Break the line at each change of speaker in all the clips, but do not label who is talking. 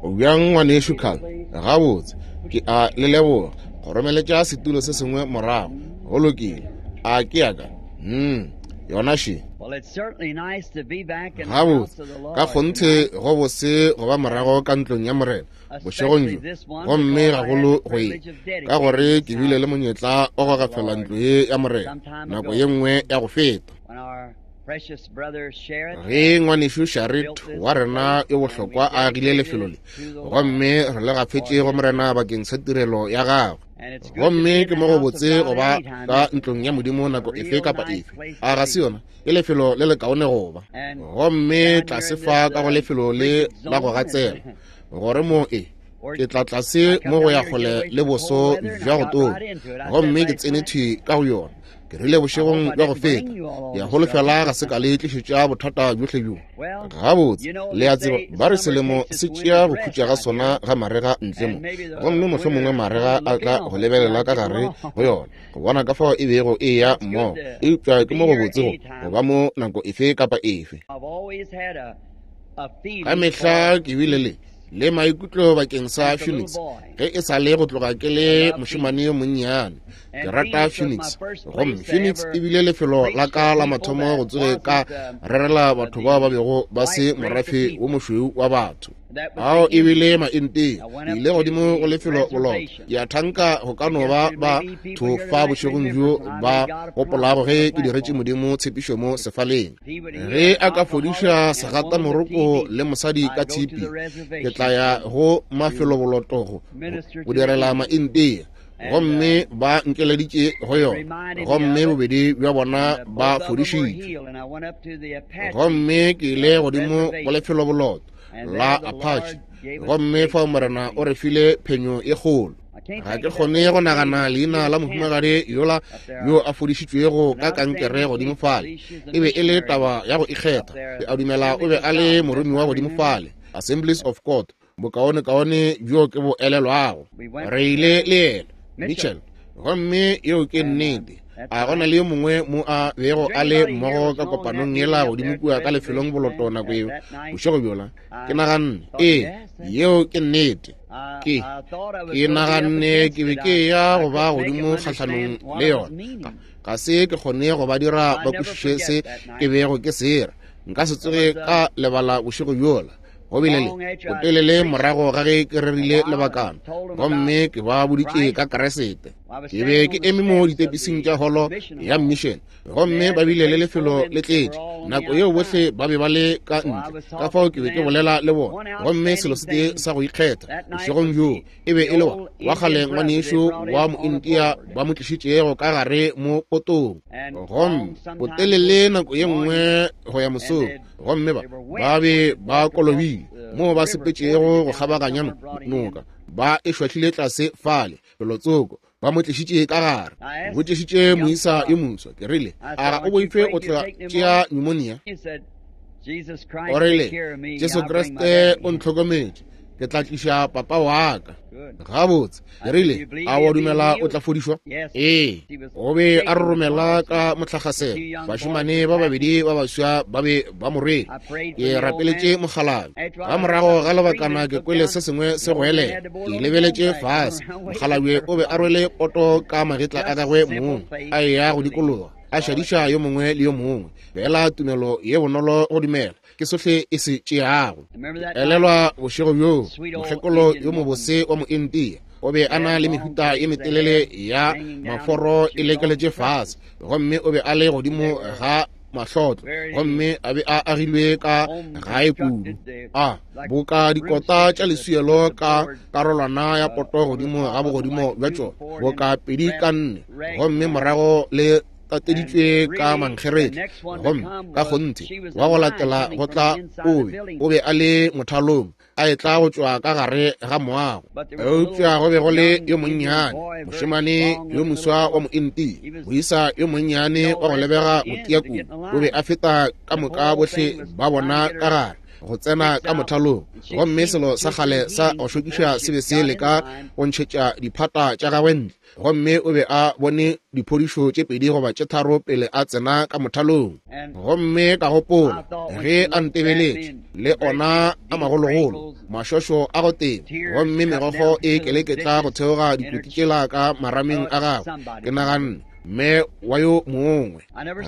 O bjang, Ngwanešu Carl? Gabotse, ke a le leboga. Kgoromeletša setulo se sengwe morago. Go lokile. A ke ya ka? Mm, yona še. Gabotse, ka kgonthe go bose go ba morago ka ntlong ya Morena bošegong bjo, gomme gagolo go ye, ka gore ke bile le monyetla wa go gafela ntlo ye ya Morena nako ye nngwe ya go feta. Ge ngwanešu Sharrit wa rena yo bohlokwa a agile lefelo le, gomme re le gafetše go Morena bakeng sa tirelo ya gagwe. Gomme ke mo go botse go ba ka ntlong ya Modimo nako efe kapa efe. A ga se yona? Ke lefelo le lekaone go ba. Gomme tlase fa ka go lefelo le la go gatsela, gore mo e ke tla tlase mo go ya kgole le boso bja go tonya, gomme ke tsene thwi ka go yona. Ke rile bošegong bja go feta, ke a holofela ga se ka le tlišetša bothata bjohle bjo. Gabotse, le a tseba, ba re selemo se tšea go khutša ga sona ga marega ntle mo, gomme mohlomongwe marega a tla go lebelela ka gare go yona, go bona ka fao e bego e eya mmogo. Eupša ke mo go botse go go ba mo nako efe kapa efe. Ka mehla ke bile le le maikutlo bakeng sa Phoenix ge e sa le go tloga ke le mošemane yo monnyane. Ke rata Phoenix, gomme Phoenix e bile lefelo la ka la mathomo go tsoge ka rerela batho bao ba bego ba se morafe wo mošweu wa batho. Ao e bile Maintia. Ke ile godimo go lefelo boloto. Ke a thanka go ka no ba batho fa bošegong bjo ba gopolago ge ke diretše Modimo tshepišo mo sefaleng. Ge a ka fodiša segatamoroko le mosadi ka tshipi, ke tla ya go mafeloboloto go direla Maintia. Gomme ba nkeleditše go yona, gomme bobedi bja bona ba fodišitšwe. Gomme ke ile godimo go lefeloboloto la Apache, gomme fao Morena o re file phenyo e kgolo. Ga ke kgone go nagana leina la mohumagadi yola yo a fodišitšwego ka kankere godimo fale. E be e le taba ya go ikgetha. Ke a dumela o be a le moromiwa godimo fale, Assemblies of God, bokaonekaone bjo ke bo elelwago. Re ile le yena, Mitchell, gomme yeo ke nnete. A go na le yo mongwe mo a bego a le mmogo ka kopanong yela godimo kua ka lefelong boloto nako yeo bošego bjola? Ke naganne, ee, yeo ke nnete. Ke, ke naganne ke be ke ya go ba godimo kgahlanong le yona. Ga se ke kgone go ba dira ba kwešiše se ke bego ke se ra. Nka se tsoge ka lebala bošego bjola. Go bile le botelele morago ga ge ke rerile lebakana, gomme ke ba boditše ka Keresete. Ke be ke eme mo ditepising tša holo ya mission, gomme ba bile le lefelo le tletše. Nako yeo bohle ba be ba le ka ntle, ka fao ke be ke bolela le bona. Gomme selo se tee sa go ikgetha bošegong bjoo e be e le wa wa kgale ngwanešu wa Moindia ba mo tlišitšego ka gare mo potong. Gomme botelele nako ye nngwe go ya mosong, gomme ba ba be ba kolobile moo ba sepetšego go kgabaganya noka, ba e šwahlile tlase fale felotsoko, ba mo tlišitše ka gare. Botšišitše moisa yo moswa, ke rile, a ga o boife o tla tšea pneumonia? O rile, Jesu Kriste o ntlhokometše, ke tla tliša papa wa ka. Gabotse, ke rile, a wa dumela o tla fodišwa? Ee. O be a roromela ka motlakgaselo. Bašemane ba babedi ba baswa ba be ba mo rwele. Ke rapeletše mokgalabje. Ka morago ga lebakana ke kwele se sengwe se goelela. Ke lebeletše fase. Mokgalabje o be a rwele poto ka magetla a gagwe mong, a eya go dikologa, a šadiša yo mongwe le yo mongwe. Fela tumelo ye bonolo go dumela ke sohle e se tšeago. Elelwa bošego bjoo, mokgekolo yo mobose wa Moindia o be a na le mehuta ye metelele ya maforo e lekeletše fase, gomme o be a le godimo ga mahlotlo, gomme a be a agilwe ka gae kudu, a boka dikota tša leswielo ka karolwana ya poto godimo ga bogodimo bja tšona, boka 2 ka 4, gomme morago le tateditšwe ka mankgeretla. Gomme ka kgonthe wa go latela go tla o be a le mothalong, a etla go tšwa ka gare ga moago. Eupša go be go le yo monnyane, mošemane yo moswa wa Mointia, moisa yo monnyane wa go lebega go tia kudu, o be a feta ka moka bohle ba bona ka gare. go tsena ka mothalong. Gomme selo sa kgale sa go šokiša se be se leka go ntšhetša diphata tša gagwe ntle. Gomme o be a bone diphodišo tše 2 goba tše 3 pele a tsena ka mothalong. Gomme ka gopola ge a ntebeletše, le ona a magologolo, mašošo a go teba, gomme megokgo e keleketla go theoga dikoti tšela ka marameng a gagwe, ke naganne, mme wa yo mongwe.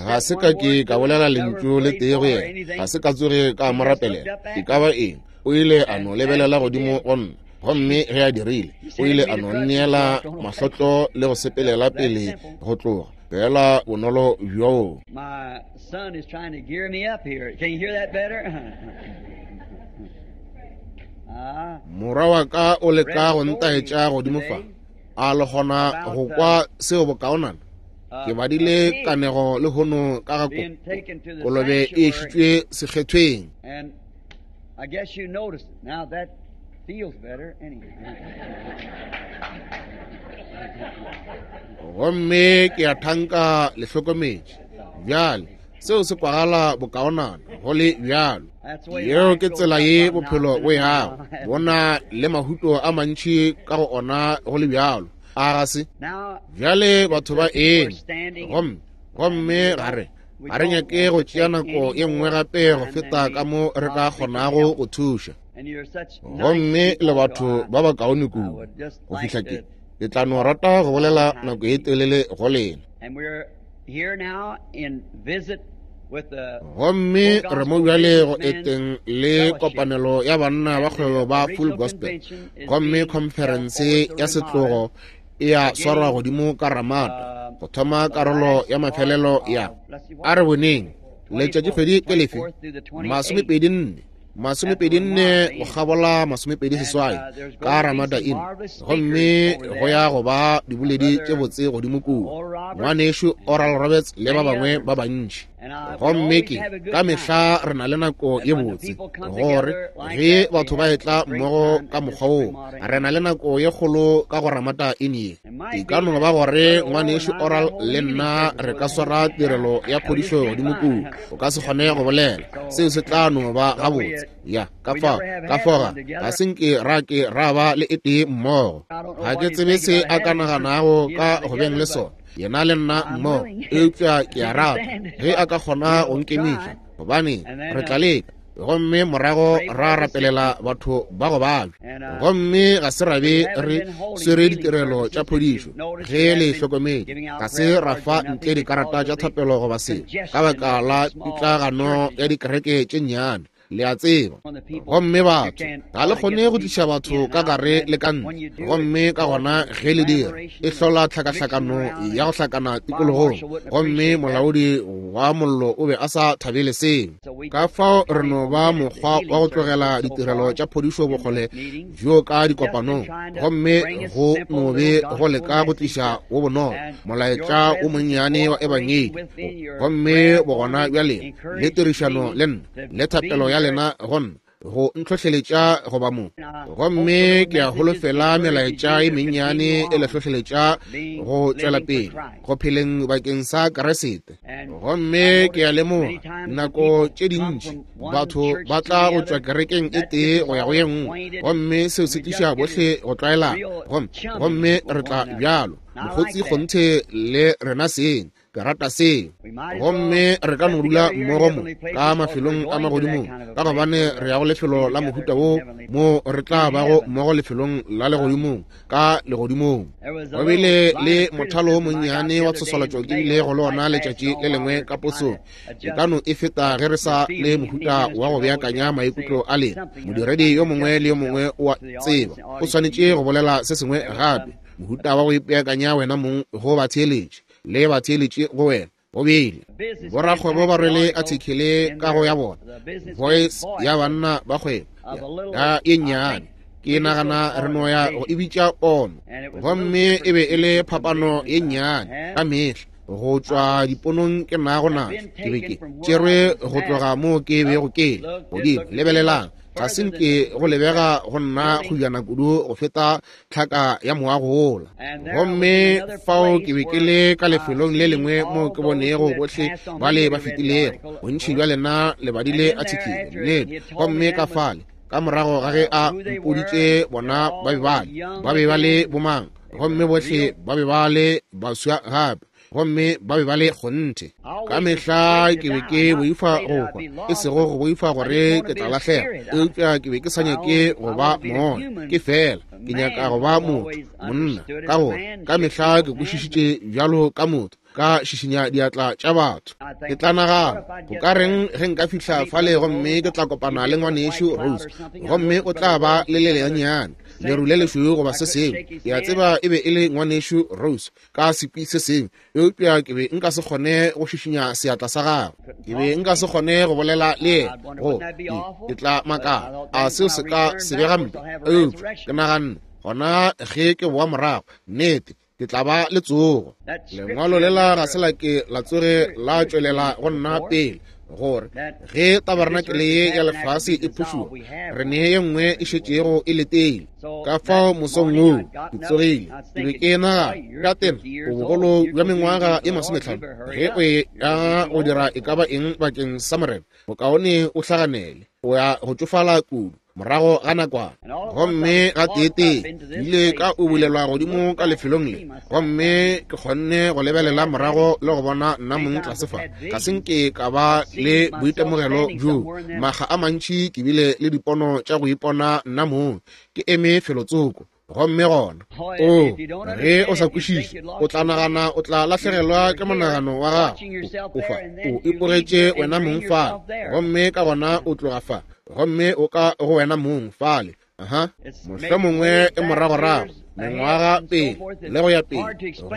Ga se ka ke ka bolela lentšu le tee go yena, ga se ka tsoge ka mo rapelela e ka ba eng. O ile a no lebelela godimo go nna, gomme ge a dirile, o ile a no nneela mahlotlo le go sepelela pele go tloga, fela bonolo bjoo.
My son is trying to gear me up here. Can you hear that better?
Morwa wa ka o leka go ntaetša godimo fa. A le kgona go kwa seo bokaonana? Ke badile kanego le hono ka ga kolobe e išitšwe sekgethweng.
And I guess you noticed it. Now that feels better anyway.
Gomme ke a thanka le hlokometše. Bjale, seo se kwagala bokaonana go le bjalo. Yeo ke tsela ye bophelo bo yago, bona le mahuto a mantši ka go ona go le bjalo. A ga se? Bjale batho ba eme, gomme ga re ga re nyake go tšea nako ye nngwe gape go feta ka mo re ka kgonago go thuša. Gomme le batho ba bakaone kudu go fihla ke ke tla no rata go bolela nako e telele go lena. Gomme re mo bjale go eteng le kopanelo ya banna ba kgwebo ba Full Gospel, gomme khonferense ya setlogo e ya swarwa godimo ka Ramada go thoma karolo ya mafelelo ya a re boneng letšatšikgwedi ke lefe 24 24 go kgabola 28 ka Ramada Inn. Gomme go ya go ba diboledi tše botse godimo kua, ngwanešu Oral Roberts le ba bangwe ba bantši. Gomme ke ka mehla re na le nako ye botse gore ge batho ba etla mmogo ka mokgwa woo, re na le nako ye kgolo ka go Ramada Inn ye. E ka no ba gore ngwanešu Oral le nna re ka swara tirelo ya phodišo godimo kua. O ka se kgone go bolela, seo se tla no ba gabotse. Ya, ka fao, ka fao ga se nke ra ke ra ba le e tee mmogo. Ga ke tsebe se a ka naganago ka go beng le sona, yena le nna mmogo, eupša ke a rata ge a ka kgona go nkemiša, gobane re tla leka. Gomme morago ra rapelela batho ba go babja. Gomme ga se ra be re swere ditirelo tša phodišo, ge le hlokometše, ga se ra fa ntle dikarata tša thapelo goba selo, ka baka la pitlagano ya dikereke tše nnyane, le a tseba. Gomme batho ga le kgone go tliša batho ka gare le ka ntle, gomme ka gona ge le dira, e hlola tlhakahlakano ya go hlakana tikologong. Gomme molaodi wa mollo o be a sa thabele seo. Ka fao re no ba mokgwa wa go tlogela ditirelo tša phodišo bokgole bjo ka dikopanong, gomme go no be go leka go tliša wo bonolo molaetša wo monnyane wa ebangedi. Gomme bogona bja lena le tirišano le nna le thapelo ya lena go nna go ntlhohleletša go ba mo. Gomme ke a holofela melaetša e mennyane e le hlohleletša go tšwela pele go pheleng bakeng sa Keresete. Gomme ke a lemoga nako tše dintši batho ba tla go tšwa kerekeng e tee go ya go ye nngwe, gomme seo se tliša bohle go tlwaelana, gomme re tla bjalo mokgotsi kgonthe le rena seng. Ke rata seo. Gomme re ka no dula mmogo mo ka mafelong a magodimong, ka gobane re ya go lefelo la mohuta wo mo re tla bago mmogo lefelong la legodimong, ka legodimong. Go bile le mothalo wo monnyane wa tshoswalatšo ke bilego le ona letšatši le lengwe ka posong. E ka no e feta ge re sa le mohuta wa go beakanya maikutlo a lena. Modiredi yo mongwe le yo mongwe o a tseba o swanetše go bolela se sengwe gape, mohuta wa go ipeakanya wena mong go batheeletši le batheeletše go wena. Go bile borakgwebo ba rwele athikele ka go ya bona Voice ya banna ba kgwebo ya e nnyane, ke nagana re no ya go e bitša pono. Gomme e be e le phapano ye nnyane ka mehla go tšwa diponong ke nago natšo. Ke be ke tšerwe go tloga moo ke bego ke le godimo. Lebelelang. Ga se nke go lebega go nna kgojana kudu go feta tlhaka ya moago wola. Gomme fao ke be ke le ka lefelong le lengwe moo ke bonego bohle bale ba fetilego. Bontši bja lena le badile athikele, nnete. Gomme ka fale, ka morago ga ge a mpoditše bona ba be ba le, ba be ba le bomang, gomme bohle ba be ba le baswa gape, gomme ba be ba le kgonthe. Ka mehla ke be ke boifa go hwa, e sego go boifa gore ke tla lahlega, eupša ke be ke sa nyake go ba moya, ke fela ke nyaka go ba motho, monna, ka gore ka mehla ke kwešišitše bjalo ka motho, ka šišinya diatla tša batho. Ke tla nagana, go ka reng ge nka fihla fale gomme ke tla kopana le ngwanešu Rose, gomme o tla ba le leleanyane, leru le lešweu goba se sengwe. Ke a tseba e be e le ngwanešu Rose ka sekwi se sengwe, eupša ke be nka se kgone go šišinya seatla sa gagwe. Ke be nka se kgone go bolela le yena. Go, ke tla makala, a seo se ka se be gampe? Eupša ke naganne, gona ge ke boa morago, nnete, ke tla ba le tsogo. Lengwalo lela ga se la ke la tsoge la tšwelela go nna pele, gore ge tabarenakele ye ya lefase e phušuwa, re ne ye nngwe e šetšego e letile. Ka fao mosong woo ke tsogile, ke be ke nagana, ka tena o bogolo bja mengwaga ye 50, ge o ya go dira e ka ba eng bakeng sa Morena, bokaone o hlaganele, o ya go tšofala kudu morago ga nakwana. Gomme ga teetee ke ile ka ubulelwa godimo ka lefelong le, gomme ke kgonne go lebelela morago le go bona nna mong tlase fa. Ga se nke ka ba le boitemogelo bjoo. Makga a mantši ke bile le dipono tša go ipona nna mong ke eme felotsoko. Gomme gona, o, ge o sa kwešiše, o tla nagana o tla lahlegelwa ke monagano wa gago. O fa, o ipogetše wena mong fale, gomme ka gona o tloga fa, gomme o ka go wena mong fale. Aha, mohlomongwe e moragorago, mengwaga pele, le go ya pele,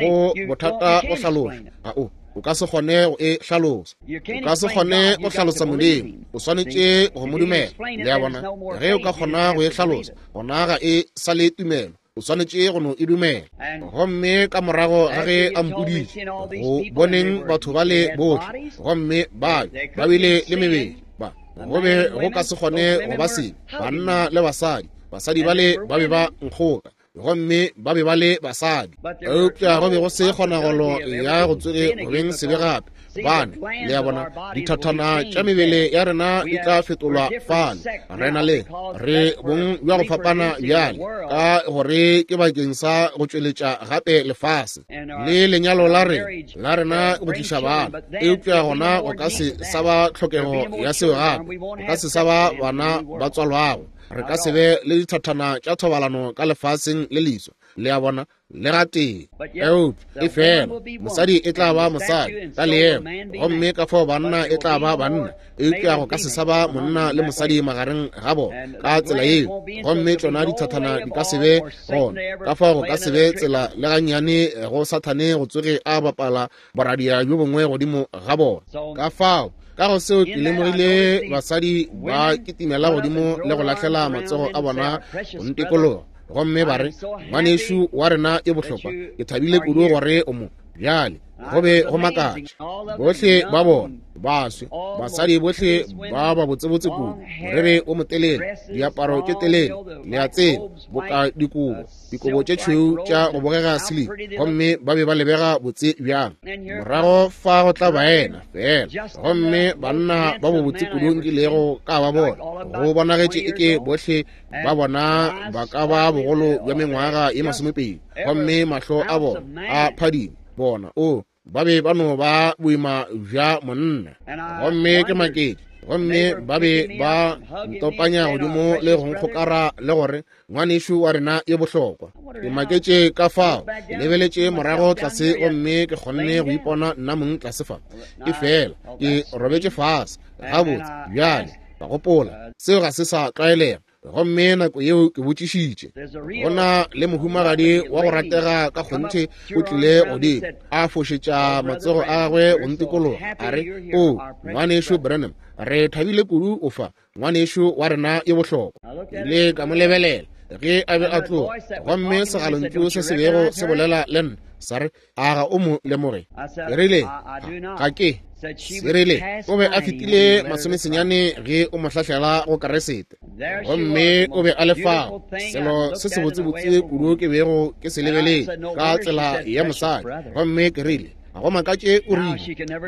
go bothata go hlaloša. Ga o, o ka se kgone go e hlalosa. O ka se kgone go hlalosa Modimo, o swanetše go mo dumela. Le a bona? Ge o ka kgona go e hlalosa, gona ga e sa le tumelo, o swanetše go no e dumela. Gomme ka morago ga ge a mpoditše, go boneng batho bale bohle, gomme ba ba bile le mebele, ba go be go ka se kgone go ba sebe, banna le basadi, basadi bale ba be ba nkgoka, gomme ba be ba le basadi, eupša go be go se kgonagalo ya go tsoge go beng sebe gape, gobane, le a bona, dithathana tša mebele ya rena di tla fetolwa fale. Re na le, re bong bja go fapana bjale, ka gore ke bakeng sa go tšweletša gape lefase le lenyalo la rena, la rena go tliša bana, eupša gona go ka se sa ba tlhokego ya seo gape, go ka se sa ba bana ba tswalwago. Re ka se be le dithathana tša thobalano ka lefaseng le leswa, le a bona, le gatee. Eupša e fela mosadi e tla ba mosadi ka leemo, gomme ka fao banna e tla ba banna, eupša go ka se sa ba monna le mosadi magareng ga bona ka tsela yeo, gomme tšona dithathana di ka se be gona. Ka fao go ka se be tsela le gannyane go Sathane go tsoge a bapala boradia bjo bongwe godimo ga bona. Ka fao ka go seo ke lemogile basadi ba kitimela godimo le go lahlela matsogo a bona go ntikologa, gomme ba re, Ngwanešu wa rena yo bohlokwa, ke thabile kudu gore o mo. Bjale go be go makatša, bohle ba bona baswe, basadi bohle ba ba botsebotse kudu, moriri o motelele, diaparo tše telele, le a tseba, boka dikobo, dikobo tše tšhweu tša go bogega silika, gomme ba be ba lebega botse bjang. Morago fa go tla baena fela, gomme banna ba bobotse kudu nkilego ka ba bona, go bonagetše eke bohle ba bona ba ka ba bogolo bja mengwaga ye 20, gomme mahlo a bona a phadima, bona, o, ba be ba no ba boima bja monna. Gomme ke maketše, gomme ba be ba ntopanya godimo le go nkgokara le gore, Ngwanešu wa rena yo bohlokwa. Ke maketše ka fao, ke lebeletše morago tlase gomme ke kgonne go ipona nna mong tlase fa, e fela ke robetše fase gabotse. Bjale ka gopola, seo ga se sa tlwaelega. Gomme nako yeo ke botšišitše, go na le mohumagadi wa go ratega ka kgonthe o tlile godimo, a fošetša matsogo a gagwe go ntikologa, a re, O, Ngwanešu Branham, re thabile kudu o fa, ngwanešu wa rena yo bohlokwa. Ke ile ka mo lebelela ge a be a tloga, gomme segalontšu se se bego se bolela le nna sa re, A ga o mo lemoge? Ke rile, Ga ke. Se rile, O be a fetile 90 ge o mo hlahlela go Keresete. Gomme o be a le fao, selo se sebotsebotse kudu ke bego ke se lebeletše ka tsela ya mosadi. Gomme ke rile, ga go makatše o rile,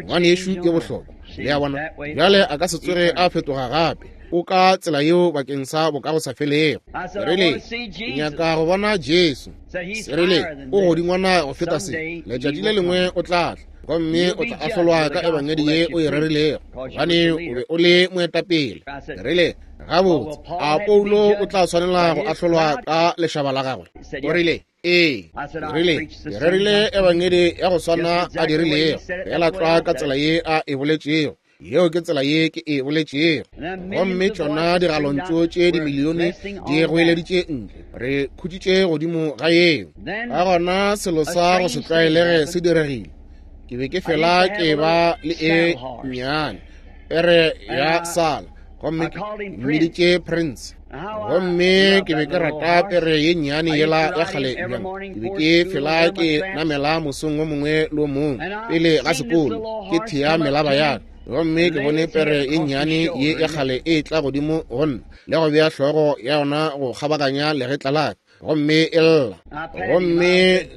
ngwanešu yo bohlokwa. Le a bona, bjale a ka se tsoge a fetoga gape. O ka tsela yeo bakeng sa bokagosafelego. Ke rile, ke nyaka go bona Jesu. Se rile, o godingwana go feta se. Letšatši le lengwe o tla tla, gomme o tla ahlolwa ka ebangedi ye o e rerilego, gobane o be o le moetapele. Ke rile, gabotse, a Paulo o tla swanela go ahlolwa ka lešaba la gagwe? O rile, ee. Ke rile, ke rerile ebangedi ya go swana a dirilego, feela tlwa ka tsela ye a e boletšego. Yeo ke tsela ye ke e boletšego. Gomme tšona digalontšu tše dimilione di goeleditše ntle. Re khutšitše godimo ga yeo. Ka gona selo sa go se tlwaelege se diregile. Ke be ke fela ke ba le e nnyane pere ya sala, gomme ke mmiditše Prince. Gomme ke be ke rata pere ye nnyane yela ya kgale bjang. Ke be ke fela ke namela mosong wo mongwe le wo mongwe pele ga sekolo, ke thea melaba ya ka. Gomme ke bone pere ye nnyane ye ya kgale e tla godimo go nna le go bea hlogo ya yona go kgabaganya legetla la ka, gomme e lla. Gomme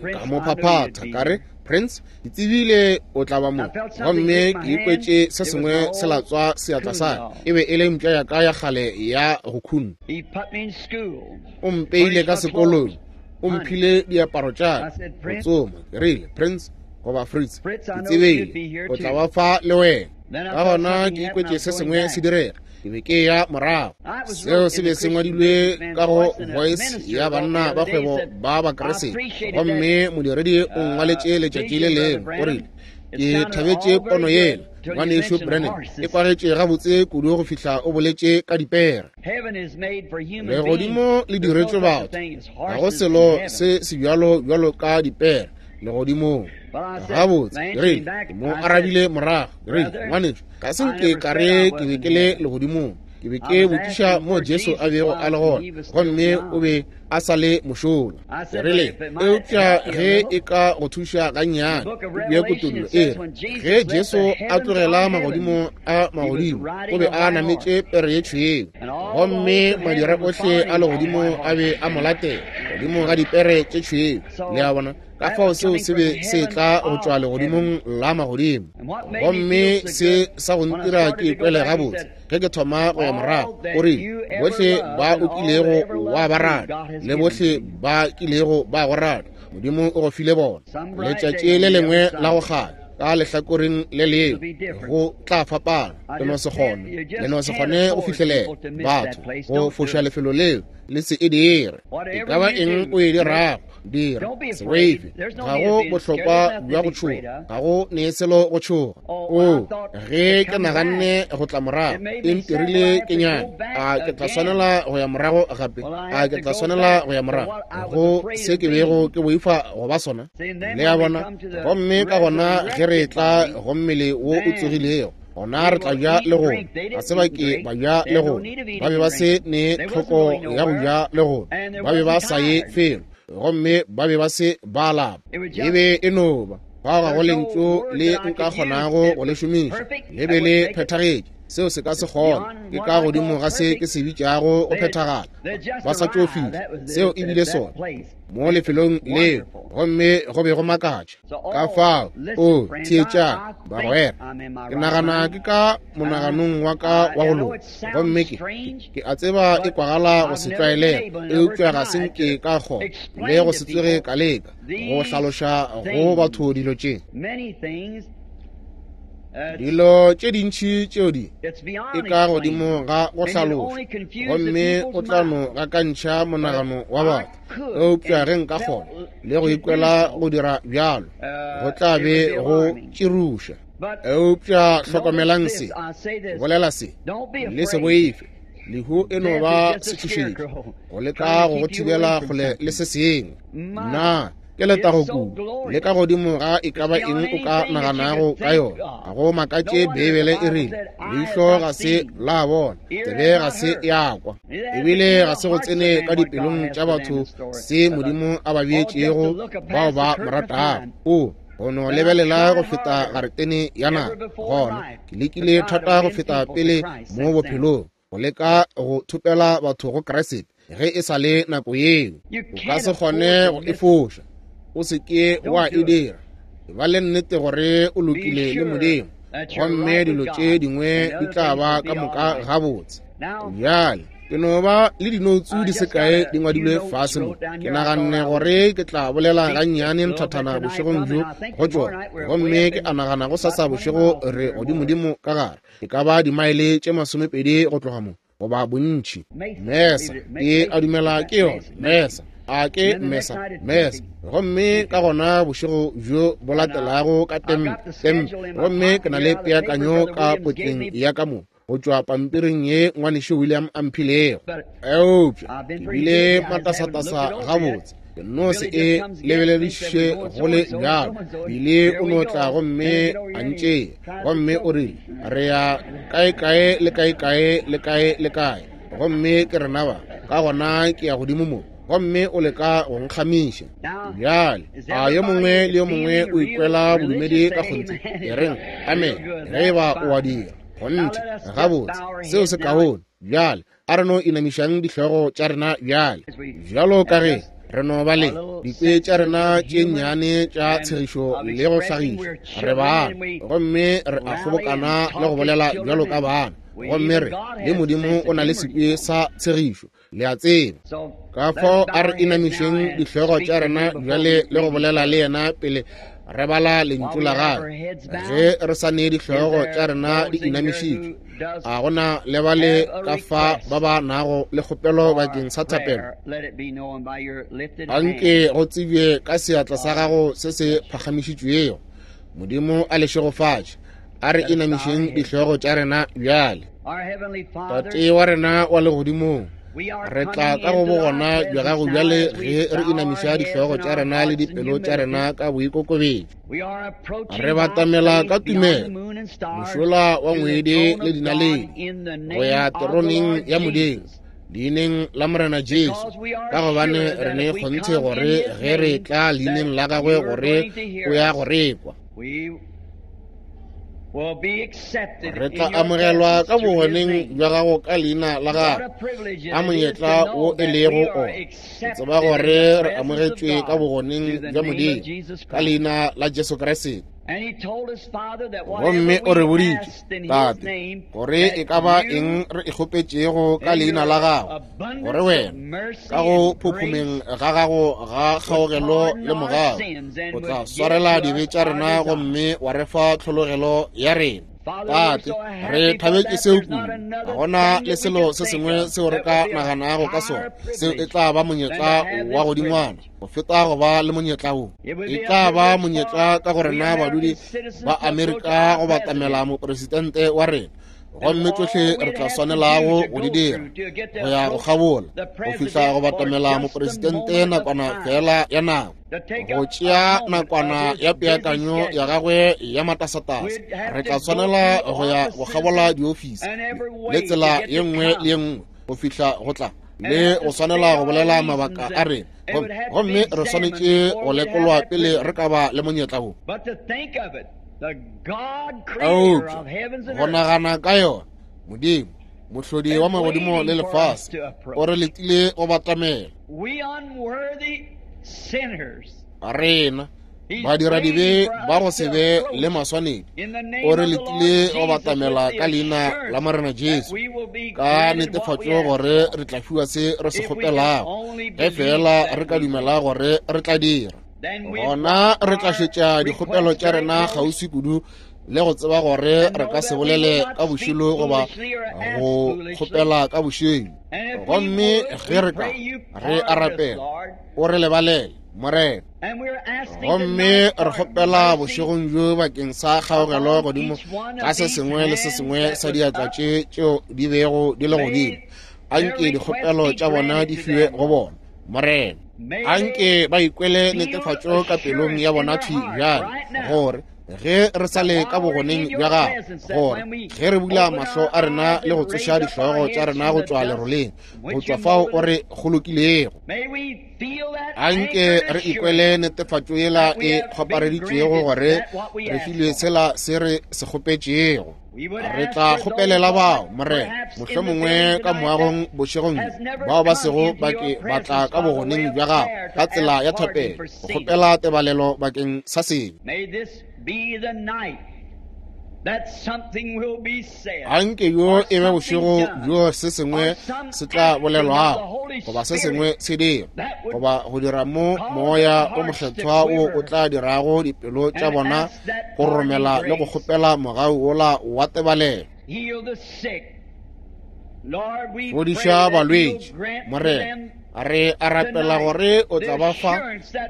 ka mo phaphatha, ka re, Prince, ke tsebile o tla ba mo. Gomme ke ikwetše se sengwe se latswa seatla sa ka. E be e le mpša ya ka ya kgale ya go khuna. O mpeile ka sekolong, o mphile diaparo tša ka go tsoma. Ke rile, Prince, goba Fritz, ke tsebile o tla ba fa le wena. Ka gona ke ikwetše se sengwe se direga. Ke be ke ya morago. Seo se be se ngwadilwe ka go Voice ya banna ba kgwebo ba Bakriste. Gomme modiredi o ngwaletše letšatši le lengwe, o rile, ke thabetše pono yela, ngwanešu Branham, e kwagetše gabotse kudu go fihla o boletše ka dipere. Legodimo le diretšwe batho, ga go selo se sebjalo bjalo ka dipere legodimong. Gabotse, ke rile, ke mo arabile morago, ke rile, ngwanešu, ga se nke ka re ke be ke le legodimong. Ke be ke botšiša mo Jesu a bego a le gona, gomme o be a sa le mošola. Ke rile, eupša ge e ka go thuša gannyane, puku ya Kutollo e re, ge Jesu a tlogela magodimo a magodimo, o be a nametše pere ye tšhweu, gomme madira ohle a legodimo a be a mo latela godimo ga dipere tše tšhweu. Le a bona? Ka fao seo se be se tla go tšwa legodimong la magodimo. Gomme se sa go ntira ke ikwele gabotse ge ke thoma go ya morago, o rile, bohle ba o kilego wa ba rata le bohle ba kilego ba go rata, Modimo o go file bona. Letšatši le lengwe la go kganya ka lehlakoreng le lengwe go tla fapana. Le no se kgone, le no se kgone go fihlelela batho go foša lefelo leo, le se e dire. E ka ba eng o e dirago, dira, se boife. Ga go bohlokwa bja go tšhoga, ga go ne selo go tšhoga. O, ge ke naganne go tla morago, e ntirile ke nyane. A ke tla swanela go ya morago gape? A ke tla swanela go ya morago go se ke bego ke boifa go ba sona? Le a bona? Gomme ka gona ge re tla go mmele wo o tsogilego, gona re tla ja le gona. Ga se ba ke ba ja le gona. Ba be ba se ne tlhoko ya go ja le gona. Ba be ba sa ye felo, gomme ba be ba se ba lapa. E be e no ba fao ga go lentšu le nka kgonago go le šomiša. Le be le phethagetše. Seo se ka se kgone. Ke ka godimo ga se ke se bitšago go phethagala. Ba sa tšo fihla. Seo e bile sona mo lefelong leo, gomme go be go makatša. Ka fao, o theetšang, bagwera, ke nagana ke ka monaganong wa ka wa go loka, gomme ke ke a tseba e kwagala go se tlwaelege, eupša ga se nke ka kgona le go se tsoge ka leka go hlaloša go batho dilo tše. Dilo tše dintši tšeo di e ka godimo ga go hlaloša, gomme o tla no gakantšha monagano wa batho. Eupša ge nka kgona le go ikwela go dira bjalo, go tla be go tširuša. Eupša hlokomelang se, bolela se, le se boife. Lehu e no ba setšhošetši go leka go go thibela kgole le se sengwe. Na ke letago kudu le ka godimo ga e ka ba eng o ka naganago ka yona. Ga go makatše Beibele e rile, leihlo ga se la bona, tsebe ga se ya kwa, ebile ga se go tsene ka dipelong tša batho se Modimo a ba beetšego bao ba mo ratago. O go no lebelela go feta garetene ya naga. Gona ke lekile thata go feta pele mo bophelong. go leka go thopela batho go Kriste ge e sa le nako yeo. O ka se kgone go e foša. O se ke wa e dira. Ba le nnete gore o lokile le Modimo, gomme dilo tše dingwe di tla ba ka moka gabotse. Bjale ke no ba le dinoutsu di se kae di ngwadilwe fase mo. Ke naganne gore ke tla bolela gannyane nthathana bošegong bjo go tšona, gomme ke a nagana go sasa bošego re godimodimo ka gare, e ka ba dimaele tše 20 go tloga mo, goba bontši. Mesa, ke a dumela ke yona Mesa. A ke Mesa, Mesa. Gomme ka gona bošego bjo bo latelago ka Tempe, Tempe. Gomme ke na le peakanyo ka potleng ya ka mo, go tšwa pampiring ye ngwanešu William a mphilego. Eupša ke bile matasatasa gabotse, ke no se e lebelediše go le bjalo. Bile o no tla gomme a ntšea, gomme o rile, re ya kae-kae le kae-kae le kae le kae, gomme ke rena ba. Ka gona ke ya godimo mo, gomme o leka go nkgamiša. Bjale a yo mongwe le yo mongwe o ikwela bodumedi ka kgonthe? E reng amen ge e ba o a dira. Kgonthe, gabotse, seo se kaone. Bjale a re no inamišang dihlogo tša rena bjale, bjalo ka ge re no ba le dikwe tša rena tše nnyane tša tshegišo le go hlagiša. Re bana, gomme re a kgobokana le go bolela bjalo ka bana, gomme re le Modimo o na le sekwe sa tshegišo, le a tseba. Ka fao a re inamišeng dihlogo tša rena bjale le go bolela le yena pele re bala lentšu la gagwe. Ge re sa ne dihlogo tša rena di inamišitšwe, a gona le ba le ka fa ba ba nago le kgopelo bakeng sa thapelo? Anke go tsebje ka seatla sa gago se se phagamišitšwego. Modimo a le šegofatše. A re inamišeng dihlogo tša rena bjale. Tate wa rena wa legodimong, re tla ka go bogona bja gago bjale ge re inamiša dihlogo tša rena le dipelo tša rena ka boikokobetšo. Re batamela ka tumelo mošola wa ngwedi le dinaledi go ya teroneng ya Modimo, leineng la Morena Jesu, ka gobane re ne kgonthe gore ge re tla leineng la gagwe gore o ya go re kwa. Re tla amogelwa ka bogoneng bja gago ka leina la gago. A monyetla wo e lego ona, ke tseba gore re amogetšwe ka bogoneng bja Modimo ka leina la Jesu Kriste. Gomme o re boditše, Tate, gore e ka ba eng re e kgopetšego ka leina la gago, gore wena ka go phophomeng ga gago ga kgaogelo le mogau o tla swarela dibe tša rena gomme wa re fa tlhologelo ya rena. Tate, re thabetše seo kudu. Ga gona le selo se sengwe seo re ka naganago ka sona seo e tla ba monyetla wa godingwana go feta go ba le monyetla wo. E tla ba monyetla ka go rena badudi ba Amerika go batamela mopresidente wa rena, gomme tšohle re tla swanelago go di dira go ya go kgabola go fihla go batamela mopresidente nakwana fela ya nako, go tšea nakwana ya peakanyo ya gagwe ya matasatasa. Re tla swanela go ya go kgabola diofisi le tsela ye nngwe le ye nngwe go fihla go tla le go swanela go bolela mabaka a rena, gomme re swanetše go lekolwa pele re ka ba le monyetla wo. Eupša go nagana ka yona, Modimo mohlodi wa magodimo le lefase o re letile go batamela. Rena badiradibe ba go se be le maswanedi o re letile go batamela ka leina la Morena Jesu, ka netefatšo gore re tla fiwa se re se kgopelago, ge fela re ka dumela gore re tla dira. Gona re tla šetša dikgopelo tša rena kgauswi kudu le go tseba gore re ka se bolele ka bošilo goba go kgopela ka bošilo. Gomme ge re ka re a rapela, o re lebalele, Morena. Gomme re kgopela bošegong bjo bakeng sa kgaogelo godimo ga se sengwe le se sengwe sa diatla tše tšeo di bego di le godimo. Anke dikgopelo tša bona di fiwe go bona, Morena. Anke ba ikwele netefatšo ka pelong ya bona thwi bjale, gore ge re sa le ka bogoneng bja gago, gore ge re bula mahlo a rena le go tsoša dihlogo tša rena go tšwa leroleng, go tšwa fao o re kgolokilego, anke re ikwele netefatšo yela e kgopareditšwego gore re filwe sela se re se kgopetšego. Re tla kgopelela bao, Morena, mohlomongwe ka moagong bošegong bjo, bao ba sego ba ke ba tla ka bogoneng bja gago ka tsela ya thapelo, go kgopela tebalelo bakeng sa sebe. Anke yo e be bošego bjo se sengwe se tla bolelwago, goba se sengwe se dira, goba go dira mo Moya o Mokgethwa wo o tla dirago dipelo tša bona go romela le go kgopela mogau wola wa tebalelo. Fodiša balwetši, Morena. Re a rapela gore o tla ba fa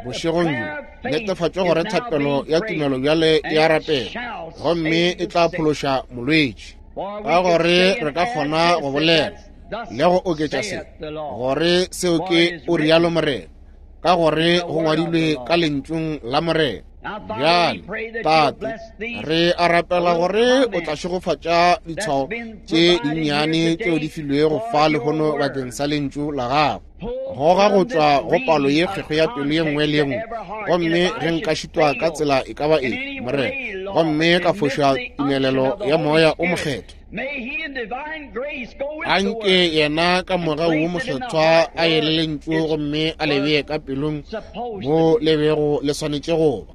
bošegong bjo netefatšo gore thapelo ya tumelo bjale e a rapela gomme e tla phološa molwetši, ka gore re ka kgona go bolela le go oketša se gore seo ke o rialo Morena, ka gore go ngwadilwe ka lentšung la Morena. Bjale, Tate, re a rapela gore o tla šegofatša ditshwao tše dinnyane tšeo di filwego fa lehono bakeng sa lentšu la gago. Goga go tšwa go palo ye kgwekgwe ya pelo ye nngwe le ye nngwe, gomme ge nka šitwa ka tsela e ka ba eng, Morena, gomme ka foša tumelelo ya Moya o Mokgethwa, anke yena ka mogau wo mokgethwa a ye le lentšu gomme a le bee ka pelong mo le bego le swanetše go ba.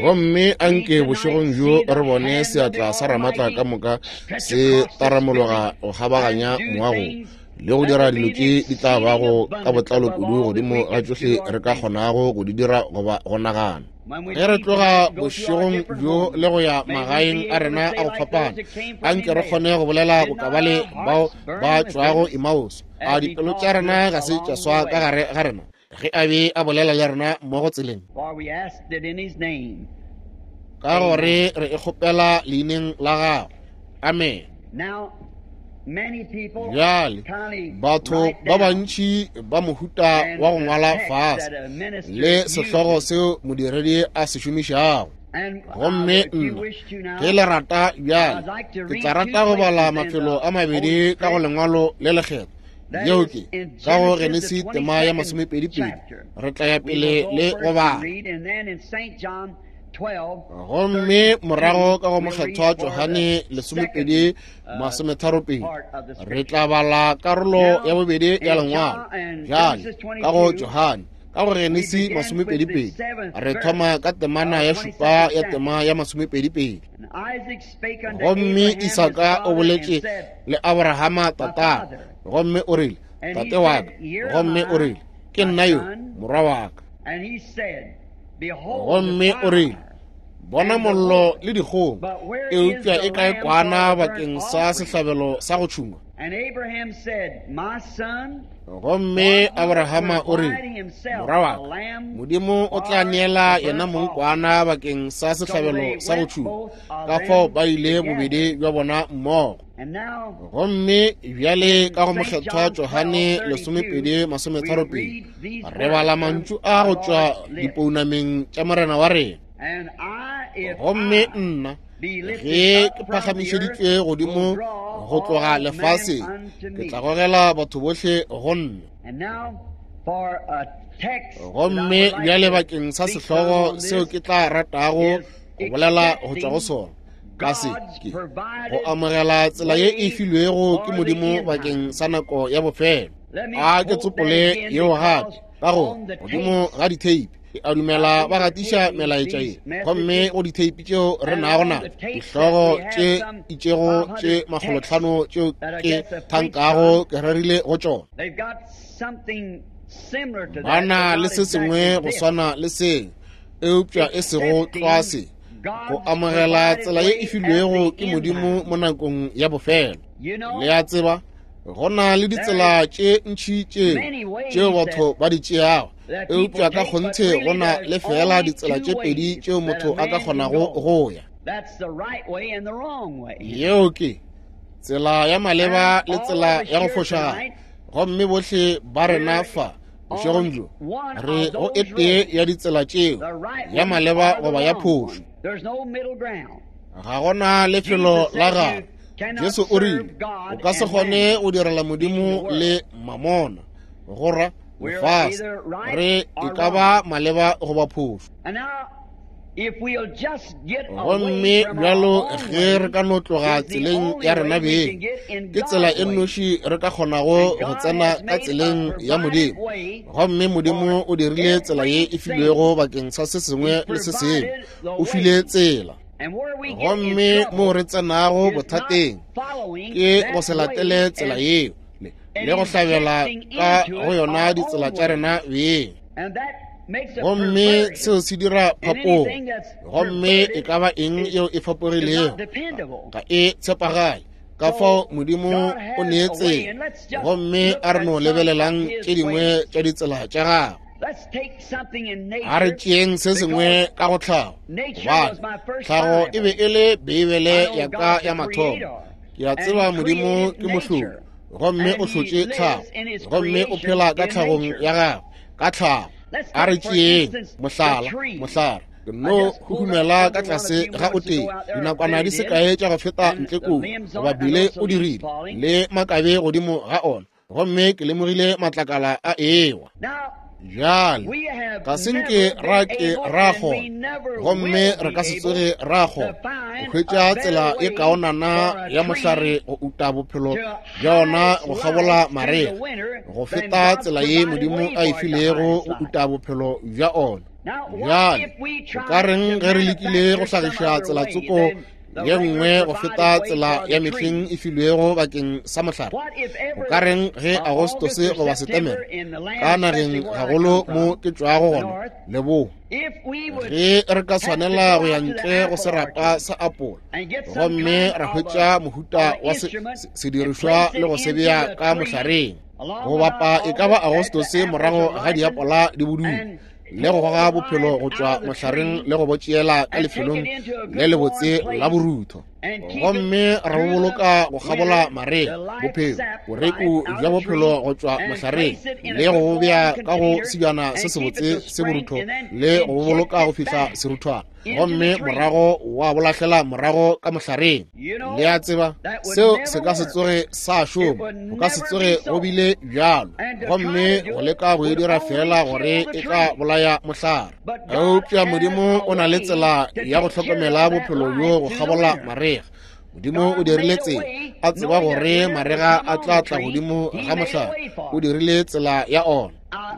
Gomme anke bošegong bjo re bone seatla sa Ramatla ka moka se taramologa go kgabaganya moago le go dira dilo tše di tla bago ka botlalo kudu godimo ga tšohle re ka kgonago go di dira goba go nagana. Ge re tloga bošegong bjo le go ya magaeng a rena a go fapana, anke re kgone go bolela bokabale bao ba tšwago Emmaus. A dipelo tša rena ga se tša swa ka gare ga rena ge a be a bolela le rena mmogo tseleng? Ka gore re e kgopela leineng la gago. Amen. Bjale, batho ba bantši ba mohuta wa go ngwala fase le sehlogo seo modiredi a se šomišago. Gomme nna, ge le rata bjale, ke tla rata go bala mafelo a mabedi ka go lengwalo le lekgethwa. Yeo ke ka go Genesi tema ya 22. Re tla ya pele le go bala. Gomme morago ka go Mokgethwa Johane 12:32 re tla bala karolo ya bobedi ya lengwalo. Bjale ka go Johane, ka go Genesi 22, re thoma ka temana ya 7 ya tema ya 22. Gomme Isaka o boletše le Abrahama tatagwe, gomme o rile, Tate wa ka. Gomme o rile, Ke nna yo, morwa wa ka. Gomme o rile, Bona mollo le dikgong, eupša e kae kwana bakeng sa sehlabelo sa go tšhungwa? Gomme Abrahama o rile, Morwa wa ka, Modimo o tla neela yena mong kwana bakeng sa sehlabelo sa go tšhungwa. Ka fao ba ile bobedi bja bona mmogo. Gomme bjale ka go Mokgethwa Johane 12:32 re bala mantšu a go tšwa dipounameng tša Morena wa rena. Gomme nna, ge ke phagamišeditšwe godimo go tloga lefaseng, ke tla gogela batho bohle go nna. Gomme bjale bakeng sa sehlogo seo ke tla ratago go bolela go tšwa go sona, ka se ke go amogela tsela ye e filwego ke Modimo bakeng sa nako ya bofelo. A ke tsopole yeo gape, ka go godimo ga ditheipi. Ke a dumela ba gatiša melaetša ye, gomme go ditheipi tšeo re nago na dihlogo tše itšego tše 500 tšeo ke thankago ke rerile go tšona. Ba na le se sengwe go swana le se, eupša e sego tlwa se, go amogela tsela ye e filwego ke Modimo mo nakong ya bofelo. Le a tseba, go na le ditsela tše ntši tšeo batho ba di tšeago, eupša ka kgonthe go na le feela ditsela tše pedi tšeo motho a ka kgonago go ya. Yeo ke tsela ya maleba le tsela ya go fošagala. Gomme bohle ba rena fa bošegong bjo re go e tee ya ditsela tšeo, ya maleba goba ya phošo. Ga gona lefelo la gare. Jesu o rile, o ka se kgone go direla Modimo le mamona, go ra lefase. Re e ka ba maleba goba phošo. Gomme bjalo ge re ka no tloga tseleng ya rena beng, ke tsela e nnoši re ka kgonago go tsena ka tseleng ya Modimo. Gomme Modimo o dirile tsela ye e filwego bakeng sa se sengwe le se sengwe. O file tsela. Gomme moo re tsenago bothateng ke go se latele tsela yeo le go hlabela ka go yona ditsela tša rena beng. Gomme seo se dira phapogo. Gomme e ka ba eng yeo e fapogilego ga e tshepagale. Ka fao Modimo o nee tsela, gomme a re no lebelelang tše dingwe tša ditsela tša gagwe. A re tšeeng se sengwe ka go tlhago, gobane tlhago e be e le Beibele ya ka ya mathomo. Ke a tseba Modimo ke mohlodi, gomme o hlotše tlhago, gomme o phela ka tlhagong ya gagwe, ka tlhago. A re tšeeng mohlala, mohlare. Ke no huhumela ka tlase ga o tee dinakwana di se kae tša go feta ntle koo, goba bile o dirile le makabe godimo ga ona, gomme ke lemogile matlakala a ewa. Bjale ga se nke ra ke ra kgona, gomme re ka se tsoge ra kgona go hwetša tsela e kaonana ya mohlare go uta bophelo bja ona go kgabola marega go feta tsela ye Modimo a e filego go uta bophelo bja ona. Bjale go ka reng ge re lekile go hlagiša tselatsoko ye nngwe go feta tsela ya mehleng e filwego bakeng sa mohlare? Go ka reng ge Agostose goba Setemere ka nageng gagolo mo ke tšwago gona leboa, ge re ka swanela go ya ntle go serapa sa apola gomme ra hwetša mohuta wa sedirišwa le go se bea ka mohlareng go bapa e ka ba Agostose morago ga diapola di bodule, le go goga bophelo go tšwa mohlareng le go bo tšeela ka lefelong le lebotse la borutho, gomme ra bo boloka go kgabola marega, bophelo boreku bja bophelo go tšwa mohlareng le go bo bea ka go sebjana se sebotse se borutho le go bo boloka go fihla seruthwana, gomme morago wa bo lahlela morago ka mohlareng. Le a tseba seo se ka se tsoge sa šoma, go ka se tsoge go bile bjalo. Gomme go leka go e dira fela gore e tla bolaya mohlare. Eupša Modimo o na le tsela ya go hlokomela bophelo bjo go kgabola marega. Modimo o dirile tsela, a tseba gore marega a tla tla godimo ga mohlare. O dirile tsela ya ona.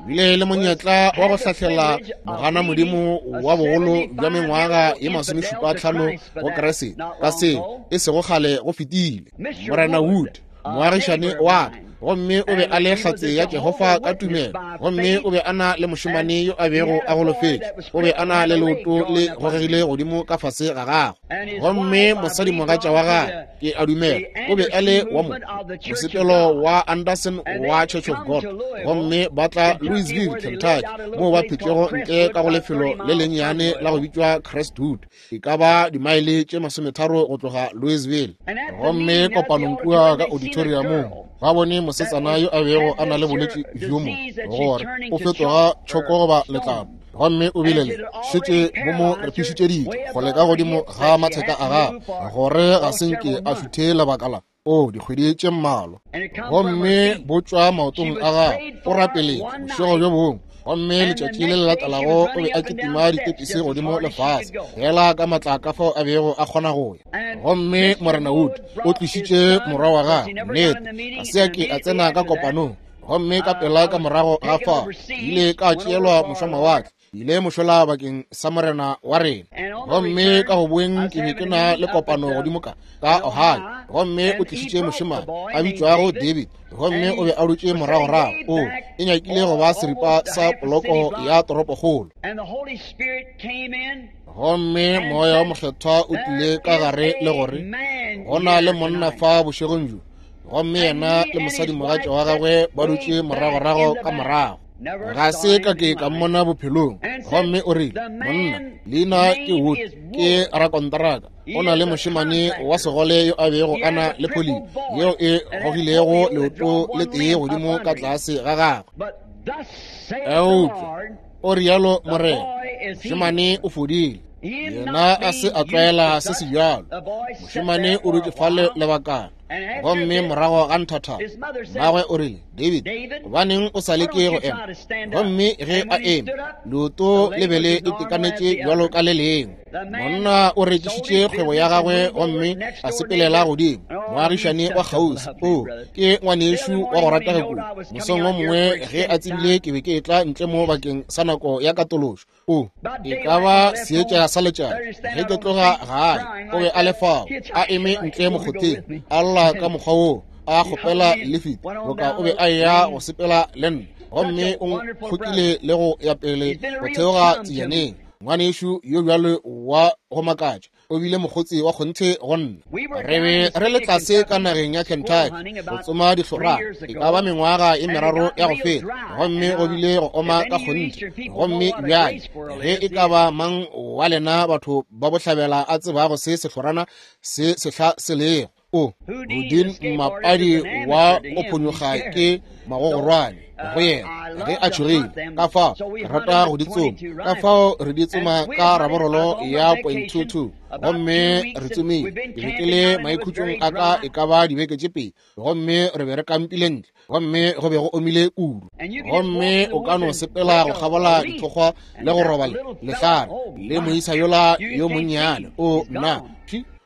Bile le monyetla wa go hlahlela mogana Modimo wa bogolo bja mengwaga ye 75 go Kriste ka se e sego kgale go fetile. Morena Wood, moagišane wa ka, gomme o be a le hlatse ya Jehofa ka tumelo, gomme o be a na le mošemane yo a bego a golofetše, o be a na le leoto le gogegile godimo ka fase ga gagwe, gomme mosadimogatša wa gagwe, ke a dumela, o be a le wa mosepelo wa Anderson wa Church of God, gomme ba tla Louisville, Kentucky, moo ba phetšego ntle ka go lefelo le lennyane la go bitšwa Crestwood, e ka ba dimaele tše 30 go tloga Louisville. Gomme kopanong kua ka auditoriumong ba bone mosetsana yo a bego a na le bolwetši bjo mo gore o fetoga tšhoko goba letlalo, gomme o bile le šetše bo mo repišitše ditho go leka godimo ga matheka a gagwe gore ga se nke a šuthe lebaka la o dikgwedi tše mmalwa, gomme bo tšwa maotong a gagwe. O rapeletše bošego bjo bongwe, gomme letšatši le le latelago o be a kitima ditepisi godimo le fase fela ka matla ka fao a bego a kgona go ya. Gomme Morena Wood o tlišitše morwa wa gagwe, nnete ga se a ke a tsena ka kopanong, gomme ka pela ka morago ga fao ile ka tšeelwa mošwamawatle, ile mošola bakeng sa Morena wa rena. Gomme ka go boeng ke be ke na le kopano godimo ka Ohio, gomme o tlišitše mošemane a bitšwago David, gomme o be a dutše moragorago, o e nyakile go ba seripa sa poloko ya toropokgolo. Gomme Moya wa Mokgethwa o tlile ka gare le gore go na le monna fa bošegong bjo, gomme yena le mosadimogatša wa gagwe ba dutše moragorago ka morago. Ga se ka ke ka mmona bophelong. Gomme o rile, monna leina ke Wood, ke rakonteraka, o na le mošemane wa segole yo a bego a na le polio yeo e gogilego leoto le tee godimo ka tlase ga gagwe. Eupša o rialo Morena, mošemane o fodile. Yena a se a tlwaela se se bjalo. Mošemane o dutše fale lebakana. Gomme morago ga nthathana, mmagwe o rile, David, gobaneng o sa leke go ema? Gomme ge a eme, leoto le be le itekanetše bjalo ka le lengwe. Monna o rekišitše kgwebo ya gagwe gomme a sepelela godimo, moagišane wa kgauswi. O, ke ngwanešu wa go ratega kudu. Mosong wo mongwe ge a tsebile ke be ke etla ntle mo bakeng sa nako ya katološo, o e ka ba seetša sa letšatši ge ke tloga gae, o be a le fao a eme ntle mokgotheng a lla ka mokgwa woo, a kgopela lifiti boka o be a eya go sepela le nna, gomme o nkgokile le go ya pele go theoga tsejaneng. Ngwanešu yo bjalo wa go makatša, o bile mokgotsi wa kgonthe go nna. Re be re le tlase ka nageng ya Kentucky go tsoma dihlorana e ka ba mengwaga e meraro ya go feta, gomme go bile go oma ka kgonthe. Gomme bjale ge e ka ba mang wa lena batho ba bohlabela a tsebago se sehlorana se sehla se lego, o Houdin mmapadi wa go phonyokga ke magogorwane go yena ge a tšhogile. Ka fao ke rata go di tsoma, ka fao re di tsoma ka raborolo ya 0.22, gomme re tsomile. Ke be ke le maikhutšong a ka e ka ba dibeke tše pedi, gomme re be re kampile ntle, gomme go be go omile kudu, gomme o ka no sepela go kgabola dithokgwa le go roba lehlare le moisa yola yo monnyane. O nna,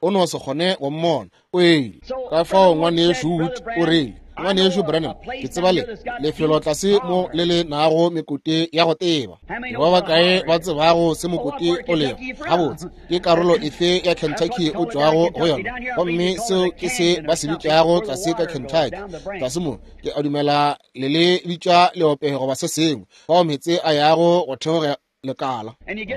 o no se kgone go mmona, o ile. Ka fao ngwanešu Wood o rile, Ngwanešu Branham, ke tseba le lefelo tlase mo le le nago mekote ya go teba. Ke ba bakae ba tsebago se mokote o lego? Gabotse, ke karolo efe ya Kentucky o tšwago go yona? Gomme seo ke se ba se bitšago tlase ka Kentucky. Tlase mo, ke a dumela le le bitša leope goba se sengwe, fao meetse a yago go theoga lekala,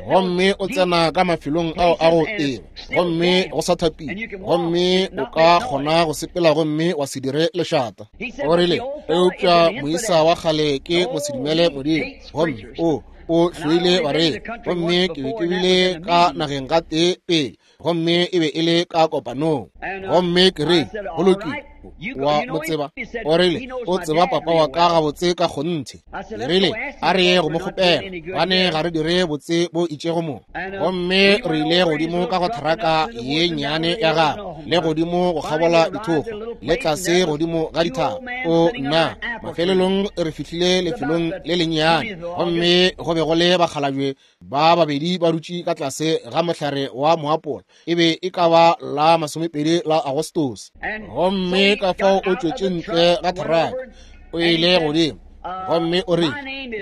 gomme o tsena ka mafelong ao a go teba, gomme go sa thapile, gomme o ka kgona go sepela gomme wa se dire lešata. O rile, eupša moisa wa kgale ke mosedumele Modimo, gomme o o hloile bareri. Gomme ke be ke bile ka nageng ga tee pele, gomme e be e le ka kopanong, gomme ke re, go lokile, wa mo tseba? O rile, o tseba papa wa ka gabotse ka kgonthe. Ke rile, a re ye go mo kgopela, gobane ga re dire botse bo itšego mo. Gomme re ile godimo ka go theraka ye nnyane ya gagwe, le godimo go kgabola dithokgwa, le tlase godimo ga dithaba. O nna, mafelelong re fihlile lefelong le lennyane, gomme go be go le bakgalabje ba babedi ba dutše ka tlase ga mohlare wa moapola. E be e ka ba la 20 la Agostose. Gomme ka fao o tšwetše ntle ga theraka, o ile godimo, gomme o rile,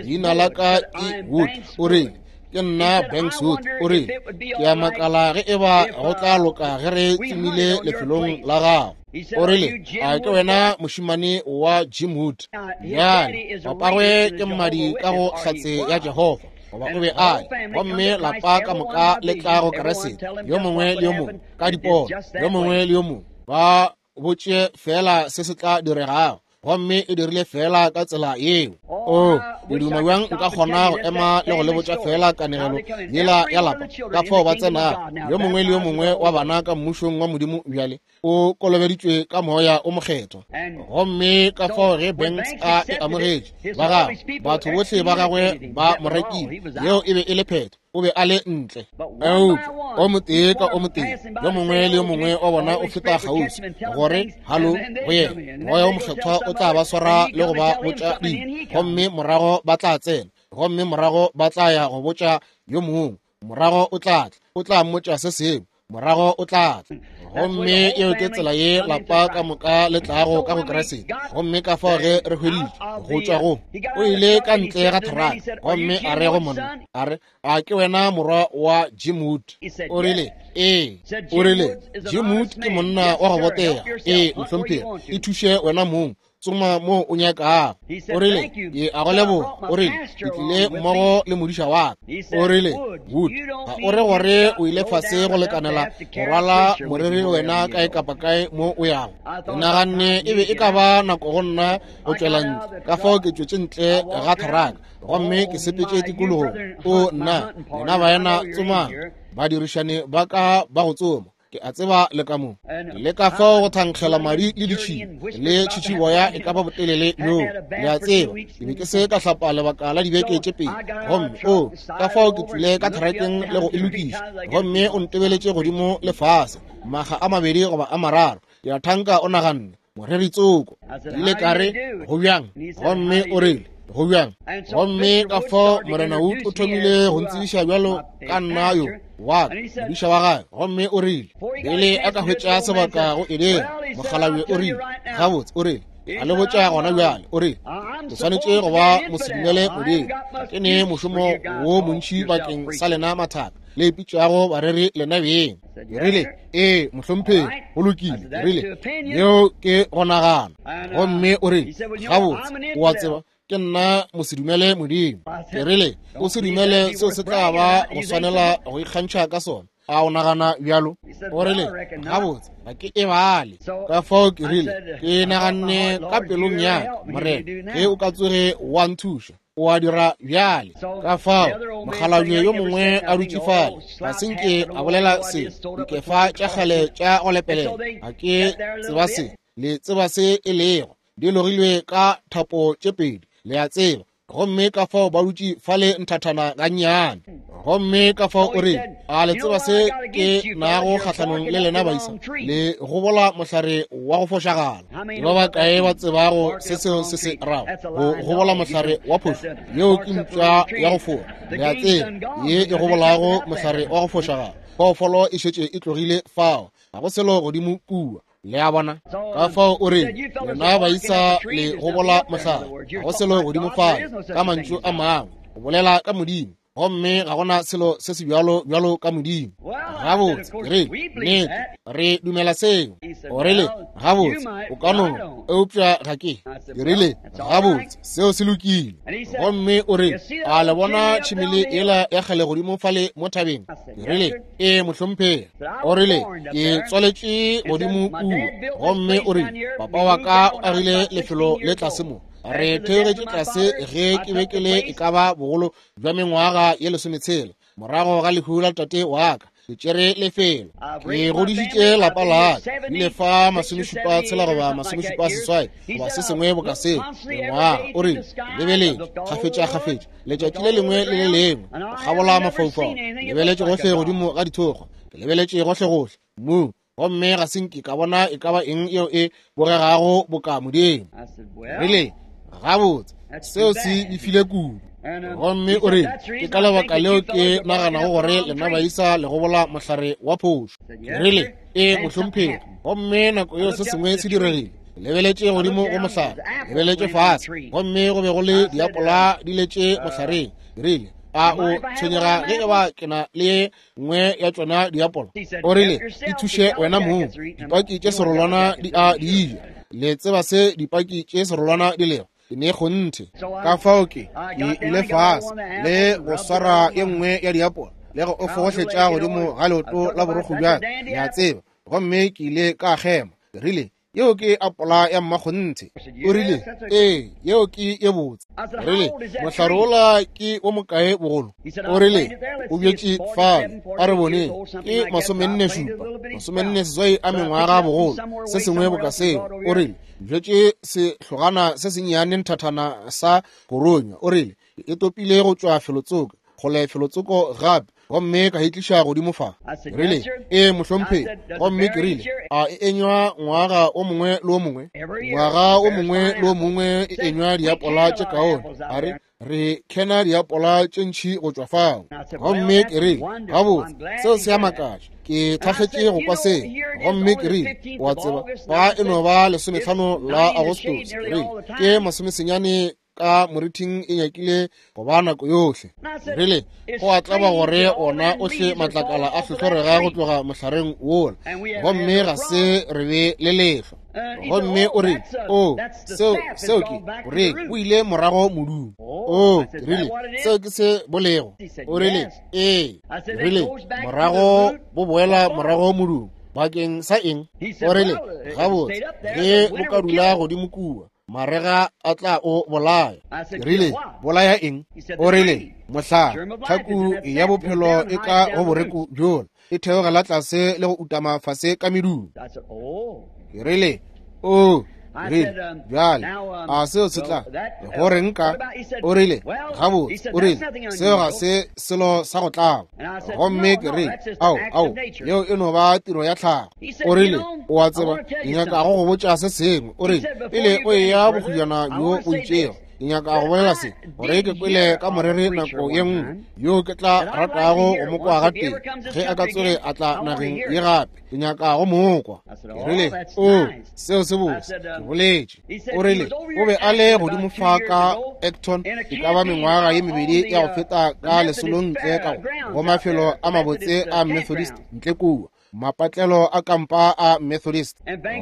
leina la ka ke Wood. O rile, ke nna Banks Wood. O rile, ke a makala ge e ba go tla loka ge re tsomile lefelong la gago. O rile, a ke wena mošemane wa Jim Wood? Bjale, papagwe ke mmadi ka go Hlatse ya Jehofa, goba o be a le, gomme lapa ka moka le tla go Keresete, yo mongwe le yo mongwe ka dipono, yo mongwe le yo mongwe ba botše feela se se tla diregago, gomme e dirile feela ka tsela yeo. O, ke duma bjang nka kgona go ema le go le botša feela kanegelo yela ya lapa, ka fao ba tsenago, yo mongwe le yo mongwe wa bana ka mmušong wa Modimo bjale o kolobeditšwe ka moya o mokgethwa. Gomme ka fao ge Banks a e amogetše, ba gagwe, batho bohle ba gagwe ba mo rekile, yeo e be e le phetho, o be a le ntle. Eupša o motee ka o motee, yo mongwe le yo mongwe wa bona o feta kgauswi gore halo go yena, moya o mokgethwa o tla ba swara le go ba botša dilo, gomme morago ba tla tsena, gomme morago ba tla ya go botša yo mongwe, morago o tla tla, o tla mmotša se sengwe, morago o tla tla. Gomme yeo ke tsela ye lapa ka moka le tlago ka go Keresete. Gomme ka fao ge re hweditše go tšwa go, o ile ka ntle ga theraka, gomme a re go monna, a re, a ke wena morwa wa Jim Wood? O rile, ee. O rile, Jim Wood ke monna wa go botega. Ee, mohlomphegi, ithuše wena mong, tsoma mo o nyakago. O rile, ke a go leboga. O rile, ke tlile mmogo le modiša wa ka. O rile, Wood, ga o re gore o ile fase go lekanela go rwala moreri le wena kae kapa kae mo o yago? Ke naganne e be e ka ba nako go nna go tšwela ntle, ka fao ke tšwetše ntle ga theraka gomme ke sepetše tikologong. O nna, lena baena tsomang, badirišani ba ka ba go tsoma, ke a tseba le ka mo le ka fao go thankgela madi le ditšhila le tšhitšhiboya e ka ba botelele bjoo, le a tseba. Ke be ke se ka hlapa lebaka la dibeke tše pedi, gomme o ka fao ke tšwile ka therakeng le go e lokiša, gomme o ntebeletše godimo le fase makga a mabedi goba a mararo. Ke a thanka o naganne moreri tsoko. Ke ile ka re, Go bjang? Gomme o rile, Go bjang? Gomme ka fao Morena Wood o thomile go ntsebiša bjalo ka nna yo wa ka, modiša wa gagwe. Gomme o rile, pele a ka hwetša sebaka go e dira, mokgalabje o rile, Gabotse, o rile, a le botša gona bjale, o rile, ke swanetše go ba mosedumele Modimo. Ke ne mošomo wo montši bakeng sa lena mathaka le ipitšago bareri lena beng. Ke rile, Ee, mohlomphegi, go lokile. Ke rile, Yeo ke go nagana. Gomme o rile, Gabotse, o a tseba, ke nna mosedumele Modimo. Ke rile, O se dumele seo se tla ba go swanela go ikgantšha ka sona. A o nagana bjalo? O rile, Gabotse, ga ke e bale. Ka fao ke rile, Ke naganne ka pelong ya ka, Morena, ge o ka tsoge wa nthuša, o a dira bjale. Ka fao mokgalabje yo mongwe a dutše fale, ga se nke a bolela se, dikefa tša kgale tša go lepelela, ga ke tseba se le tseba se e lego, di logilwe ka thapo tše pedi, le a tseba. Gomme ka fao ba dutše fale nthathana gannyane. Gomme ka fao o re, A le tseba se ke nago kgahlanong le lena baisa? Le gobola mohlare wa go fošagala. Ke ba bakae ba tsebago se seo se se rago? Go gobola mohlare wa phošo. Yeo ke mpša ya go fora, le a tseba, ye e gobolago mohlare wa go fošagala. Phoofolo e šetše e tlogile fao, ga go selo godimo kua. Le a bona? Ka fao o re, lena baisa le gobola mohlare, ga go selo godimo fale. Ka mantšu a mangwe, o bolela ka Modimo, gomme ga gona selo se se bjalo bjalo ka Modimo. Gabotse, ke rile, nnete, re dumela seo. O rile, gabotse, o ka no, eupša ga ke. Ke rile, gabotse, seo se lokile. Gomme o rile, a le bona tšhimele yela ya kgale godimo fale mo thabeng? Ke rile, Ee, mohlomphegi. O rile, Ke tswaletše godimo kua. Gomme o rile, Papa wa ka o agile lefelo le tlase mo. Re theogetše tlase ge ke be ke le e ka ba bogolo bja mengwaga ye lesometshela, morago ga lehu la tate wa ka. Ke tšere lefelo. Ke godišitše lapa la ka. Ke ile fa 76 goba 78 goba se sengwe boka seo, mengwaga. O rile, Lebeletše kgafetšakgafetša letšatši le lengwe le le lengwe go kgabola mafaufau. Lebeletše gohle godimo ga dithokgwa. Ke lebeletše gohlegohle mmung, gomme ga se nke ka bona e ka ba eng yeo e bogegago boka Modimo. Rile, Gabotse, seo se befile kudu. Gomme o rile, Ke ka lebaka leo ke naganago gore lena baisa le gobola mohlare wa phošo. Ke rile, Ee, mohlomphegi. Gomme nako yeo se sengwe se diregile. Ke lebeletše godimo go mohlare, lebeletše fase, gomme go be go le diapola di letše mohlareng. Ke rile, A o tshwenyega ge e ba ke na le ye nngwe ya tšona diapola? O rile, Ithuše wena mong, dipaki tše serolwana di a di ja. Le tseba se dipaki tše serolwana di lego? Ke ne kgonthe. Ka fao ke, ke ile fase le go swara ye nngwe ya diapola le go o fogohletša godimo ga leoto la borokgo bja ka, le a tseba, gomme ke ile ka kgema. Ke rile, Yeo ke apola ya mmakgonthe. O rile, Ee, yeo ke ye botse. Rile, Mohlare wola ke wo mokae bogolo? O rile, O bjetše fale, a re boneng, ke 47, 48 a mengwaga bogolo, se sengwe boka seo. O rile, Bjetše sehlogana se sennyane nthathana sa koronywa. O rile, E topile go tšwa felotsoko, kgole felotsoko gape, gomme ka e tliša godimo fa. Ke rile, Ee, mohlomphegi. Gomme ke rile, A e enywa ngwaga o mongwe le o mongwe? Ngwaga o mongwe le o mongwe e enywa diapola tše kaone. A re, Re khena diapola tše ntši go tšwa fao. Gomme ke rile, Gabotse, seo se a makatša. Ke thakgetše go kwa seo. Gomme ke rile, O a tseba, fa e no ba 15 la Agostose. Ke rile, Ke masomesenyane ka morithing e nyakile go ba nako yohle. Rile, Go a tlaba gore ona ohle matlakala a hlohlorega go tloga mohlareng wola, gomme ga se re be le lehlwa. Gomme o rile, O, seo, seo ke, o rile, o ile morago modung. O, ke rile, seo ke se bolego. O rile, Ee. Rile, Morago bo boela morago modung. Bakeng sa eng? O rile, Gabotse, ge bo ka dula godimo kua, marega a tla o bolaya. Ke rile, Bolaya eng? O rile, Mohlare, tlhaku ya bophelo e ka go boreku bjola, e theogela tlase le go utama fase ka medung. Ke rile, O, Rile, bjale, a seo se tla go reng ka? O rile, gabotse, o rile, seo ga se selo sa go tlaba. Gomme ke rile, ao, ao, yeo e no ba tiro ya tlhago. O rile, o a tseba, ke nyaka go go botša se sengwe. O rile, pele o eya bokgojana bjo bo itšego, ke nyaka go bolela se, gore ke kwele ka moreri nako ye nngwe yo ke tla ratago go mo kwa gatee ge a ka tsoge a tla nageng ye gape. Ke nyaka go mo kwa. Ke rile, o, seo se botse, ke boletše. O rile, o be a le godimo fa ka Acton e ka ba mengwaga ye mebedi ya go feta ka lesolong ntle ka go mafelo a mabotse a Methodist ntle kua, mapatlelo a kampa a Methodist.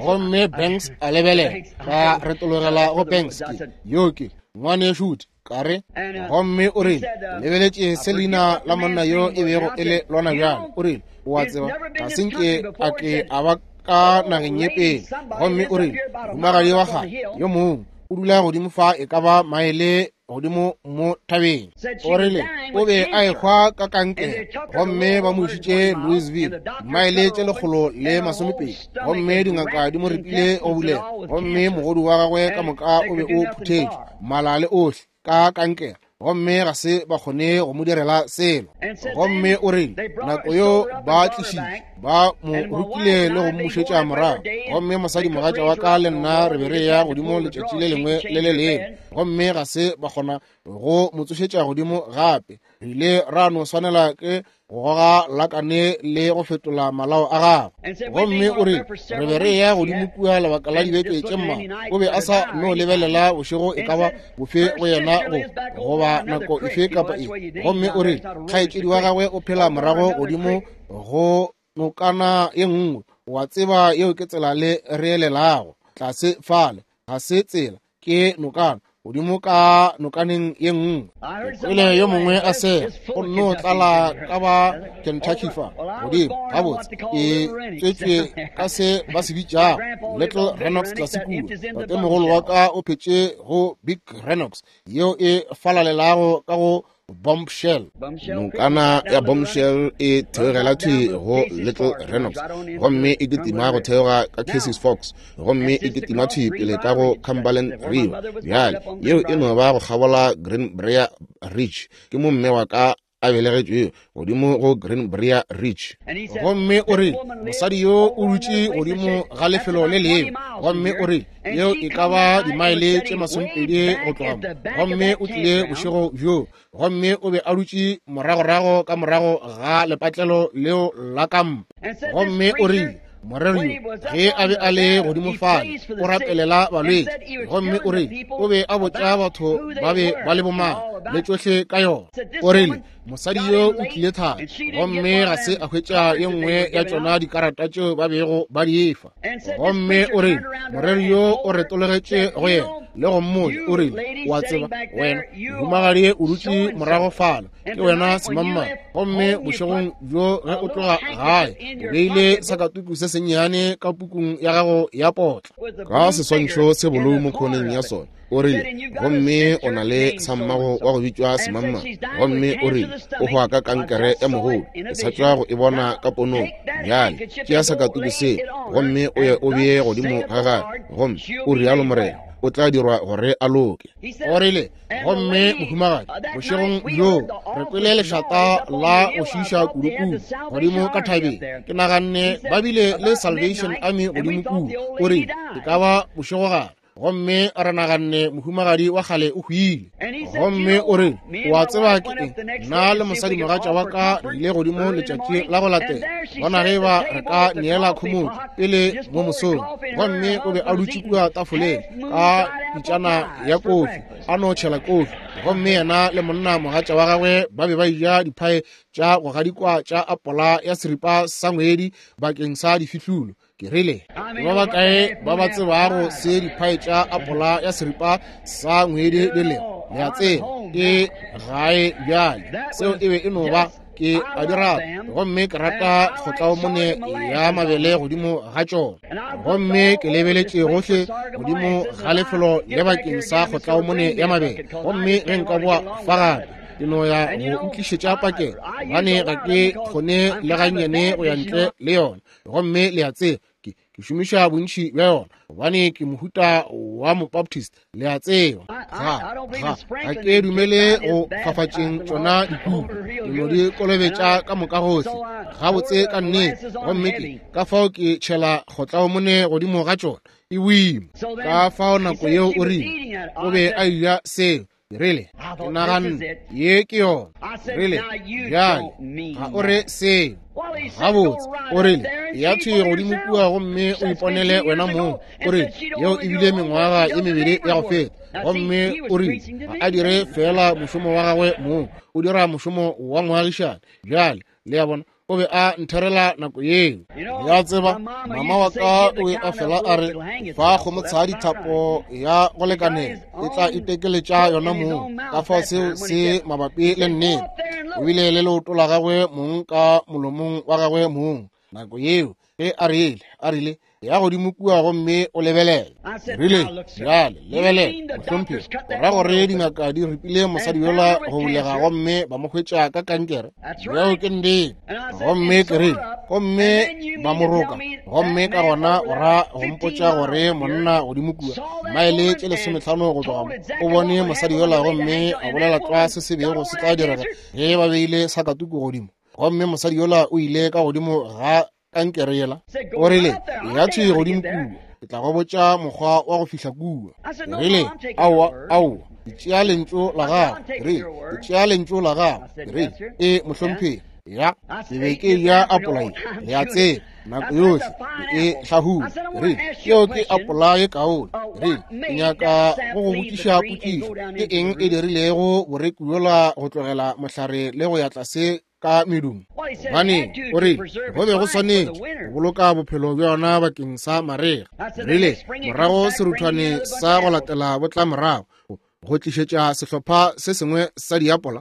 Gomme Banks a lebelela, ka retologela go Banks, ke yo ke ngwanešu ka re. Gomme o rile, lebeletše se leina la monna yo e bego e le lona bjale. O rile, o a tseba, ga se nke a ke a ba ka nageng ye pele. Gomme o rile, mohumagadi wa gagwe yo mongwe o dula godimo fa e ka ba maele godimo mo thabeng. O rile o be a ehwa ka kankere, gomme ba mo išitše Louisville, maele tše 120, gomme dingaka di mo ripile go bulega, gomme mogodu wa gagwe ka moka o be o phuthetšwe, mala le ohle, ka kankere, gomme ga se ba kgone go mo direla selo. Gomme o rile nako yo ba tlišitše, ba mo rutile le go mmušetša morago. Gomme mosadimogatša wa ka le nna re be re ya godimo letšatši le lengwe le le lengwe, gomme ga se ba kgona go mo tsošetša godimo gape. Re ile ra no swanela ke go goga lakane le go fetola malao a gagwe. Gomme o rile re be re ya godimo kua lebaka la dibeke tše mmalwa, o be a sa no lebelela bošego e ka ba bofe go yena go goba nako efe kapa efe. Gomme o rile kgaetšedi wa gagwe o phela morago godimo go nokana ye nngwe. Wa tseba yeo ke tsela le re elelago tlase fale, ga se tsela, ke nokana godimo ka nokaneng ye nngwe. Kwele yo mongwe a sega, go nno tlala ka ba Kentucky fa godimo. Gabotse, ke tswetšwe ka se ba se bitšago Little Renox tlase kua. Tatemogolo wa ka o phetše go Big Renox yeo e falalelago ka go Bombshell.
Nokana ya Bombshell e theogela thwi go Little Renox, gomme e kitima go theoga ka Casey's Forks, gomme e kitima thwi pele ka go Cumberland River. Bjale, yeo e no ba go kgabola Greenbrier Ridge. Ke mo mme wa ka a belegetšwego, godimo go Greenbrier Ridge.
Gomme o rile mosadi yo o dutše godimo ga lefelo le lengwe, gomme o rile yeo e ka ba dimaele tše 20 go tloga mo. Gomme o tlile bošego bjo, gomme o be a dutše moragorago ka morago ga lepatlelo leo la kampa. Gomme o rile moreri yo ge a be a le godimo fale o rapelela balwetši, gomme o rile o be a botša batho ba be ba le bomang le tšohle ka yona. O rile mosadi yo o tlile thata, gomme ga se a hwetša ye nngwe ya tšona dikarata tšeo ba bego ba di efa. Gomme o rile moreri yo o retologetše go yena le go mmotša, o rile, o a tseba, wena mohumagadi o dutše morago fala, ke wena semangmang, gomme bošegong bjo ge o tloga gae o beile sakatuku se sennyane ka pukung ya gago ya potla
ka seswantšho se bolou mo khoneng ya sona. O rile, gomme o na le sammago wa go bitšwa semangmang, gomme o rile o hwa ka kankere ya mogodu. Ke sa tšwa go e bona ka ponong. Bjale tšea sakatuku se gomme o ye o bee godimo ga gagwe, gomme o rialo Morena, o tla dirwa gore a loke.
O rile, gomme mohumagadi, bošegong bjo re kwele lešata la go šiiša kudukudu godimo ka thabeng. Ke naganne ba bile le Salvation Army godimo kua. O rile e ka ba bošegogare, gomme re naganne mohumagadi wa kgale o hwile. Gomme o rile, o a tseba ke eng, nna le mosadimogatša wa ka re ile godimo letšatši la go latela bona ge ba re ka neela khomotšo pele mo mosong. Gomme o be a dutše kua tafoleng ka pitšana ya kofi, a no tšhela kofi, gomme yena le monna mogatša wa gagwe ba be ba eja diphae tša go gadikwa tša apola ya seripa sa ngwedi bakeng sa difihlulo. Ke rile, ke ba bakae ba ba tsebago se diphae tša apola ya seripa sa ngwedi di lego? Le a tseba, ke gae bjale. Seo e be e no ba, ke a di rata, gomme ke rata kgotlaomone ya mabele godimo ga tšona. Gomme ke lebeletše gohle godimo ga lefelo le bakeng sa kgotlaomone ya mabele, gomme ge nka boa fa gape ke no ya go ntlišetša pakeng, gobane ga ke kgone le gannyane go ya ntle le yona. Gomme le a tseba, ke Ke šomiša bontši bja yona gobane ke mohuta wa Mobaptist, le a tseba. Ga ke dumele go fafatšeng tšona dikuku, ke no di kolobetša ka moka gohle gabotse ka nnete, gomme ke ka fao ke tšhela kgotlaomone godimo ga tšona, e boima. Ka fao nako yeo o rile o be a eja seo. Ke rile, ke naganne ye ke yona. Ke rile, bjale ga o re seo gabotse. O rile, ya thwi godimo kua gomme o iponele wena mong. O rile, yeo e bile mengwaga ye mebedi ya go feta. Gomme o rile, ga a dire feela mošomo wa gagwe mong, o dira mošomo wa moagišane. Bjale, le a bona, o be a ntherela nako yeo. Ya tseba, mama wa ka o be a fela a re, fa kgomotshadi thapo ya go lekanela, e tla itekeletša yona mong. Ka fao seo se mabapi le nnete. O bile le leoto la gagwe mong ka molomong wa gagwe mong nako yeo ge a rile, a rile, ya godimo kua gomme o lebelele. Rile, bjale lebelela, mohlomphegi, o ra gore dingaka di ripile mosadi yola go bulega gomme ba mo hwetša ka kankere? Bjao ke nnete. Gomme ke rile, gomme ba mo roka, gomme ka gona o ra go mpotša gore monna godimo kua maele tše 15 go tloga mo o bone mosadi yola gomme a bolela tlwa se se bego se tla direga ge ba beile sakatuku godimo, gomme mosadi yola o ile ka godimo ga kankere yela. O rile, ya thwi godimo kua, ke tla go botša mokgwa wa go fihla kua. Rile, aowa, aowa, ke tšea lentšu la gago. Rile, ke tšea lentšu la gago. Rile, e mohlomphegi, ya ke be ke ja apola ye, le a tseba, nako yohle ke e hlahula. Rile, yeo ke apola ye kaone. Rile, ke nyaka go go botšiša potšišo, ke eng e dirilego boreku bjola go tlogela mohlare le go ya tlase ka medumo? Gobane o rile go be go swanetše go boloka bophelo bja yona bakeng sa marega. Rile morago seruthwane sa go latela bo tla morago go tlišetša sehlopha se sengwe sa diapola.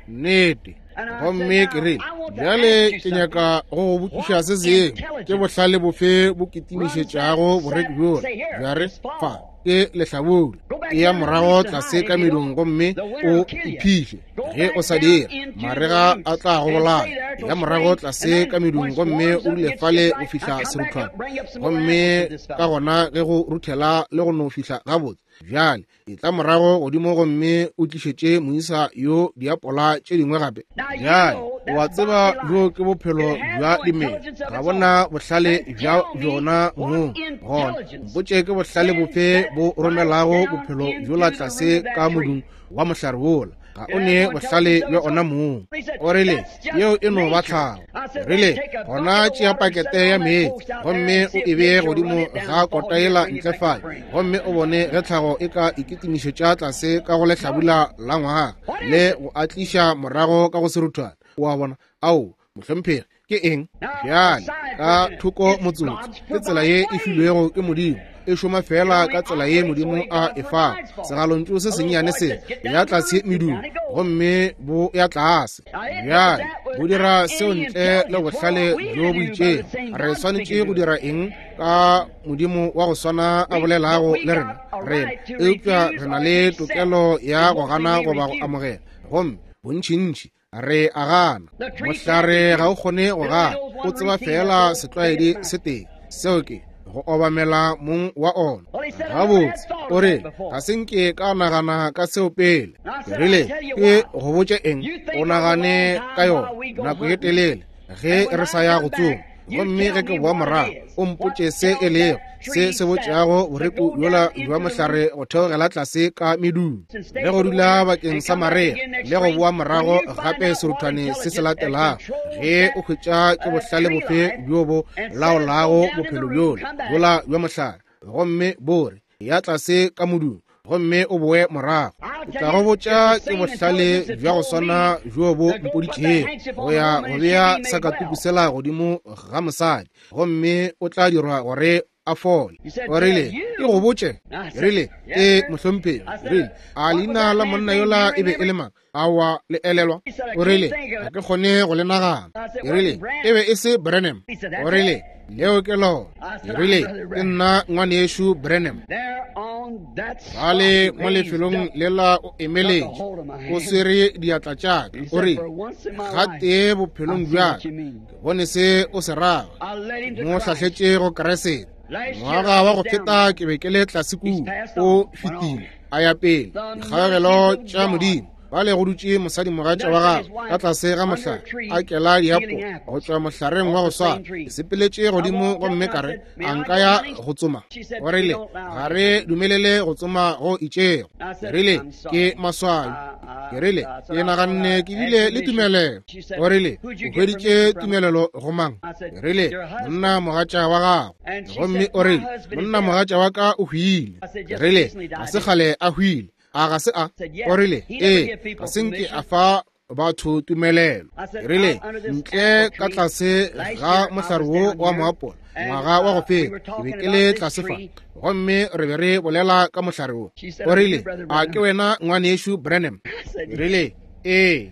Nnete. Gomme ke rile, bjale ke nyaka go go botšiša se sengwe, ke bohlale bofe bo kitimišetšago boreki bjola bja re fa ke lehlabula, e ya morago tlase ka medung gomme o iphihle? Ge o sa dira, marega a tla go bolaya. Ya morago tlase ka medung gomme o dule fale go fihla seruthwane, gomme ka gona ge go ruthela le go no fihla gabotse, bjale e tla morago godimo gomme o tlišetše moisa yo diapola tše dingwe gape. Bjale o a tseba bjo ke bophelo bja dimela, ga bona bohlale bja bjona mong. Gona mpotše ke bohlale bofe bo romelago bophelo bjola tlase ka modung wa mohlare wola? Ga o ne bohlale bja ona mong. O rile, yeo e no ba tlhago. Rile, gona tšea pakete ya meetse gomme o e bee godimo ga kota yela ntle fale, gomme o bone ge tlhago e ka ikitimišetša tlase ka go lehlabula la ngwaga le go a tliša morago ka go seruthwane. O a bona? Ao, mohlomphegi, ke eng bjale ka thoko motsotso? Ke tsela ye e filwego ke Modimo, e šoma fela ka tsela ye Modimo a e fago. Segalontšu se sennyane se ya tlase medung gomme bo ya tlase. Bjale bo dira seo ntle le bohlale bjo bo itšego. Re swanetše go dira eng ka Modimo wa go swana a bolelago le rena? Rena eupša re na le tokelo ya go gana goba go amogela, gomme bontšintši re a gana. Mohlare ga o kgone go gana, o tseba feela setlwaedi se tee, seo ke go obamela mong wa ona. Gabotse, o re, ga se nke ka nagana ka seo pele. Ke rile, ke go botše eng, o nagane ka yona nako ye telele ge re sa ya go tsoma, gomme ge ke boa morago o mpotše se e lego se se botšago boreku bjola bja mohlare go theogela tlase ka medung le go dula bakeng sa marega le go boa morago gape seruthwane se se latelago. Ge o hwetša ke bohlale bofe bjo bo laolago bophelo bjola bjola bja mohlare, gomme bo re ya tlase ka modung gomme o boe morago, ke tla go botša ke bohlale bja go swana bjo bo mpoditšego go ya go bea sakatuku sela godimo ga mosadi, gomme o tla dirwa gore a fole. O rile, ke go botše? Ke rile, ee, mohlomphegi. Rile, a leina la monna yola e be e le mang? Aowa, le elelwa? O rile, ga ke kgone go le nagana. Ke rile, e be e se Branham. O rile, leo ke lona. Ke rile, ke nna ngwanešu Branham. Bale mo lefelong lela o emeletše, o swere diatla tša ka. O rile, gatee bophelong bja ka, ke bone se o se rago. Mo hlahletše go Kriste. Ngwaga wa go feta ke be ke le tlase kua, o fetile a ya pele. Dikgaogelo tša Modimo. Bale go dutše mosadimogatša wa gagwe ka tlase ga mohlare a kela diapola go tšwa mohlareng wa go swana. Ke sepeletše godimo gomme ka re, a nka ya go tsoma? O rile, ga re dumelele go tsoma go itšego. Ke rile, ke maswabi. Ke rile, ke naganne ke bile le tumelelo. O rile, o hweditše tumelelo go mang? Ke rile, monna mogatša wa gago. Gomme o rile, monna mogatša wa ka o hwile. Ke rile, ga se kgale a hwile. A ga se a? O rile, ee, ga se nke a fa batho tumelelo. Ke rile, ntle ka tlase ga mohlare wo wa moapola, ngwaga wa go feta, ke be ke le tlase fa, gomme re be re bolela ka mohlare wo. O rile, a ke wena ngwanešu Branham? Ke rile, ee.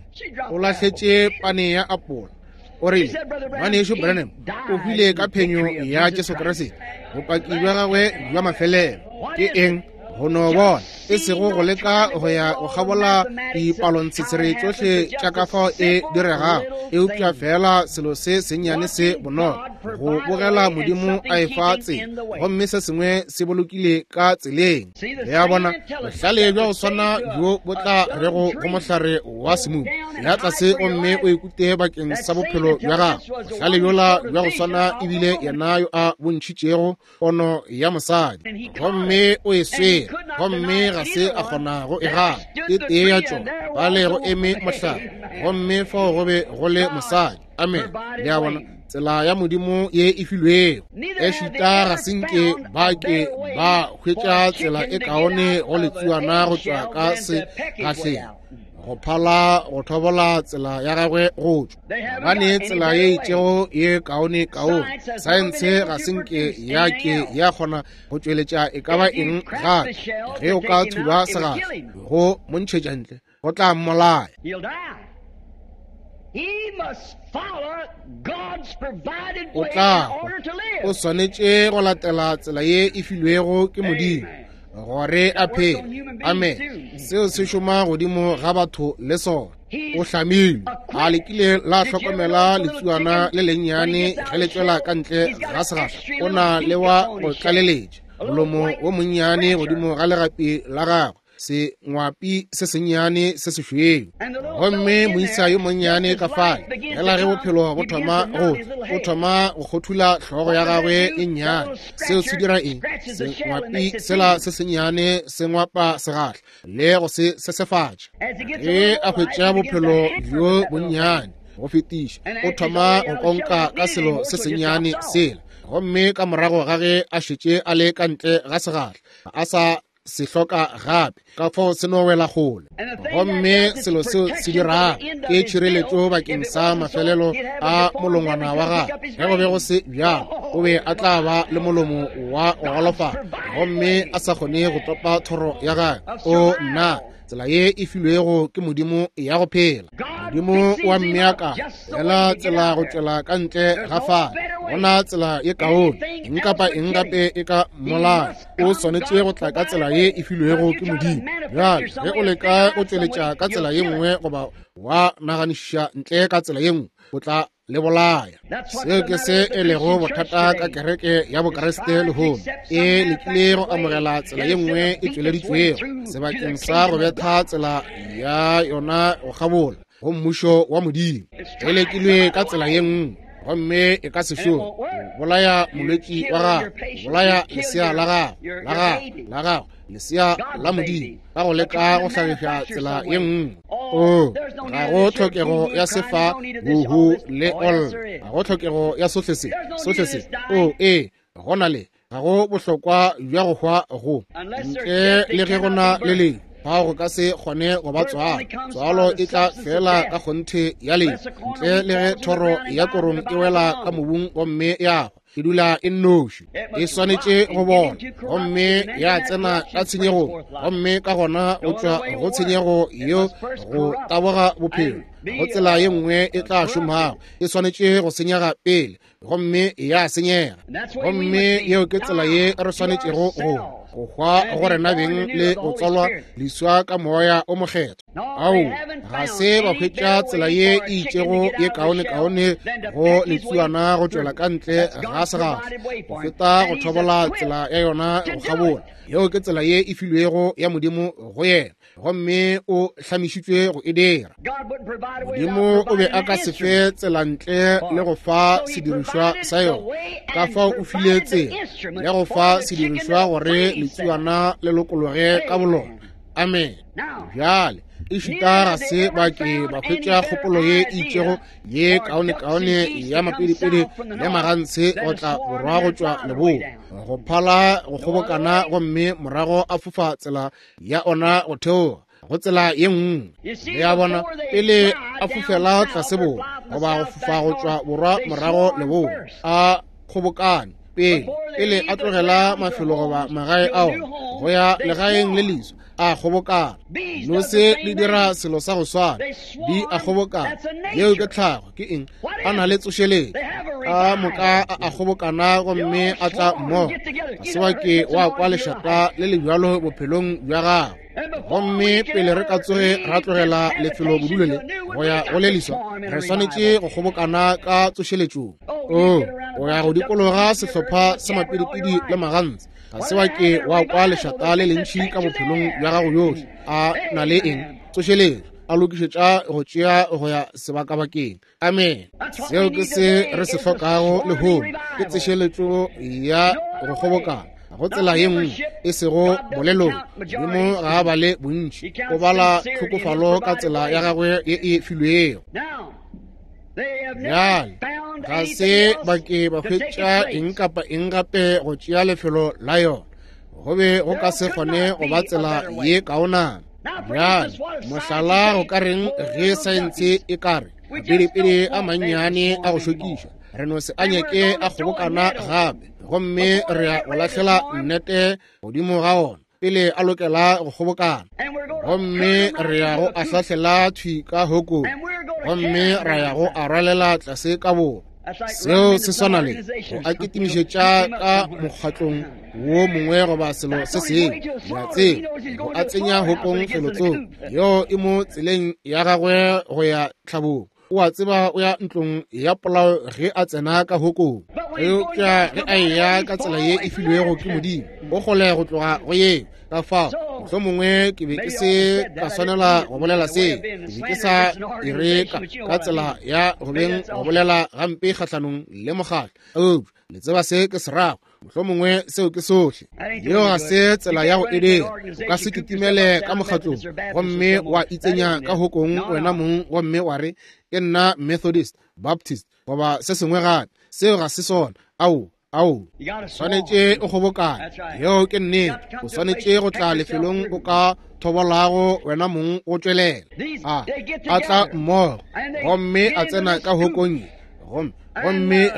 O lahletše pane ya apola. O rile, ngwanešu Branham o hwile ka phenyo ya Jesu Kriste, bopaki bja gagwe bja mafelelo. Ke eng? Go no bona, e sego go leka go ya go kgabola dipalontshetshere tšohle tša ka fao e diregago, eupša feela selo se sennyane se bonolo, go bogela Modimo a efa tsela, gomme se sengwe se bolokile ka tseleng. Le a bona, bohlale bja go swana bjo bo tla rego go mohlare wa semumu, ya tlase gomme o ikute bakeng sa bophelo bja gago. Bohlale bjola bja go swana ebile yena yo a bontšhitšego pono ya mosadi, gomme o e swere, gomme ga se a kgona go e gana. E tee ya tšona, bale go eme mohlare, gomme fao go be go le mosadi. Amen. Le a bona, tsela ya Modimo ye e filwego. Ešita ga se nke ba ke ba hwetša tsela e kaone go letsuana go tšwa ka segahleng, go phala go thobola tsela ya gagwe go tšwa. Gobane tsela ye itšego ye kaone kaone, saense ga se nke ya ke ya kgona go tšweletša e ka ba eng gape. Ge o ka thuba segahla go mo ntšhetša ntle, go tla mmolaya. O tla hwa. O swanetše go latela tsela ye e filwego ke Modimo gore a phele. Amen. Seo se šoma godimo ga batho le sona. O hlamilwe. A le kile la hlokomela letsuana le lennyane ge le tšwela ka ntle ga segahla? O na le wa go tlaleletša molomo wo monnyane godimo ga legapi la gagwe, sengwapi se sennyane se sešweu. Gomme moisa yo monnyane ka fale, fela ge bophelo bo thoma go tla, o thoma go kgothula hlogo ya gagwe e nnyane. Seo se dira eng? Sengwapi sela se sennyane se ngwapa segahla le go se sesefatša. Ge a hwetša bophelo bjo bonnyane go fetiša, o thoma go konka ka selo se sennyane sela. Gomme ka morago ga ge a šetše a le ka ntle ga segahla, a sa se hloka gape, ka fao se no wela kgole. Gomme selo seo se dirago ke tšhireletšo bakeng sa mafelelo a molongwana wa gagwe. Ge go be go se bjalo, o be a tla ba le molomo wa go golofala gomme a sa kgone go topa thoro ya gagwe. O nna, tsela ye e filwego ke Modimo ya go phela. Modimo wa mmeakanya fela tsela go tšwela ka ntle ga fale. Gona tsela ye kaone, eng kapa eng gape e ka mmolaya. O swanetše go tla ka tsela ye e filwego ke Modimo. Bjale ge o leka go tšweletša ka tsela ye nngwe goba wa naganišiša ntle ka tsela ye nngwe, o tla le bolaya. Seo ke se e lego bothata ka kereke ya Bokriste lehono. E lekile go amogela tsela ye nngwe e tšweleditšwego sebakeng sa go betha tsela ya yona go kgabola go mmušo wa Modimo. E lekilwe ka tsela ye nngwe, gomme e ka se šome. O bolaya molwetši wa gago, o bolaya lesea la gago, la gago, la gago, lesea la Modimo, ka go leka go hlagiša tsela ye nngwe. O, ga go tlhokego ya sefa, huhu le ol. Ga go tlhokego ya sohle se, sohle se. O, ee, go na le, ga go bohlokwa bja go hwa go. Ntle le ge go na le lehu, fao go ka se kgone go ba tswalo. Tswalo e tla fela ka kgonthe ya lehu. Ntle le ge thoro ya korong e wela ka mobung gomme ya hwa, e dula e nnoši. E swanetše go bola gomme ya tsena ka tshenyegong, gomme ka gona go tšwa go tshenyego yeo go taboga bophelo. Go tsela ye nngwe e tla šomago, e swanetše go senyega pele, gomme ya senyega. Gomme yeo ke tsela ye re swanetšego go hwa go rena beng le go tswalwa leswa ka Moya o Mokgethwa. Ao, ga se ba hwetša tsela ye e itšego ye kaonekaone go letsuana go tšwela ka ntle ga segahla go feta go thobola tsela ya yona go kgabola. Yeo ke tsela ye e filwego ya Modimo go yena, gomme o hlamišitšwe go e dira. Modimo o be a ka se fe tsela ntle le go fa sedirišwa sa yona. Ka fao o file tsela le go fa sedirišwa gore letsuana le lokologe ka bolona. Amen. Bjale, ešita ga se ba ke ba hwetša kgopolo ye e itšego ye kaonekaone ya mapedipedi le magantshe go tla borwa go tšwa leboa, go phala go kgobokana gomme morago a fofa tsela ya ona go theoga go tsela ye nngwe. Le a bona, pele a fofela tlase borwa goba go fofa go tšwa borwa morago leboa, a kgobokane pele, pele a tlogela mafelo goba magae ao go ya legaeng le leswa, a kgobokana. Nose di dira selo sa go swana, di a kgobokana. Yeo ke tlhago. Ke eng? A na le tsošeletšo ka moka, a kgobokana gomme a tla mmogo. Ga se wa ke wa kwa lešata le le bjalo bophelong bja gago. Gomme pele re ka tsoge ra tlogela lefelo bodulo le go ya go le leswa, re swanetše go kgobokana ka tsošeletšong. O o ya go dikologa sehlopha sa mapidipidi le magantsi. Ga se wa ke wa kwa lešata le lentši ka bophelong bja gago bjohle. A na le eng? Tsošeletšo, a lokišetša go tšea go ya sebakabakeng. Amen. Seo ke se re se hlokago lehono, ke tsošeletšo ya go kgobokana go tsela ye nngwe, e sego bolelong. Modimo ga a bale bontši, o bala tlhokofalo ka tsela ya gagwe ye e filwego. Bjale, ga se ba ke ba hwetša eng kapa eng gape go tšea lefelo la yona. Go be go ka se kgone go ba tsela ye kaonana. Bjale, mohlala go ka reng ge saense e ka re mapidipidi a mannyane a go šokiša, re no se a nyake a kgobokana gape, gomme re ya go lahlela nnete godimo ga ona pele a lokela go kgobokana, gomme re ya go a hlahlela thwi ka hokong, gomme ra ya go a rwalela tlase ka borwa. Seo se swana le go a kitimišetša ka mokgatlong wo mongwe goba selo se sengwe, le a tseba, go a tsenya hokong felotsoko yeo e mo tseleng ya gagwe go ya tlhabong. O a tseba o ya ntlong ya polao ge a tsena ka hokong. Eupša ge a eya ka tsela ye e filwego ke Modimo, o kgole go tloga go yeo. Ka fao, mohlomongwe ke be ke se ka swanela go bolela seo. Ke be ke sa ire ka tsela ya go beng go bolela gampe kgahlanong le mokgatlo. Eupša le tseba se ke se rago. Mohlomongwe seo ke sohle. Yeo ga se tsela ya go e dira. O ka se kitimele ka mokgatlong gomme wa itsenya ka hokong wena mong gomme wa re, ke nna Methodist, Baptist, goba se sengwe gape. Seo ga se sona. Ao, ao. Swanetše o kgobokane. Yeo ke nnete. O swanetše go tla lefelong o ka thobolago wena mong go tšwelela. A tla mmogo gomme a tsena ka hokong ye. Gomme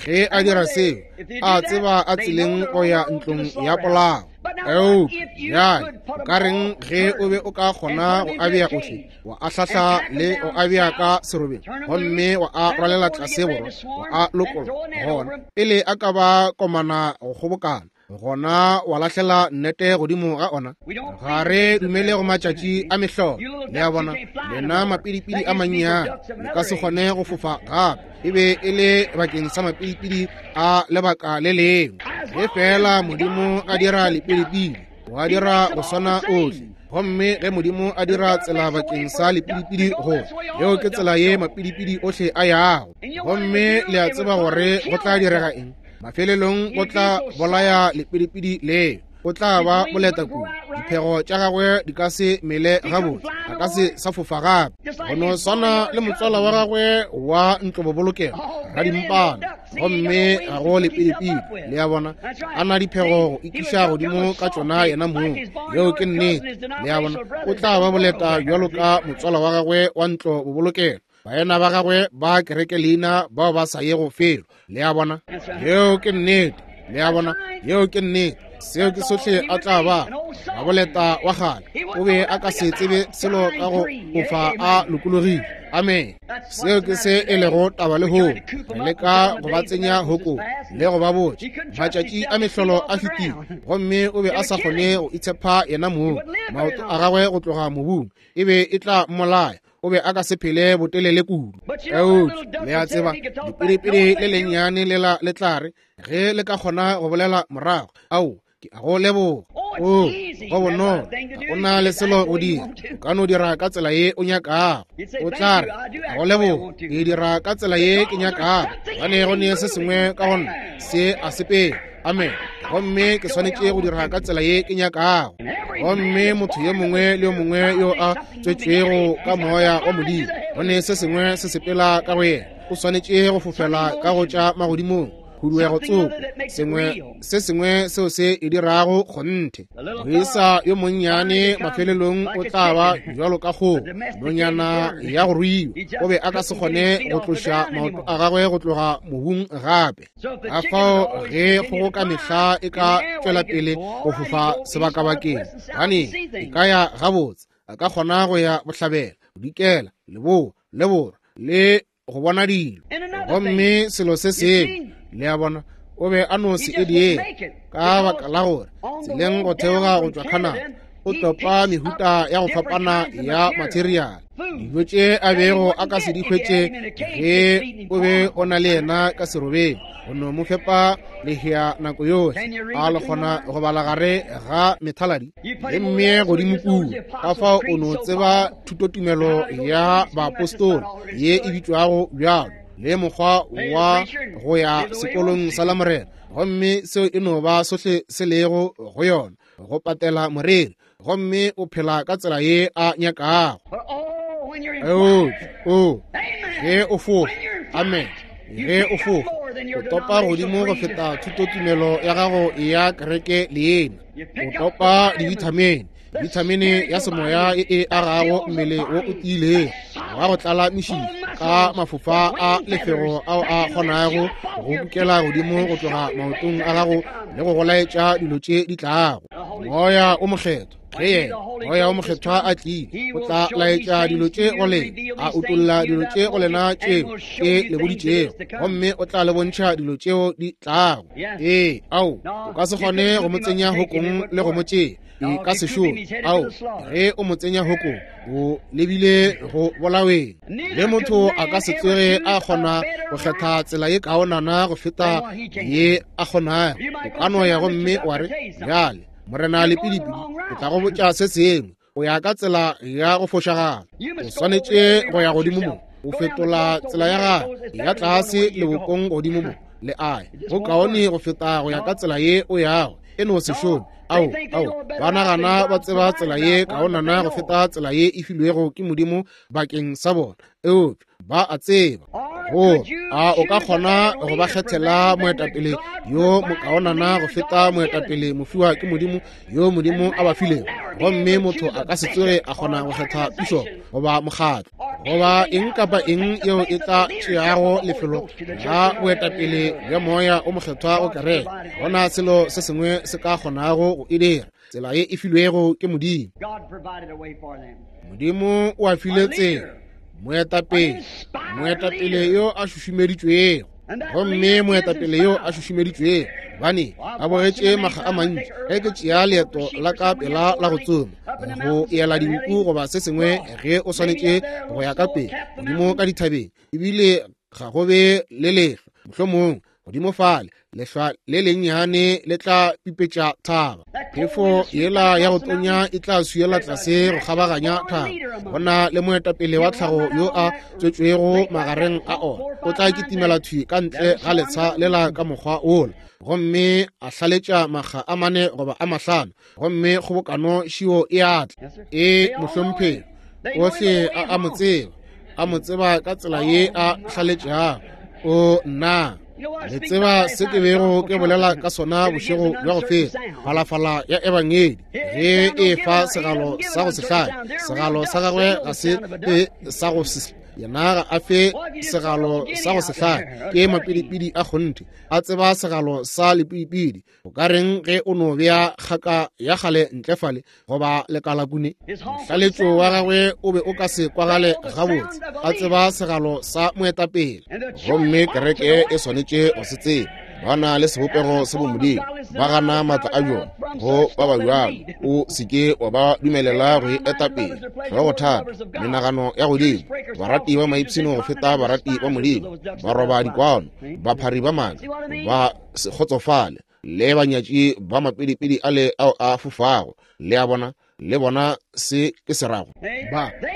ge a dira seo, a tseba a tseleng go ya ntlong ya polao. Eupša bjale o ka reng ge o be o ka kgona go a bea ohle, wa a hlahla le go a bea ka serobeng, gomme wa a rwalela tlase borwa, wa a lokolla gona pele a ka ba komana go kgobokana, gona wa lahlela nnete godimo ga ona. Ga re dumele go matšatši a mehlolo. Le a bona, lena mapidipidi a mannyane le ka se kgone go fofa gape. E be e le bakeng sa mapidipidi a lebaka le lengwe. Ge fela Modimo a dira lepidipidi, wa dira go swana ohle. Gomme ge Modimo a dira tsela bakeng sa lepidipidi go, yeo ke tsela ye mapidipidi ohle a yago. Gomme le a tseba gore go tla direga eng? Mafelelong go tla bolaya lepidipidi leo. O tla ba boleta kudu, diphego tša gagwe di ka se mele gabotse, a ka se sa fofa gape. Go no swana le motswala wa gagwe wa ntlobobolokelo radimpana, gomme ga go lepidipidi. Le a bona, a na diphego go ikiša godimo ka tšona yena mong. Yeo ke nnete. Le a bona, o tla ba boleta bjalo ka motswala wa gagwe wa ntlobobolokelo, baena ba gagwe ba kereke leina bao ba sa yego felo. Le a bona, yeo ke nnete. Le a bona, yeo ke nnete. Seo ke sohle a tla ba. Raboleta wa kgale o be a ka se tsebe selo ka go fofa a lokologile. Amen. Seo ke se e lego taba lehono. Re leka go ba tsenya hokong le go ba botša matšatši a mehlolo a fetile, gomme o be a sa kgone go itshepa yena mong. Maoto a gagwe go tloga mobung e be e tla mmolaya. O be a ka se phele botelele kudu. Eupša le a tseba, lepidipidi le lennyane lela le tla re ge le ka kgona go bolela morago, ao, ke a go leboga. O, go bonolo, ga o na le selo go dira, o ka no dira ka tsela ye o nyakago. O tla re, a go leboga, ke dira ka tsela ye ke nyakago, gobane go ne se sengwe ka go nna se a sepela. Amen. Gomme ke swanetše go dira ka tsela ye ke nyakago. Gomme motho yo mongwe le yo mongwe yo a tswetšwego ka moya wa Modimo, go ne se sengwe se sepela ka go yena, o swanetše go fofela ka go tša magodimong, khuduego tsoko, sengwe se sengwe seo se e dirago kgonthe. Moisa yo monnyane mafelelong o tla ba bjalo ka kgogo, nonyana ya go ruiwa. O be a ka se kgone go tloša maoto a gagwe go tloga mobung gape. Ka fao ge kgogo ka mehla e ka tšwela pele go fofa sebakabakeng, gane e ka ya gabotse, a ka kgona go ya bohlabela, bodikela, leboa, le borwa, le go bona dilo. Gomme selo se sengwe, le a bona, o be a no se ediele, ka baka la gore tseleng go theoga go tšwa Canada, o topa mehuta ya go fapana ya materiale, dijo tše a bego a ka se di hwetše ge o be o na le yena ka serobeng, go no mo fepa lehea nako yohle. A le kgona go bala gare ga methaladi le mme godimo kua. Ka fao o no tseba thutotumelo ya baapostola ye e bitšwago bjalo, le mokgwa wa go ya sekolong sa Lamorena, gomme seo e no ba sohle se lego go yona, go patela moreri, gomme o phela ka tsela ye a nyakago. O, ge o fofa, amen, ge o fofa, o topa godimo go feta thutotumelo ya gago ya kereke leena. O topa dibithamene, bithamene ya semoya e e agago mmele wo o tiilego wa go tlala mešifa ka mafofa a lefego ao a kgonago go kukela godimo go tloga maotong a gago le go go laetša dilo tše di tlago. Moya o Mokgethwa, ge yena Moya o Mokgethwa a tlile, o tla laetša dilo tše go lena, a utolla dilo tše go lena tšeo ke le boditšego, gomme o tla le bontšha dilo tšeo di tlago. Ee, ao, o ka se kgone go mo tsenya hokong le go mo tšea, e ka se šome. Ao, ge o mo tsenya hokong, o lebile go bolaweng. Le motho a ka se tsoge a kgona go kgetha tsela ye kaonana go feta ye a kgonago. O ka no ya gomme wa re, bjale, Morena Lepidipidi, ke tla go botša se sengwe, o ya ka tsela ya go fošagala. O swanetše go ya godimo mo, o fetola tsela ya gago ya tlase lebopong godimo mo, le ae. Go kaone go feta go ya ka tsela ye o yago, e no se šome. Ao, ao, ba nagana ba tseba tsela ye kaonana go feta tsela ye e filwego ke Modimo bakeng sa bona, eupša ba a tseba gore a o ka kgona go ba kgethela moetapele yo mokaonana go feta moetapele mofiwa ke Modimo yo Modimo a ba filego. Gomme motho a ka se tsoge a kgona go kgetha pušo goba mokgatlo goba eng kapa eng yeo e tla tšeago lefelo la boetapele bja Moya o Mokgethwa go kereke. Ga gona selo se sengwe se ka kgonago go e dira, tsela ye e filwego ke Modimo. Modimo o a file tsela, moetapele, moetapele yo a šušumeditšwego. Gomme moetapele yo a šušumeditšwego, bane ba bogetše makga a mantši ge ke tšea leeto la ka pela la go tsoma, go ela dinku goba se sengwe, ge o swanetše go ya ka pele godimo ka dithabeng, ebile ga go be le lehlwa, mohlomongwe godimo fale lehlwa le lennyane le tla pipetša thaba, phefo yela ya go tonya e tla swiela tlase go kgabaganya thaba. Go na le moetapele wa tlhago yo a tswetšwego magareng a ona, o tla kitimela thwi ka ntle ga letsha lela ka mokgwa wola, gomme a hlaletša makga a mane goba a mahlano, gomme kgobokano šio e a tla. E mohlomphegi, ohle a a mo tseba, a mo tseba ka tsela ye a hlaletšago. O nna, le tseba se ke bego ke bolela ka sona bošego bja go feta, phalafala ya Ebangedi ge e fa segalo sa go se hlae, segalo sa gagwe ga se e sa go se Yena ga a fe segalo sa go se hlake, ke mapidipidi a kgonthe, a tseba segalo sa lepidipidi. O ka reng ge o no bea kgaka ya kgale ntle fale goba lekalakune? Mohlaletšo wa gagwe o be o ka se kwagale gabotse, a tseba segalo sa moetapele. Gomme kereke e swanetše go se tseba. Ba na le sebopego sa bomodimo, ba gana maatla a bjona. Go ba ba bjalo, o se ke wa ba dumelela go e eta pele. Hlogothata, menagano ya godimo, barati ba maipshino go feta barati ba Modimo, baroba dikwano, baphari ba maaka, ba se kgotsofale, le banyatši ba mapidipidi ale ao a fofago. Le a bona? Le bona se ke se rago?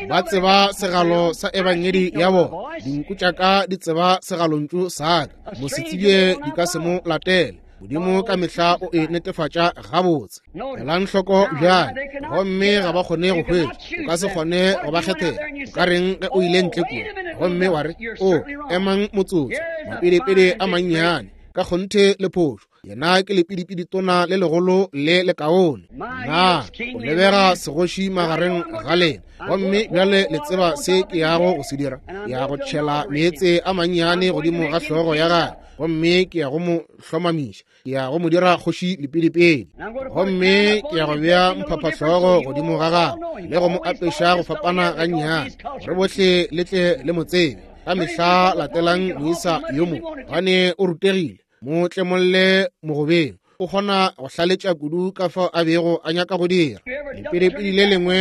Ba tseba segalo sa ebangedi ya bona. Dinku tša ka di tseba segalontšu sa ka, mosetsebje di ka se mo latele. Modimo ka mehla o e netefatša gabotse. Elang hloko bjale, gomme ga ba kgone go hwetša. O ka se kgone go ba kgethela. O ka reng ge o ile ntle kua gomme wa re, O, emang motsotso, mapidipidi a mannyane, ka kgonthe le phošo. Yena ke lepidipidi tona le legolo le lekaone. Na o lebega segoši magareng ga lena? Gomme bjale le tseba se ke yago go se dira? Ke ya go tšhela meetse a mannyane godimo ga hlogo ya gagwe, gomme ke ya go mo hlomamiša. Ke ya go mo dira kgoši lepidipidi, gomme ke ya go bea mphaphahlogo godimo ga gagwe le go mo apeša go fapana gannyane, gore bohle le tle le mo tsebe. Ka mehla latelang moisa yo mo, gobane o rutegile. Mo tlemolle mogobeng, o kgona go hlaletša kudu ka fao a bego a nyaka go dira. Lepidipidi le lengwe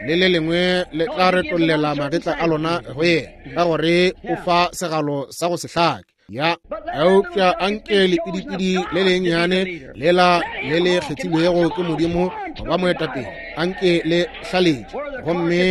le le lengwe le tla retollela magetla a lona go yena, ka gore o fa segalo sa go se hlake. Ya, eupša anke lepidipidi le lennyane lela le le kgethilwego ke Modimo go ba moetapele, anke le hlaletše, gomme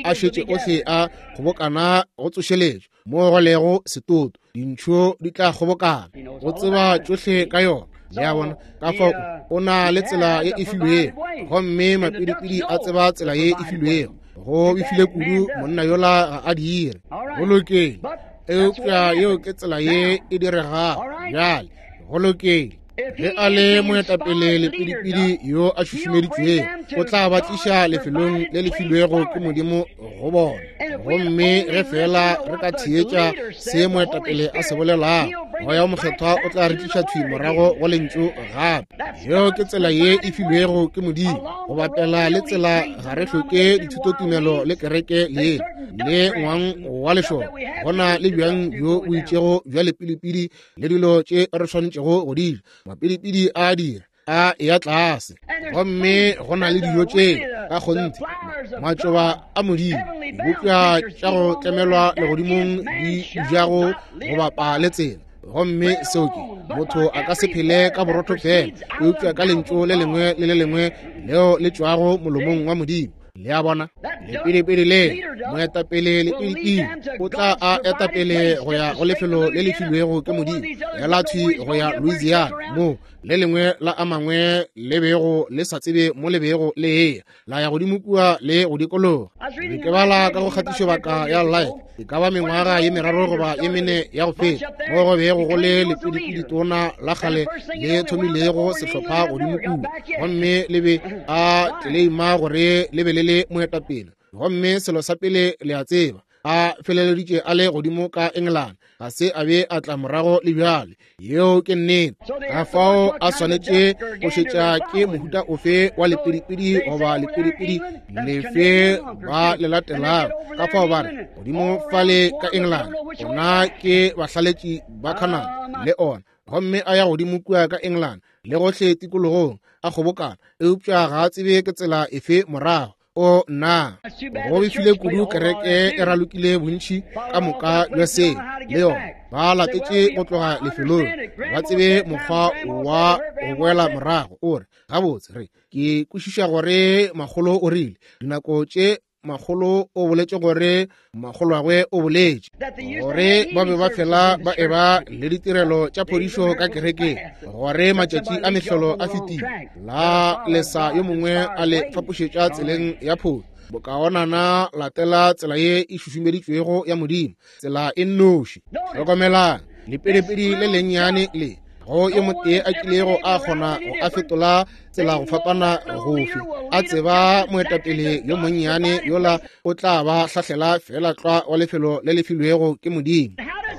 a šetše ohle a kgobokana go tsošeletšwa mo go lego setoto, dintšho di tla kgobokana. Go tseba tšohle ka yona. Le a bona? Ka fao o na le tsela ye e filwego, gomme mapidipidi a tseba tsela ye e filwego. Go befile kudu monna yola ga a dire. Go lokile, eupša yeo ke tsela ye e diregago bjale. Go lokile. Ge a le moetapele lepidipidi yo a šušumeditšwego, o tla ba tliša lefelong le le filwego ke Modimo go bona. Gomme ge feela re ka theetša se moetapele a se bolelago, Moya o Mokgethwa o tla re tliša thwi morago go Lentšu gape. Yeo ke tsela ye e filwego ke Modimo. Go bapela le tsela ga re hloke dithutotumelo le kereke le le ngwang wa lešoro. Go na le bjang bjo bo itšego bja lepidipidi le dilo tše re swanetšego go di ja. Mapidipidi a dira a eya tlase, gomme go na le dijo tše ka kgonthe, matšoba a Modimo, dibopša tša go tlemelwa legodimong di jago go bapa le tsela. Gomme seo ke, motho a ka se phele ka borotho fela, eupša ka lentšu le lengwe le le lengwe leo le tšwago molomong wa Modimo. Le a bona? Lepidipidi le moetapele lepidipidi o tla a etapele go ya go lefelo le le filwego ke Modimo, ela thwi go ya Louisiana, mo le lengwe la a mangwe le bego le sa tsebe mo le bego le eya, la ya godimo kua le go dikologa. Be ke bala ka go kgatišobaka ya Life, e ka ba mengwaga ye meraro goba ye mene ya go feta, mo go bego go le lepidipidi tona la kgale le thomilego sehlopha godimo kua, gomme le be a tleleima gore le be le le moetapele. Gomme selo sa pele le a tseba, a feleleditše a le godimo ka Engelane, ga se a be a tla morago le bjale. Yeo ke nnete. Ka fao a swanetše go šetša ke mohuta ofe wa lepidipidi goba lepidipidi lefe ba le latelago. Ka fao ba re godimo fale ka Engelane, ona ke bahlaletši ba Canada le ona. Gomme a ya godimo kua ka Engelane le gohle tikologong a kgobokana, eupša ga a tsebe ke tsela efe morago. O nna, go befile kudu kereke e ralokile bontši ka moka bja seo le yona. Ba latetše go tloga lefelong, ba tsebe mokgwa wa go boela morago. O re, gabotse, re ke kwešiša gore makgolo o rile dinako tše makgolo o boletše gore makgolwagwe o boletše gore ba be ba fela ba eba le ditirelo tša phodišo ka kerekeng, gore matšatši a mehlolo a fetile, la lesa yo mongwe a le fapošetša tseleng ya phošo. Bokaonana latela tsela ye e šušumeditšwego ya Modimo, tsela e nnoši. Hlokomelang lepidipidi le lennyane le. Go yo motee a kilego a kgona go a fetola tsela go fapana gofe, a tseba moetapele yo monnyane yola o tla ba hlahlela fela tlwa wa lefelo le le filwego ke Modimo.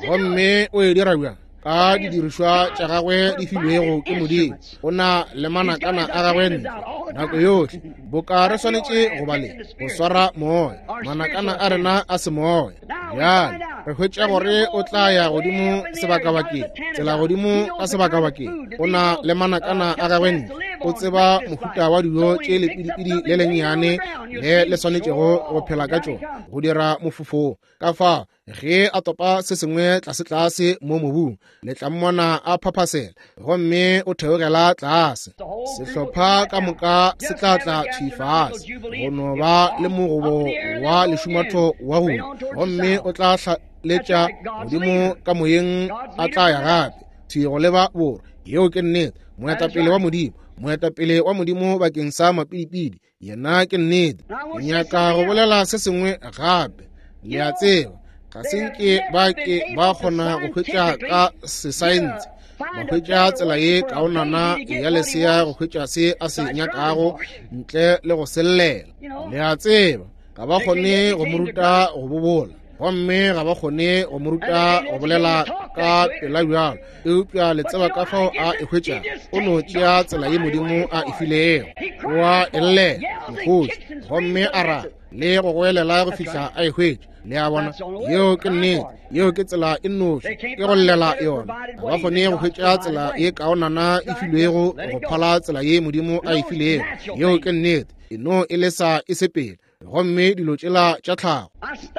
Gomme o e dira bjang? Ka didirišwa tša gagwe di filwego ke Modimo. O na le manakana a gagwe ntle nako yohle, boka re swanetše go ba le go swara moya, manakana a rena a semoya. Bjale re hwetša gore o tla ya godimo sebakabakeng, tsela godimo ka sebakabakeng. O na le manakana a gagwe ntle, o tseba mohuta wa dijo tše lepidipidi le lennyane le le swanetšego go phela ka tšona go dira mofofo. Ka fao ge a topa se sengwe tlase-tlase mo mobung, le tla mmona a phaphasela gomme o theogela tlase. Sehlopha ka moka se tla tla thwi fase go no ba le mogobo wa lešumatho wa go, gomme o tla hlaletša godimo ka moyeng, a tla ya gape thwi go leba borwa. Yeo ke nnete. Moetapele wa Modimo, moetapele wa Modimo bakeng sa mapidipidi, yena ke nnete. Ke nyaka go bolela se sengwe gape. Le a tseba, ga se nke ba ke ba kgona go hwetša ka sesaense, ba hwetša tsela ye kaonana ya lesea go hwetša se a se nyakago ntle le go sellela. Le a tseba, ga ba kgone go mo ruta go bobola, gomme ga ba kgone go mo ruta go bolela ka pela bjalo, eupša le tseba ka fao a e hwetša. O no tšea tsela ye Modimo a e filego, wa e llela mokgoši gomme a ra le go goelela go fihla a e hwetša. Le a bona, yeo ke nnete. Yeo ke tsela e nnoši, ke go llela yona. Ga ba kgone go hwetša tsela ye kaonana e filwego go phala tsela ye Modimo a e filego. Yeo ke nnete. E no e lesa e sepele, gomme dilo tšela tša tlhago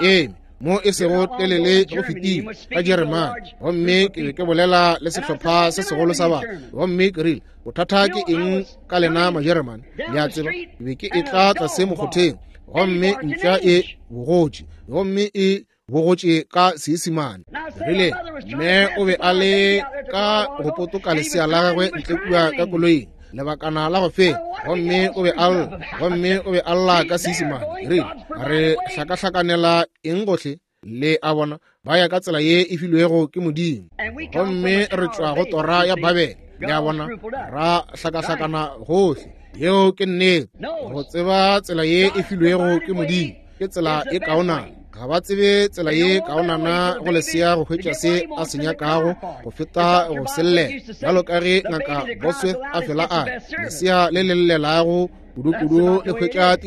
eme mo e sego telele go fetile ka Jeremane, gomme ke be ke bolela le sehlopha se segolo sa batho, gomme ke rile, bothata ke eng ka lena Majeremane? Le a tseba, ke be ke etla tlase mokgotheng, gomme mpša e bogotše, gomme e bogotše ka Seisemane. Rile mme o be a le ka go potoka lesea la gagwe ntle kua ka koloing lebakana la go feta, gomme o be a lla, gomme o be a lla ka Seisemane. Rile re hlakahlakanela eng gohle? Le a bona, ba ya ka tsela ye e filwego ke Modimo, gomme re tšwa go tora ya Babele. Le a bona, ra hlakahlakana gohle. Yeo ke nnete. Go tseba tsela ye e filwego ke Modimo ke tsela e kaonana. Ga ba tsebe tsela ye kaonana go lesea go hwetša se a se nyakago go feta go sellela, bjalo ka ge Ngaka Bosworth a fela a re, lesea le le llelago kudu-kudu le hwetša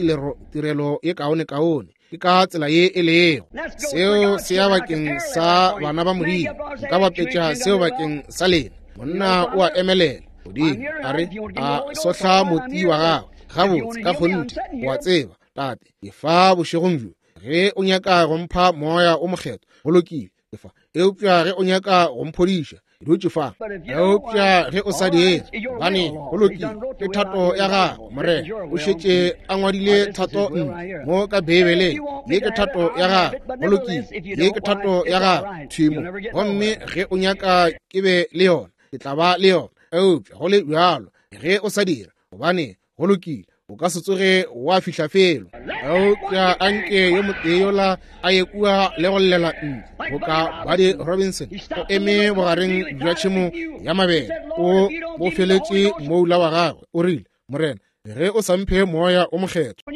tirelo ye kaone-kaone. Ke ka tsela ye e lego. Seo se ya bakeng sa bana ba Modimo. Nka bapetša seo bakeng sa lena. Monna o a emelela godimo, a re a sohla moti wa gagwe gabotse ka kgonthe. O a tseba, tate, ke fa bošegong bjo. Ge o nyaka go mpha moya o mokgethwa, go lokile, ke fa. Eupša ge o nyaka go mphodiša, ke dutše fa. Eupša ge o sa dire, gobane go lokile, ke thato ya gago, Morena o šetše a ngwadile thato ntle mo ka Beibeleng. Ye ke thato ya gago, go lokile, ye ke thato ya gago, thwi mo. Gomme ge o nyaka ke be le yona, ke tla ba le yona. Eupša go le bjalo, ge o sa dira, gobane go lokile, o ka se tsoge wa fihla felo. Eupša anke yo motee yola a ye kua le go llela ntle boka Buddy Robinson, o eme bogareng bja tšhemo ya mabele, o bofeletše moula wa gagwe, o rile, Morena, ge o sa mphe moya o mokgethwa,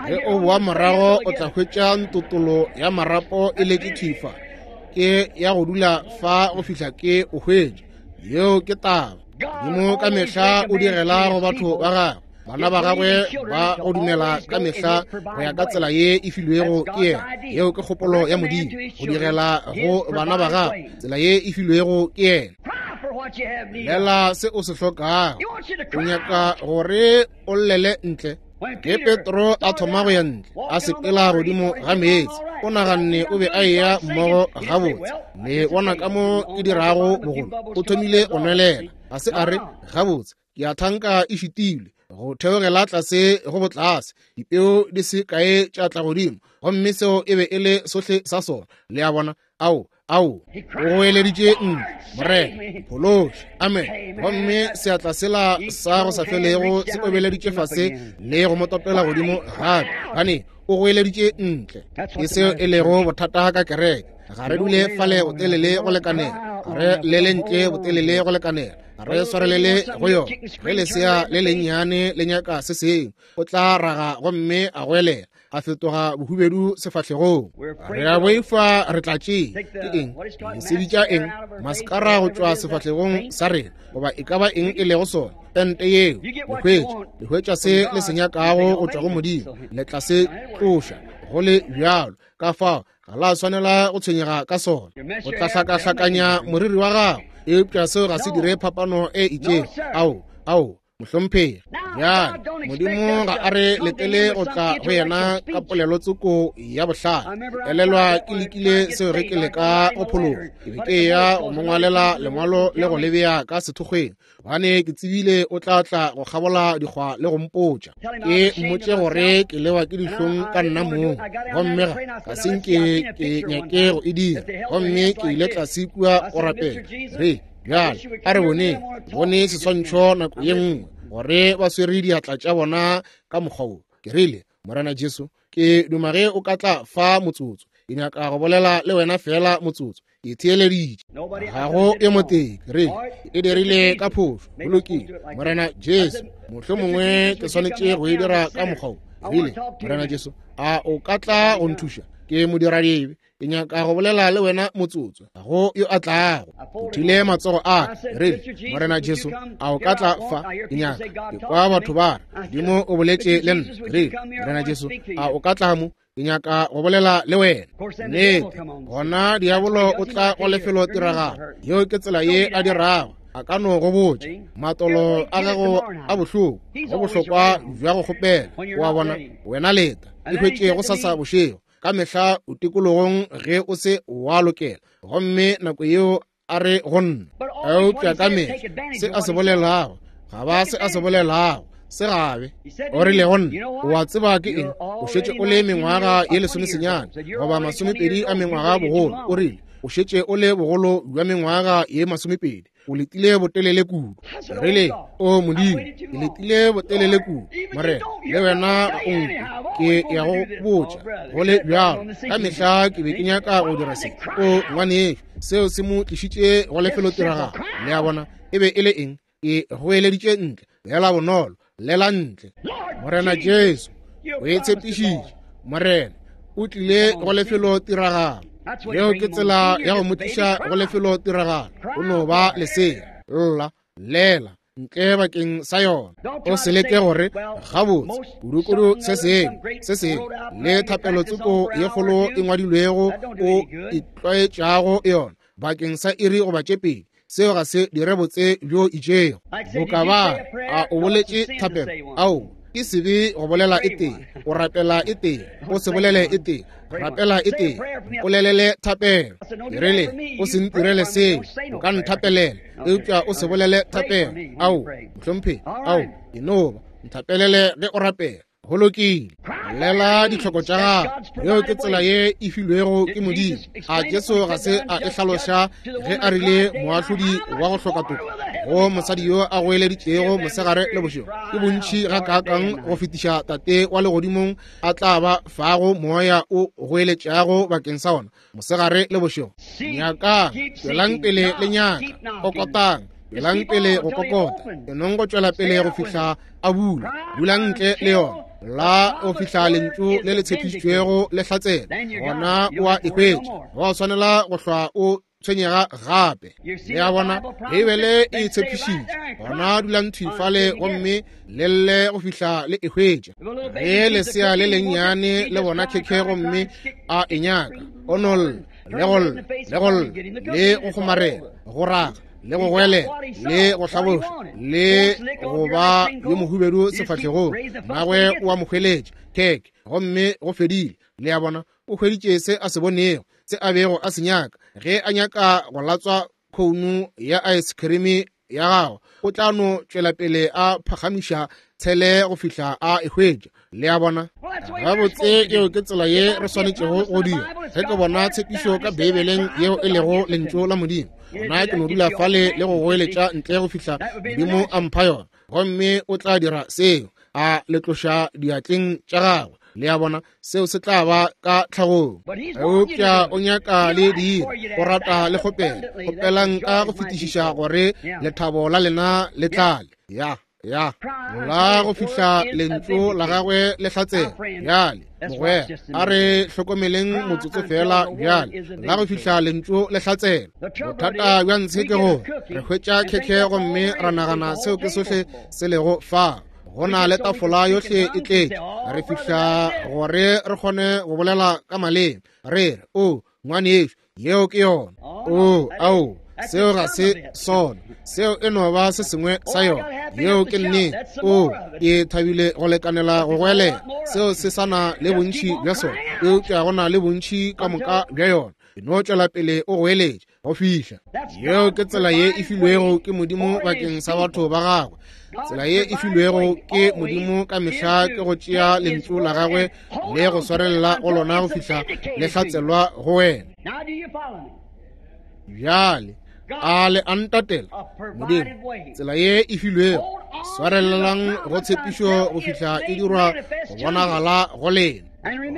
ge o boa morago o tla hwetša ntotolo ya marapo e letše thwi fa. Ke ya go dula fa go fihla ke o hwetša. Yeo ke taba. Modimo ka mehla o direla go batho ba gagwe, bana ba gagwe ba go dumela ka mehla go ya ka tsela ye e filwego ke yena. Yeo ke kgopolo ya Modimo, go direla go bana ba gagwe tsela ye e filwego ke yena. Lela se o se hlokago. O nyaka gore o llele ntle. Ge Petro a thoma go ya ntle, a sepela godimo ga meetse, o naganne o be a eya mmogo gabotse. Le bona ka mo ke dirago bogolo, o thomile go nwelela. Ga se a re, gabotse, ke a thanka e šitilwe go theogela tlase go botlase, dipeo di se kae tša tla godimo, gomme seo e be e le sohle sa sona. Le a bona? Ao, ao, o goeleditše ntle, Morena, phološe. Amen. Gomme seatla sela sa go sa felego se obeleditše fase le go mo topela godimo gape, gane o goeleditše ntle. Ke seo e lego bothata ka kereke. Ga re dule fale go telele go lekanela. Re le lentle botelele go lekanela, re swarelele go yona. Ge lesea le lennyane le nyaka se sengwe, o tla raga gomme a goelela, a fetoga bohubedu sefahlegong. Re a boifa re tla tšea ke eng, le se bitša eng, maskara go tšwa sefahlegong sa rena, goba e ka ba eng e lego sona, pente yeo. Le hwetša se le se nyakago go tšwa go Modimo, le tla se tloša go le bjalo. Ka fao ga la swanela go tshwenyega ka sona. O tla hlakahlakanya moriri wa gago, eupša seo ga se dire phapano e itšego. Ao, mohlomphegi. Bjale Modimo ga a re letele go tla go yena ka polelo tsoko ya bohlale. Elelwa ke lekile seo ge ke leka go phologa. Ke be ke ya go mo ngwalela lengwalo le go lebea ka sethokgweng, gobane ke tsebile o tla tla go kgabola dikgwa le go mpotša. Ke mmotše gore ke lewa ke dihlong ka nna mong, gomme ga se nke ke nyake go e dira. Gomme ke ile tlase kua go rapela. Re bjale a re bone seswantšho nako ye nngwe gore ba swere diatla tša bona ka mokgwa wo. Ke rile, Morena Jesu, ke duma ge o ka tla fa motsotso. Ke nyaka go bolela le wena fela motsotso. Ke theeleditše. Ga go e motee. Ke rile, e dirile ka phošo. Go lokile. Morena Jesu, mohlomongwe ke swanetše go e dira ka mokgwa wo. Ke rile, Morena Jesu, a o ka tla go nthuša? Ke modiradibe. Ke nyaka go bolela le wena motsotso. Ga go yo a tlago. Phuthile matsogo a ka. Rile, Morena Jesu, a o ka tla fa? Ke nyaka. Ke kwa batho ba re, Modimo o boletše le nna. Rile, Morena Jesu, a o ka tla mo? Ke nyaka go bolela le wena. Nnete, gona diabolo o tla go lefelo tiragalo. Yeo ke tsela ye a dirago. A ka no go botša matolo a gago a bohloko, go bohlokwa bja go kgopela. O a bona, wena leta, e hwetše go sasa bošego. Ka mehla o tikologong ge o se wa lokela, gomme nako yeo a re go nna. Eupša ka mehla se a se bolelago ga ba se a se bolelago se gabe. O rile go nna, o a tseba ke eng, o šetše o le mengwaga ye 19 goba 20 a mengwaga bogolo. O rile, o šetše o le bogolo bja mengwaga ye 20. O letile botelele kudu. Rile, o Modimo, ke letile botelele kudu. Morena, le wena ga o nkwe. Ke ya go botša go le bjalo. Ka mehla ke be ke nyaka go dira se. O ngwanešo, seo se mo tlišitše go lefelotiragalo. Le a bona, e be e le eng? E goeleditše ntle, lela bonolo, lela ntle. Morena Jesu, o e tshepišitše. Morena, o tlile go lefelotiragalo. Yeo ke tsela ya go mo tliša go lefelotiragalo. O no ba lesea, lla, lela ntle bakeng sa yona. O se leke gore gabotse kudukudu se sengwe se sengwe le thapelo tsoko ye kgolo e ngwadilwego o itlwaetšago yona bakeng sa iri goba tše pedi. Seo ga se dire botse bjo itšego. Boka ba a o boletše thapelo, ao ke sebe go bolela e tee, o rapela e tee, o se bolele e tee, rapela e tee, polelele thapelo. Ke rile, o se ntirele seo, o ka nthapelela, eupša o se bolele thapelo. Ao, mohlomphegi, ao, e no ba nthapelele ge o rapela. Go lokile, bolela ditlhoko tša gago. Yeo ke tsela ye e filwego ke Modimo. A Jesu ga se a e hlaloša ge a rile moahlodi wa go hloka toka go mosadi yo a goeleditšego mosegare le bošego, ke bontši gakaakang go fetiša Tate wa legodimong a tla ba fago moya o goeletšago bakeng sa ona mosegare le bošego. Nyakang, tšwelang pele le nyaka, kokotang, tšwelang pele go kokota, enong go tšwela pele go fihla a bula, dulang ntle le yona la go fihla lentšu le le tshepišitšwego le hlatsela, gona o a e hwetša. Ga o swanela go hlwa o tshwenyega gape. Le a bona, Beibele e tshepišitše, gona dulang thwi fale gomme le lle go fihla le e hwetša. Ge lesea le lennyane le bona khekhe gomme a e nyaka, o no lla le go lla le go lla le go kgomarela, go raga le go goelela le go hlaboša le go ba yo mohubedu sefahlegong, mmagwe o a mo hweletša khekhe gomme go fedile. Le a bona, o hweditše se a se bonego, se a bego a se nyaka. Ge a nyaka go latswa khounu ya ice cream ya gagwe, o tla no tšwela pele a phagamiša tshele go fihla a e hwetša. Le a bona? Gabotse, yeo ke tsela ye re swanetšego go dira. Ge ke bona tshepišo ka Beibeleng yeo e lego lentšu la Modimo, gona ke no dula fale le go goeletša ntle go fihla Modimo a mpha yona, gomme o tla dira seo, a le tloša diatleng tša gagwe. Le a bona, seo se tla ba ka tlhagong. Eupša o nyaka le dire, o rata le kgopela. Kgopelang ka go fetišiša gore lethabo la lena le tlale. Ya, ya. La go fihla lentšu la gagwe le hlatsela. Bjale, mogwera, a re hlokomeleng motsotso fela bjale. La go fihla lentšu le hlatsela. Bothata bja ntshe ke gore re hwetša khekhe gomme ra nagana seo ke sohle se lego fa. Go na le tafola yohle e tletše. Re fihla gore re kgone go bolela ka maleme. Re re, o, ngwanešu, yeo ke yona. O, ao, seo ga se sona. Seo e no ba se sengwe sa yona. Yeo ke nnete. O, ke thabile go lekanela go goelela. Seo se sa na le bontši bja sona, eupša go na le bontši ka moka bja yona. E no tšwela pele o goeletše go fihla. Yeo ke tsela ye e filwego ke Modimo bakeng sa batho ba gagwe. Tsela ye e filwego ke Modimo ka mehla ke go tšea lentšu la gagwe le go swarelela go lona go fihla le hlatselwa go wena. Bjale a le a ntatela? Modimo, tsela ye e filwego, swarelelang go tshepišo go fihla e dirwa go bonagala go lena.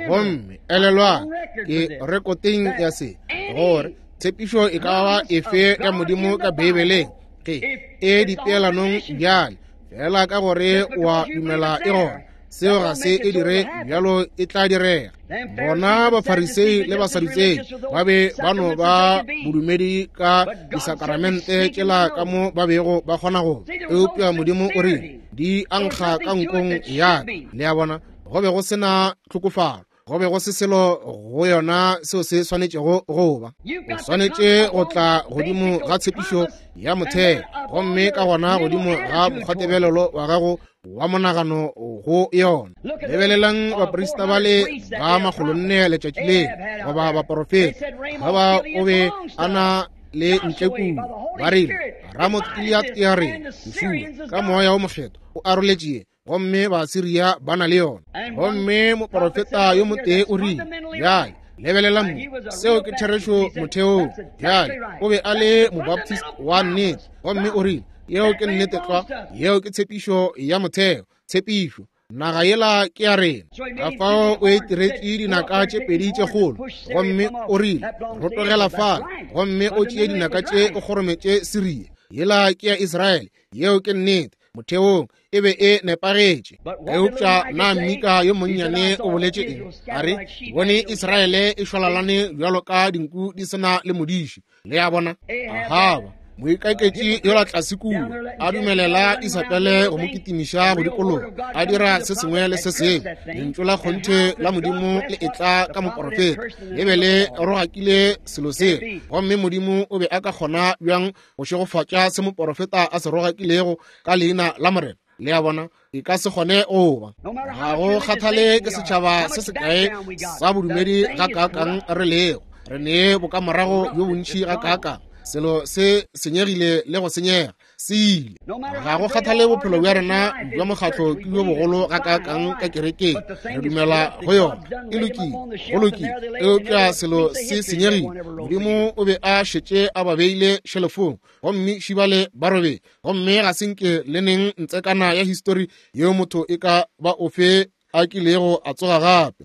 Gomme elelwang, ke rekoteng ya se, gore tshepišo e ka ba efe ya Modimo ka Beibeleng, ge e dipeelanong bjale, fela ka gore wa dumela e gona, seo ga se e dire bjalo, e tla direga. Bona Bafarisei le Basadutsei ba be ba no ba bodumedi ka disakaramente tšela ka mo ba bego ba kgona go, eupša Modimo o rile di ankga ka nkong ya ka. Le a bona, go be go se na tlhokofalo, go be go se selo go yona seo se swanetšego go ba. O swanetše go tla godimo ga tshepišo ya motheo, gomme ka gona godimo ga mokgwatebelelo wa gago wa monagano go yona. Lebelelang baprista ba le ba 400 letšatši le, goba baporofeta, ga ba o be a na le ntle kudu. Ba rile, Ramoth Gilead ke ya rena, Joshua ka moya o mokgethwa o aroletše, gomme Basiria ba na le yona. Gomme moporofeta yo motee o rile, bjale lebelelang mo, seo ke therešo motheong. Bjale o be a le Mobaptist wa nnete, gomme o rile, yeo ke nnete tlwa, yeo ke tshepišo ya motheo, tshepišo, naga yela ke ya rena. Ka fao o e tiretše dinaka tše pedi tše kgolo, gomme o rile, rotogela fale, gomme o tšee dinaka tše o kgorometše Siria, yela ke ya Israele. Yeo ke nnete motheong, e be e nepagetše. Eupša na Mika yo monnyane o boletše eng? A re, bone Israele e šwalalane bjalo ka dinku di se na le modiši. Le a bona, Ahaba moikaketši yola tlase kua a dumelela Isabele go mo kitimiša go dikologa, a dira se sengwe le se sengwe. Lentšu la kgonthe la Modimo le etla ka moporofeta, le be le rogakile selo seo, gomme Modimo o be a ka kgona bjang go šegofatša se moporofeta a se rogakilego ka leina la Morena? Le a bona, e ka se kgone go ba. Ga go kgathale ke setšhaba se sekae sa bodumedi ga kaakang re lego, re ne bokamorago bjo bontši ga kaakang, selo se senyegile le go senyega, se ile. Ga go kgathale bophelo bja rena bja mokgatlo ke bjo bogolo ga kaakang ka kerekeng, re dumela go yona, e lokile, go lokile, eupša selo se senyegile. Modimo o be a šetše a ba beile šelefong, gomme šibale ba robetše, gomme ga se nke le neng ntsekana ya histori yeo motho e ka ba ofe a kilego a tsoga gape.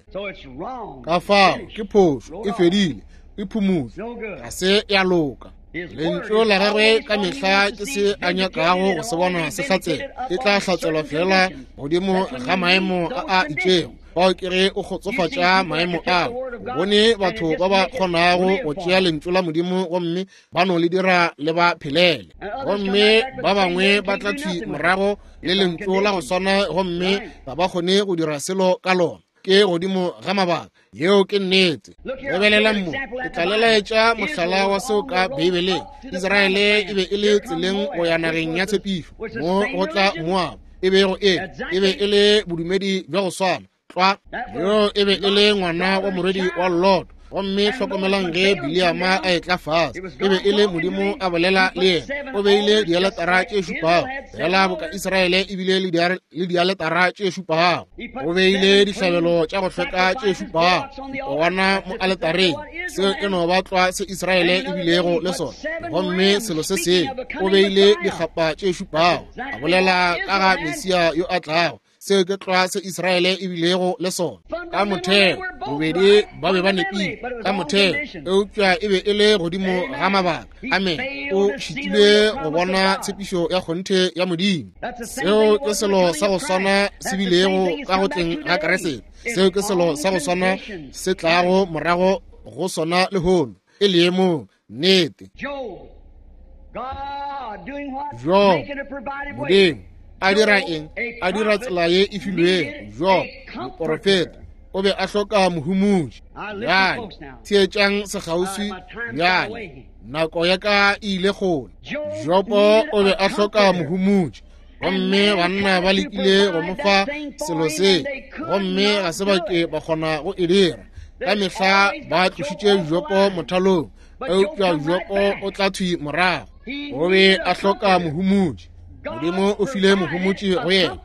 Ka fao ke phošo, e fedile, e phumotšwe, ga se ya loka. Lentšu la gagwe ka mehla ke se a nyakago go se bona se hlatsela, e tla hlatselwa fela godimo ga maemo a a itšego. Fao ke ge o kgotsofatša maemo ao. O bone batho ba ba kgonago go tšea lentšu la Modimo gomme ba no le dira le ba phelele, gomme ba bangwe ba tla thwi morago le lentšu la go swana gomme ga ba kgone go dira selo ka lona. Ke godimo ga mabaka. Yeo ke nnete. Lebelelang mo, ke tla le laetša mohlala wa seo ka Beibeleng. Israele e be e le tseleng go ya nageng ya tshepišo, mo go tla Moab, e bego e e be e le bodumedi bja go swana tlwa. Yo e be e le ngwana wa morwedi wa Lot. Gomme hlokomelang ge Bileama a etla fase, e be e le Modimo a bolela le yena. O beile dialetara tše šupago, fela boka Israele e bile le dialetara tše šupago. O beile dihlabelo tša go hlweka tše šupago, dipowana mo aletareng. Seo e no ba tlwa se Israele e bilego le sona. Gomme selo se sengwe, o beile dikgapa tše šupago, a bolela ka ga Mesia yo a tlago. Seo ke tlwa se Israele e bilego le sona. Ka motheo, bobedi ba be ba nepile, ka motheo, eupša e be e le godimo ga mabaka. Amen. O šitilwe go bona tshepišo ya kgonthe ya Modimo. Seo ke selo sa go swana se bilego ka go tleng ga Kriste. Seo ke selo sa go swana se tlago morago go sona lehono, e leemong. Nnete. Job, Modimo a dira eng? A dira tsela ye e filwego. Job, moporofeta, o be a hloka mohumotši. Bjale theetšang sekgauswi bjale, nako ya ka e ile kgole. Jobo o be a hloka mohumotši, gomme banna ba lekile go mo fa selo se, gomme ga se ba ke ba kgona go e dira. Ka mehla ba tlošitše Jobo mothalong, eupša Jobo o tla thwi morago. O be a hloka mohumotši. Modimo o file mohumotši go yena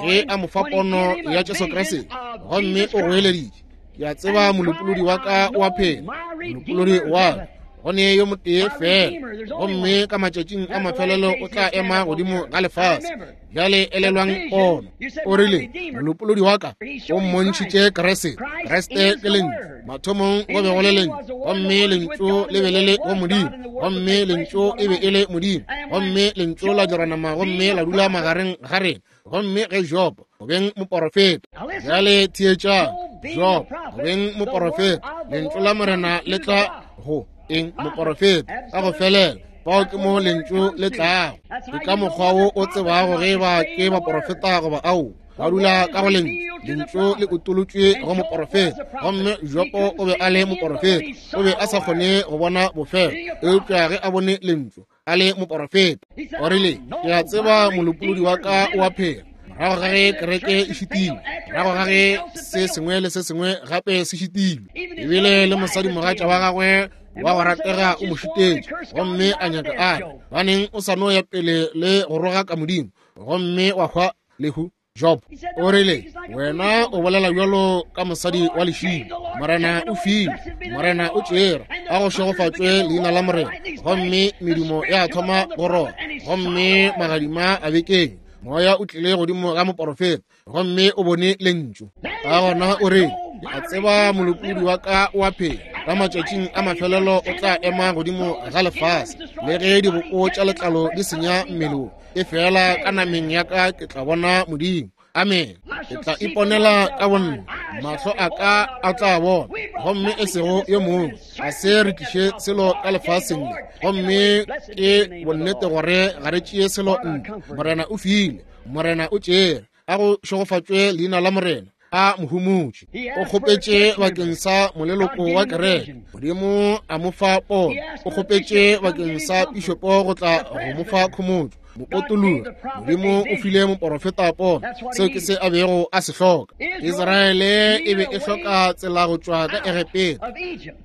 ge a mo fa pono ya Jesu Kriste, gomme o goeleditše, Ke a tseba molopolodi wa ka o a phela, molopolodi wa ka, go ne yo motee fela, gomme ka matšatšing a mafelelo o tla ema godimo ga lefase. Bjale elelwang pono. O rile, molopolodi wa ka o mmontšhitše Kriste. Kriste ke Lentšu. Mathomong go be go le Lentšu, gomme Lentšu le be le le go Modimo, gomme Lentšu e be e le Modimo, gomme Lentšu la dira nama gomme la dula magareng ga rena. Gomme ge Job, go beng moporofeta, bjale theetšang, Job, go beng moporofeta, Lentšu la Morena le tla go eng? Moporofeta, ka go felela. Fao ke mo Lentšu le tlago. Ke ka mokgwa wo o tsebago ge ba ke baporofeta goba ao. Ba dula ka go Lentšu. Lentšu le utolotšwe go moporofeta, gomme Jobo o be a le moporofeta. O be a sa kgone go bona bofelo, eupša ge a bone Lentšu, a le moporofeta, o rile, Ke a tseba molopolodi wa ka o a phela. Morago ga ge kereke e šitilwe, morago ga ge se sengwe le se sengwe gape se šitilwe, ebile le mosadimogatša wa gagwe wa go ratega o mo šitetše, gomme a nyaka a re, Baneng o sa no ya pele le go rogaka Modimo, gomme wa hwa lehu. Job o rile, Wena o bolela bjalo ka mosadi wa lešilo. Morena o file, Morena o tšere, a go šegofatšwe leina la Morena. Gomme medumo ya thoma go roba, gomme magadima a bekeng. Moya o tlile godimo ga moporofeta, gomme o bone Lentšu. Ka gona o re, Ke a tseba molopolodi wa ka o a phela, ka matšatšing a mafelelo o tla ema godimo ga lefase. Le ge diboko tša letlalo di senya mmele wo, e fela ka nameng ya ka ke tla bona Modimo. Amen. Ke tla iponela ka bonna, mahlo a ka a tla bona, gomme e sego yo mongwe. Ga se re tliše selo ka lefaseng le, gomme ke bonnete gore ga re tšee selo ntle. Morena o file, Morena o tšere. A go šegofatšwe leina la Morena. A mohumotši o kgopetše bakeng sa moleloko wa kereke, Modimo a mo fa pono. O kgopetše bakeng sa pišopo go tla go mo fa khomotšo, mopotologi. Modimo o file moporofeta pono. Seo ke se a bego a se hloka. Israele e be e hloka tsela go tšwa ka Egepeta.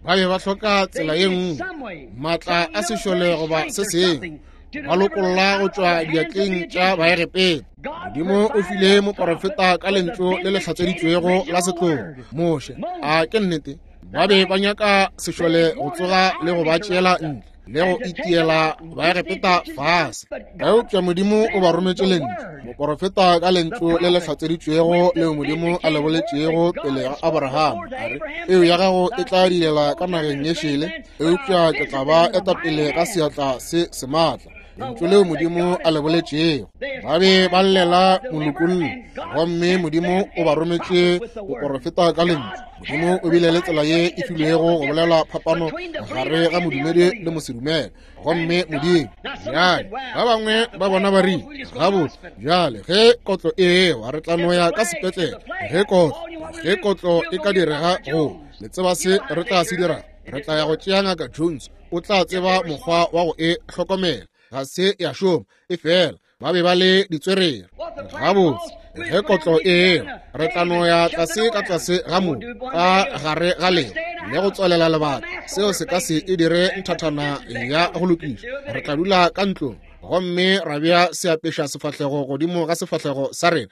Ba be ba hloka tsela ye nngwe, maatla a sešole goba se sengwe, ba lokolla go tšwa diatleng tša Baegepeta. Modimo o file moporofeta ka lentšu le le hlatseditšwego la setlogo, Moshe. A ke nnete? Ba be ba nyaka sešole go tsoga le go ba tšeela ntle le go itiela Baegepeta fase, eupša Modimo o ba rometše lentšu, moporofeta ka lentšu le le hlatseditšwego leo Modimo a le boletšego pele ga Abraham, a re, Peu ya gago e tla dilela ka nageng ye šele, eupša ke tla ba eta pele ka seatla se sematla. Lentšu leo Modimo a le boletšego. Ba be ba llela molokolli, gomme Modimo o ba rometše moporofeta ka lentšu. Modimo o bile le tsela ye e filwego go bolela phapano gare ga modumedi le mosedumele, gomme Modimo. Bjale ba bangwe ba bona ba rile, Gabotse, bjale ge kotlo e ewa re tla no ya ka sepetlele. Ge kotlo e ka direga go le tseba se re tla se dira, re tla ya go tšea Ngaka Jones, o tla tseba mokgwa wa go e hlokomela. Ga se ya šoma, e fela ba be ba le ditswerere. Gabotse, ge kotlo e ewa re tla no ya tlase ka tlase ga mobu ka gare ga leo le go tswalela lebaka. Seo se ka se e dire nthathana ya go lokiša. Re tla dula ka ntlong gomme ra bea seapeša sefahlego godimo ga sefahlego sa rena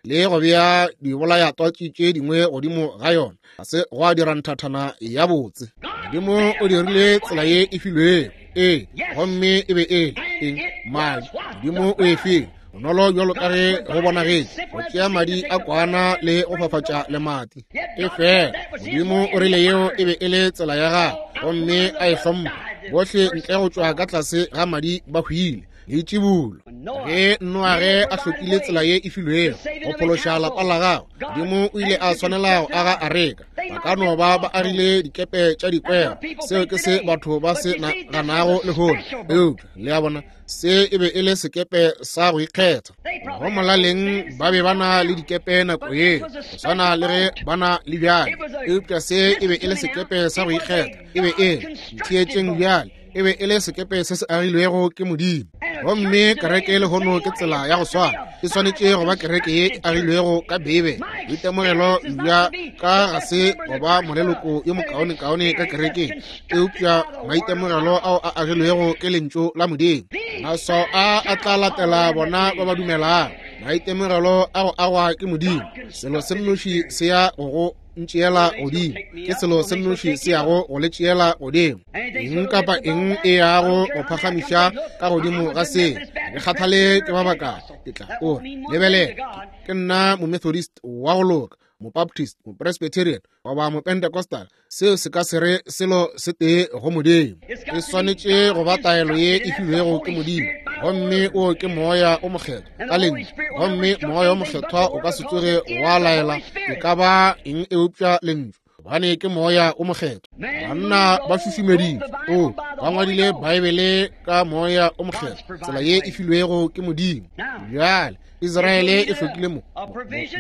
le go bea dibolayatwatši tše dingwe godimo ga yona. Ga se gwa dira nthathana ya botse. Modimo o dirile tsela ye e filwego, ee, gomme e be e le eng? Madi. Modimo o e file. Bonolo bjalo ka ge go bonagetše, go tšea madi a kwana le go fafatša lemati. Efela Modimo o rile yeo e be e le tsela ya gagwe, gomme a e hlompha. Bohle ntle go tšwa ka tlase ga madi ba hwile. Leitšibulo. Ge Noage a hlokile tsela ye e filwego go phološa lapa la gagwe, Modimo o ile a swanela go aga areka. Ba ka no ba ba agile dikepe tša dikwero. Seo ke se batho ba se naganago lehono. Eupša, le a bona, se e be e le sekepe sa go ikgetha. Go molaleng ba be ba na le dikepe nako yeo, go swana le ge ba na le bjale. Eupša se e be e le sekepe sa go ikgetha. E be e le, ntheetšeng bjale, e be e le sekepe se se agilwego ke Modimo. Gomme kereke lehono ke tsela ya go swana. E swanetše go ba kereke ye e agilwego ka Beibele. Boitemogelo bja ka ga se go ba moleloko yo mokaonekaone ka kerekeng, eupša maitemogelo ao a agilwego ke Lentšu la Modimo. Maswao a a tla latela bona ba ba dumelago. Maitemogelo a go agwa ke Modimo. Selo se nnoši se ya go go ntšeela godimo, ke selo se nnoši se yago go le tšeela godimo. Eng kapa eng e yago go phagamiša ka godimo ga se, ke kgathale ke ba bakae, ke tla o re, lebelela, ke nna Momethodist wa go loka, Mobaptist, Mopresbyterian, goba Mopentecostal. Seo se ka se re selo se tee go Modimo. E swanetše go ba taelo ye e filwego ke Modimo, gomme o ke Moya o Mokgethwa ka Lentšu. Gomme Moya o Mokgethwa o ka se tsoge wa laela e ka ba eng eupša Lentšu, gobane ke Moya o Mokgethwa. Banna ba šušumeditšwe, o ba ngwadile Baebele ka Moya o Mokgethwa, tsela ye e filwego ke Modimo. Bjale Israele e hlokile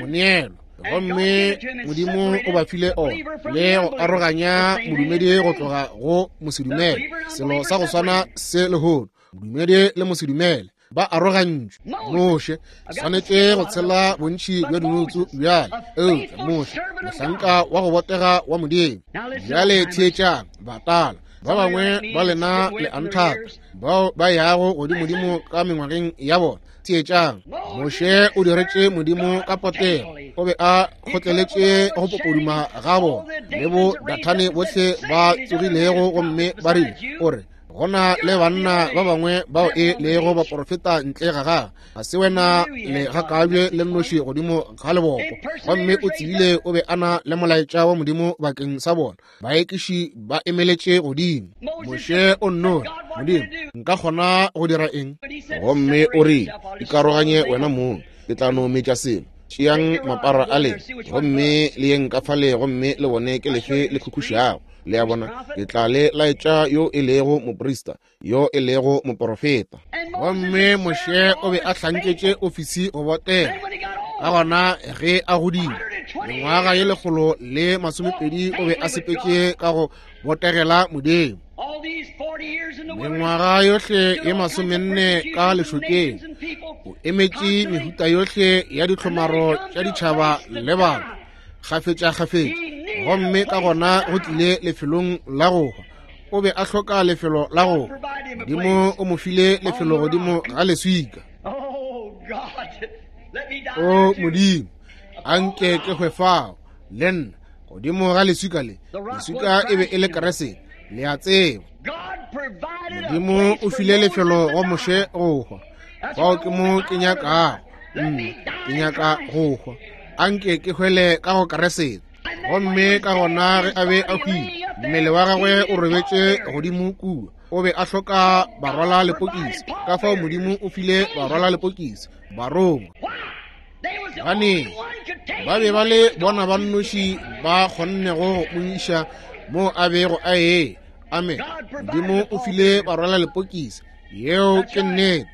moneelo, gomme Modimo o ba file ona, le go aroganya modumedi go tloga go mosedumele. Selo sa go swana se lehono, modumedi le mosedumele ba arogantšwe. Moshe swanetše go tshela bontši bja dinotsu bjale, eupša Moshe mohlanka wa go botega wa Modimo. Bjale theetšang, batala ba bangwe ba lena le a nthata, bao ba yago godimodimo ka mengwageng ya bona. Theetšang, Moshe o diretše Modimo ka potego. O be a kgotleletše go popoduma ga bona le bo Dathane bohle ba tsogilego gomme ba rile, o re, go na le banna ba bangwe bao e lego baporofeta ntle ga gagwe, ga se wena le gakabje le nnoši godimo ga lebopo. Gomme o tsebile o be a na le molaetša wa Modimo bakeng sa bona. Baekiši ba emeletše godimo. Moshe o nno re, Modimo, nka kgona go dira eng?
Gomme o rile, Ikaroganye wena mong, ke tla no metša selo. Tšeang mapara a lena gomme le yeng ka fale gomme le bone ke lefe le khukhušago. Le a bona, ke tla le laetša yo e lego moprista, yo e lego moporofeta.
Gomme Moshe o be a hlanketše ofisi go botega. Ka gona ge a godile mengwaga ye 120, o be a sepetše ka go botegela Modimo. Mengwaga yohle ye 40 ka lešokeng, o emetše mehuta yohle ya ditlhomaro tša ditšhaba le batho kgafetša-kgafetša, gomme ka gona go tlile lefelong la go hwa. O be a hloka lefelo la go hwa. Modimo o mo file lefelo godimo ga leswika. O Modimo, a nke ke hwe fao le nna, godimo ga leswika le. Leswika e be e le Keresete, le a tseba. Modimo o file lefelo go Moshe go hwa. Fao ke mo ke nyakago. Nna ke nyaka go hwa. A nke ke hwele ka go Keresete. Gomme ka gona ge a be a hwile, mmele wa gagwe o robetše godimo kua. O be a hloka barwala lepokisi. Ka fao Modimo o file barwala lepokisi barongwa. Baneng ba be ba le bona ba nnoši ba kgonnego go mo iša mo a bego a ee. Amen. Modimo o file barwala lepokisi. Yeo ke nnete.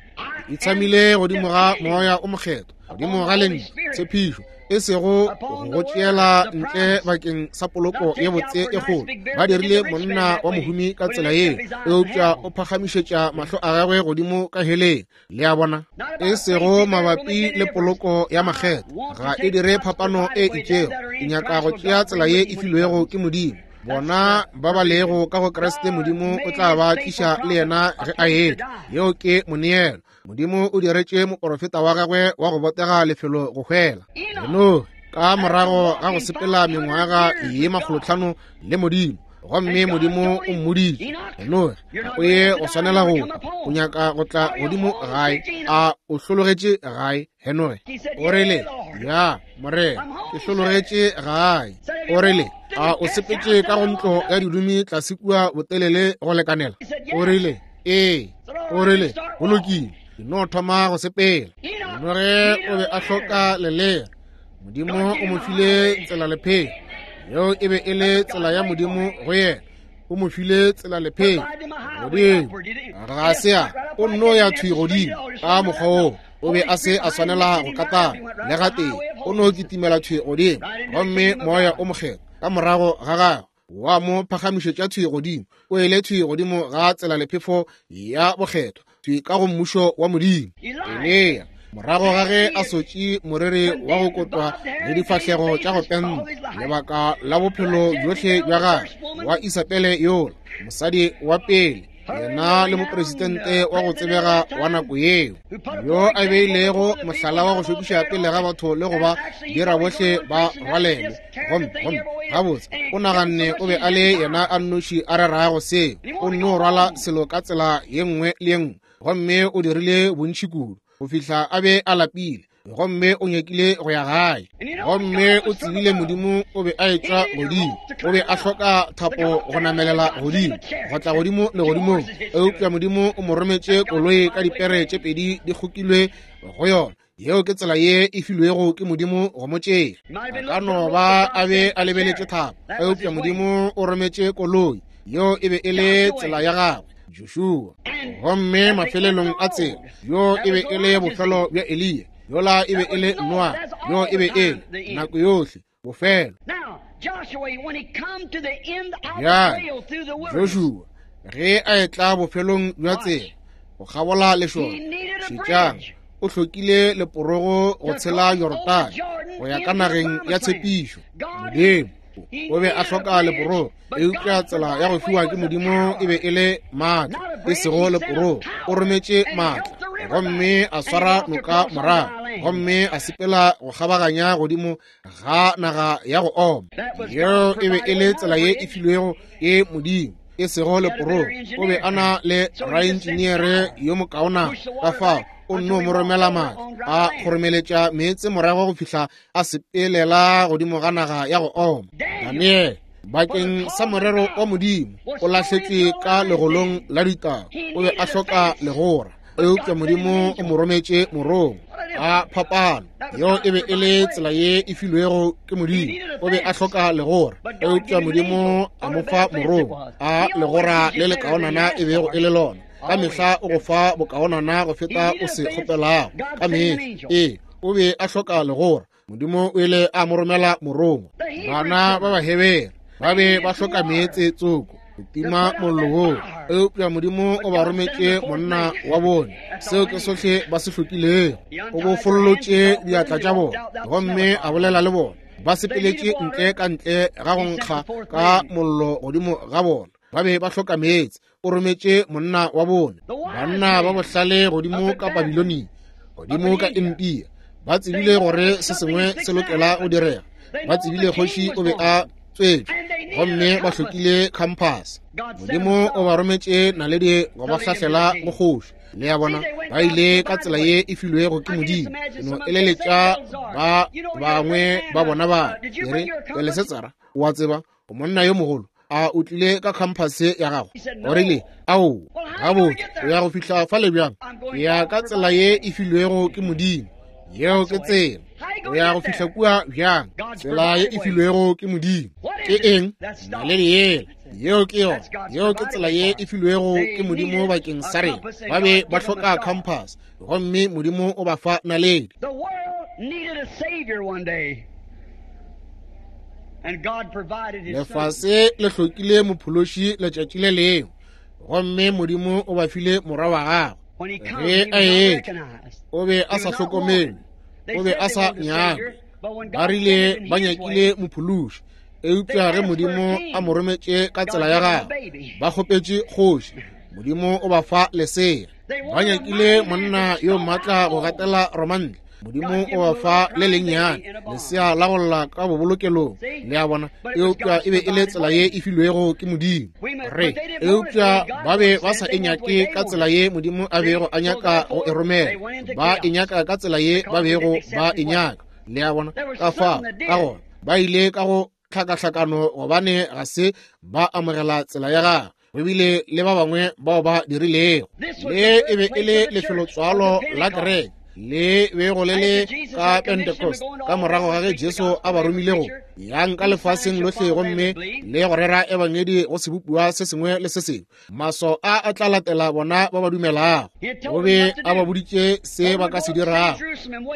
E tshamile godimo ga Moya o Mokgethwa, godimo ga Lentšu, tshepišo, e sego go tšeela ntle bakeng sa poloko ye botse e kgolo. Ba dirile monna wa mohumi ka tsela yeo, eupša o phagamišetša mahlo a gagwe godimo ka heleng. Le a bona? E sego mabapi le poloko ya makgetho, ga e dire phapano e itšego. Ke nyaka go tšea tsela ye e filwego ke Modimo. Bona ba ba lego ka go Kriste, Modimo o tla ba tliša le yena ge a etla. Yeo ke moneelo. Modimo o diretše moporofeta wa gagwe wa go botega lefelo go hwela. Enoge, ka morago ga go sepela mengwaga ye 500 le Modimo, Gomme Modimo o mmoditše, Henoge, ga o ye go swanela go hwa. O nyaka go tla godimo gae. A o hlologetše gae, Henoge? O rile, Ya, Morena, ke hlologetše gae. O rile, A o sepetše ka go ntlo ya didumi tlase kua botelele go lekanela? O rile, Ee. O rile, Go lokile, ke no thoma go sepela. Henoge o be a hloka lelere. Modimo o mo file tsela lephelo. Yeo e be e le tsela ya Modimo go yena. O mo file tsela lephelo godimo. Ga se a, o nno ya thwi godimo ka mokgwa woo. O be a se a swanela go katana le gatee. O no kitimela thwi godimo, gomme Moya o Mokgethwa ka morago ga gagwe wa mo phagamišetša thwi godimo. O ile thwi godimo ga tsela lephefo ya bokgethwa, thwi ka go mmušo wa Modimo. Eliya, morago ga ge a sotše moriri wa go kotwa le difahlego tša go penta lebaka la bophelo bjohle bja gagwe, wa Isabele yola, mosadi wa pele, yena le mopresidente wa go tsebega wa nako yeo, yo a beilego mohlala wa go šokiša pele ga batho le go ba dira bohle ba rwalelwe. Gomme, gomme, gabotse, o naganne o be a le yena a nnoši a rerago seo. O nno rwala selo ka tsela ye nngwe le ye nngwe, gomme o dirile bontši kudu go fihla a be a lapile, gomme o nyakile go ya gae. Gomme o tsebile Modimo o be a etšwa godimo. O be a hloka thapo go namelela godimo, go tla godimo legodimong, eupša Modimo o mo rometše koloi ka dipere tše pedi di kgokilwe go yona. Yeo ke tsela ye e filwego ke Modimo go mo tšea. A ka no ba a be a lebeletše thapo, eupša Modimo o rometše koloi. Yeo e be e le tsela ya gagwe, Joshua. Gomme mafelelong a tsela, yo e be e le bofelo bja Eliya, yola e be e le Noa, yo e be e le nako yohle bofelo. Bjale, Joshua, ge a etla bofelong bja tsela go kgabola lešoka, šetšang, o hlokile leporogo go tshela Jorodane go ya ka nageng ya tshepišo. Modimo o be a hloka leporogo, eupša tsela ya go fiwa ke Modimo e be e le maatla, e sego leporogo. O rometše maatla, gomme a swara noka morago, gomme a sepela go kgabaganya godimo ga naga ya go oma. Yeo e be e le tsela ye e filwego ke Modimo, e sego leporogo. O be a na le raentšineere yo mokaonana, ka fao o nno mo romela maatla, a kgoromeletša meetse morago go fihla a sepelela godimo ga naga ya go oma. Daniele, bakeng sa morero wa Modimo, o lahletšwe ka legolong la ditau. O be a hloka legora, eupša Modimo o mo rometše morongwa. A phapano! Yeo e be e le tsela ye e filwego ke Modimo. O be a hloka legora, eupša Modimo a mo fa morongwa. A legora le lekaonana e bego e le lona! Ka mehla o go fa bokaonana go feta o se kgopelago. Ka mehla. Ee, o be a hloka legora. Modimo o ile a mo romela morongwa. Bana ba Bahebere ba be ba hloka meetse tsoko go tima mollo woo, eupša Modimo o ba rometše monna wa bone. Seo ke sohle ba se hlokilego. O bofollotše diatla tša bona gomme a bolela le bona. Ba sepeletše ntle ka ntle ga go nkga ka mollo godimo ga bona. Ba be ba hloka meetse. O rometše monna wa bone. Banna ba bohlale godimo ka Babilonia, godimo ka India, ba tsebile gore se sengwe se lokela go direga. Ba tsebile kgoši o be a tswetšwe, gomme ba hlokile khamphase. Modimo o ba rometše naledi go ba hlahlela go kgoši. Le a bona, ba ile ka tsela ye e filwego ke Modimo. Ke no eleletša ba bangwe ba bona ba re, Belesetsara, o a tseba, o monna yo mogolo, a o tlile ka khamphase ya gago? O rile, Ao, gabotse, o ya go fihla fale bjang? Ke ya ka tsela ye e filwego ke Modimo. Yeo ke tsela. O ya go fihla kua bjang? Tsela ye e filwego ke Modimo. Ke eng? Naledi yela. Yeo ke yona. Yeo ke tsela ye e filwego ke Modimo bakeng sa rena. Ba be ba hloka khamphase, gomme Modimo o ba fa naledi.
The world needed a savior one day.
Lefase le hlokile mophološi letšatši le lengwe, gomme Modimo o ba file morwa wa gagwe. Ge a etla, o be a sa hlokomelwe, o be a sa nyakwe. Ba rile ba nyakile mophološi, eupša ge Modimo a mo rometše ka tsela ya gagwe, ba kgopetše kgoši. Modimo o ba fa lesea. Ba nyakile monna yo maatla go gatela Romantle. Modimo o ba fa le lennyane lesea la go lla ka bobolokelong, le a bona, eupša e be e le tsela ye e filwego ke Modimo. Re, eupša ba be ba sa e nyake ka tsela ye Modimo a bego a nyaka go e romela. Ba e nyaka ka tsela ye ba bego ba e nyaka, le a bona. Ka fao, ka gona, ba ile ka go tlhakahlakano gobane ga se ba amogela tsela ya gagwe. Go bile le ba bangwe bao ba dirilego. Le e be e le lefelotswalo la kereke le bego le le ka Pentecost, ka morago ga ge Jesu a ba romile go yang ka lefaseng lohle gomme le go rera ebangedi go sebopiwa se sengwe le se sengwe. Maswao a a tla latela bona ba ba dumelago. O be a ba boditše se ba ka se dirago.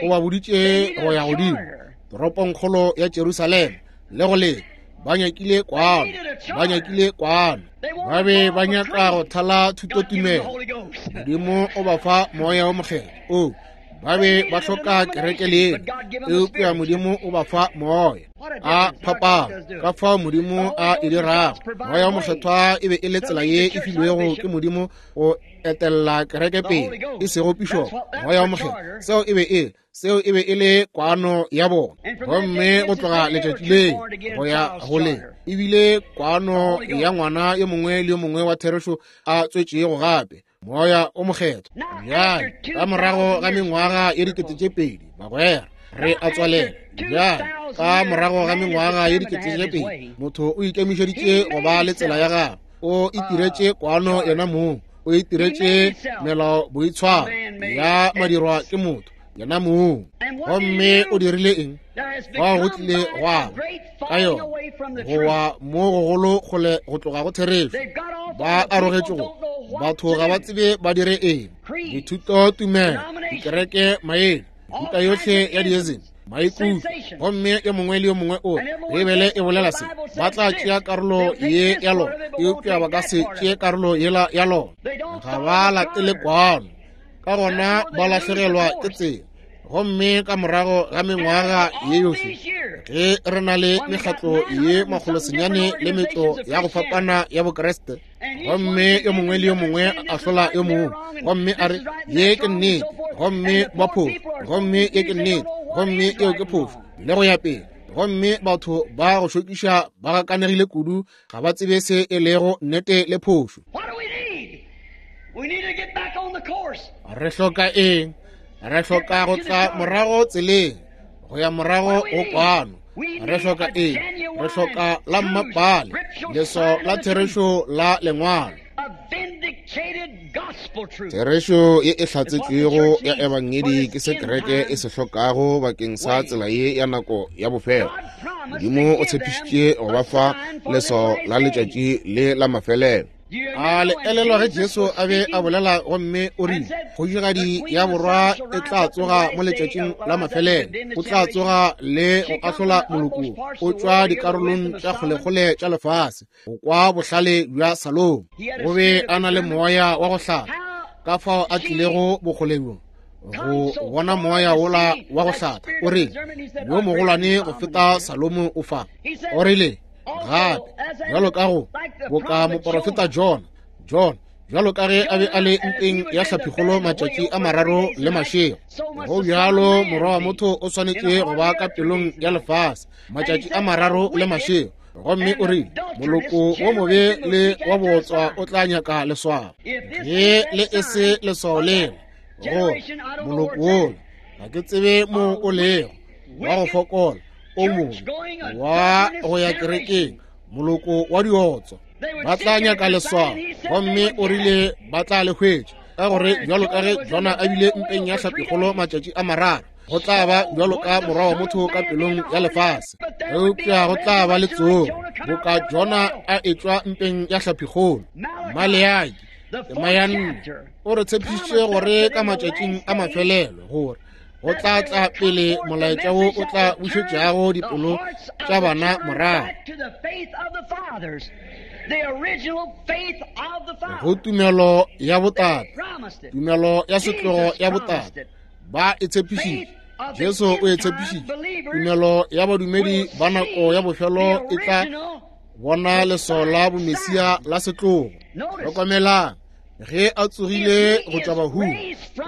O ba boditše go ya godimo toropongkgolo ya Jerusalema le go leta. Ba nyakile kwano, ba nyakile kwano. Ba be ba nyaka go thala thutotumelo. Modimo o ba fa Moya wo Mokgethwa. O, ba be ba hloka kereke le eupša Modimo o ba fa Moya. A phapano ka fao Modimo a e dirago. Moya wo Mokgethwa e be e le tsela ye e filwego ke Modimo go etella kereke pele, e sego pišopo. Moya wo Mokgethwa, seo e be e seo e be e le kwano ya bona. Gomme go tloga letšatši le go ya go le, e bile kwano ya ngwana yo mongwe le yo mongwe wa therešo a tswetšego gape, Moya o Mokgethwa. Bjale, ka morago ga mengwaga ye 2000, bagwera, re a tswalela. Bjale, ka morago ga mengwaga ye 2000, motho o ikemišeditše go ba le tsela ya gagwe. O itiretše kwano yena mong, o itiretše melao boitshwaro ya madirwa ke motho yena mong. Gomme o dirile eng? Fao go tlile gwa ka yona go wa mo gogolo kgole go tloga go therešo. Ba arogetše go batho ga ba tsebe ba dire eng. Dithuto tumelo, dikereke maele, mehuta yohle ya diesem, maikutlo, gomme yo mongwe le yo mongwe o re Beibele e bolela se. Ba tla tšea karolo ye ya lona, eupša ba ka se tšee karolo yela ya lona. Ga ba latele kwano, ka gona ba lahlegelwa ke tsela. Gomme ka morago ga mengwaga ye yohle, ge re na le mekgatlo ye 900 le metlo ya go fapana ya Bokriste, gomme yo mongwe le yo mongwe a ahlola yo mongwe, gomme a re ye ke nnete, gomme ba phofu, gomme ye ke nnete, gomme yeo ke phofu, le go ya pele. Gomme batho ba go šokiša ba gakanegile kudu, ga ba tsebe se e lego nnete le phošo. Re hloka eng? Re hloka go tla morago tseleng, go ya morago go kwano. Re hloka eng? Re hloka la mmapale, leswao la therešo la lengwalo. Therešo ye e hlatsetšwego ya ebangedi ke se kereke e se hlokago bakeng sa tsela ye ya nako ya bofelo. Modimo o tshepišitše go ba fa leswao la letšatši le la mafelelo. A le elelwa ge Jesu a be a bolela gomme o rile, Kgošigadi ya borwa e tla tsoga mo letšatšing la mafelelo, o tla tsoga le go ahlola moloko o tšwa dikarolong tša kgolekgole tša lefase, go kwa bohlale bja Salomo. O be a na le moya wa go hlapa, ka fao a tlilego bokgole bjo go bona moya wola wa go hlapa. O rile, yo mogolwane go feta Salomo o fa. O rile gape, bjalo ka go boka moporofeta Jona, Jona bjalo ka ge a be a le mpeng ya hlaphikgolo matšatši a mararo le mašego, go bjalo morwa wa motho o swanetše go ba ka pelong ya lefase matšatši a mararo le mašego. Gomme o rile, moloko wo mobe le wa bootswa o tla nyaka leswao. Ge le e se leswao leo, go moloko wola, ga ke tsebe mo o lego, wa go fokola, o mongwe wa go ya kerekeng, moloko wa diotswa, ba tla nyaka leswao. Gomme o rile ba tla le hwetša, ka gore bjalo ka ge Jona a bile mpeng ya hlapikgolo matšatši a mararo, go tla ba bjalo ka morwa wa motho ka pelong ya lefase. Eupša go tla ba le tsogo, boka Jona a etšwa mpeng ya hlapikgolo. Maleaki tema ya nne o re tshepišitše gore ka matšatšing a mafelelo gore go tla tla pele molaetša wo o tla bušetšago dipelo tša bana morago go tumelo ya botate, tumelo ya setlogo ya botate. Ba e tshepišitše, Jesu o e tshepišitše. Tumelo ya badumedi ba nako ya bofelo e tla bona leswao la bomesia la setlogo. Hlokomelang. Ge a tsogile go tšwa bahung,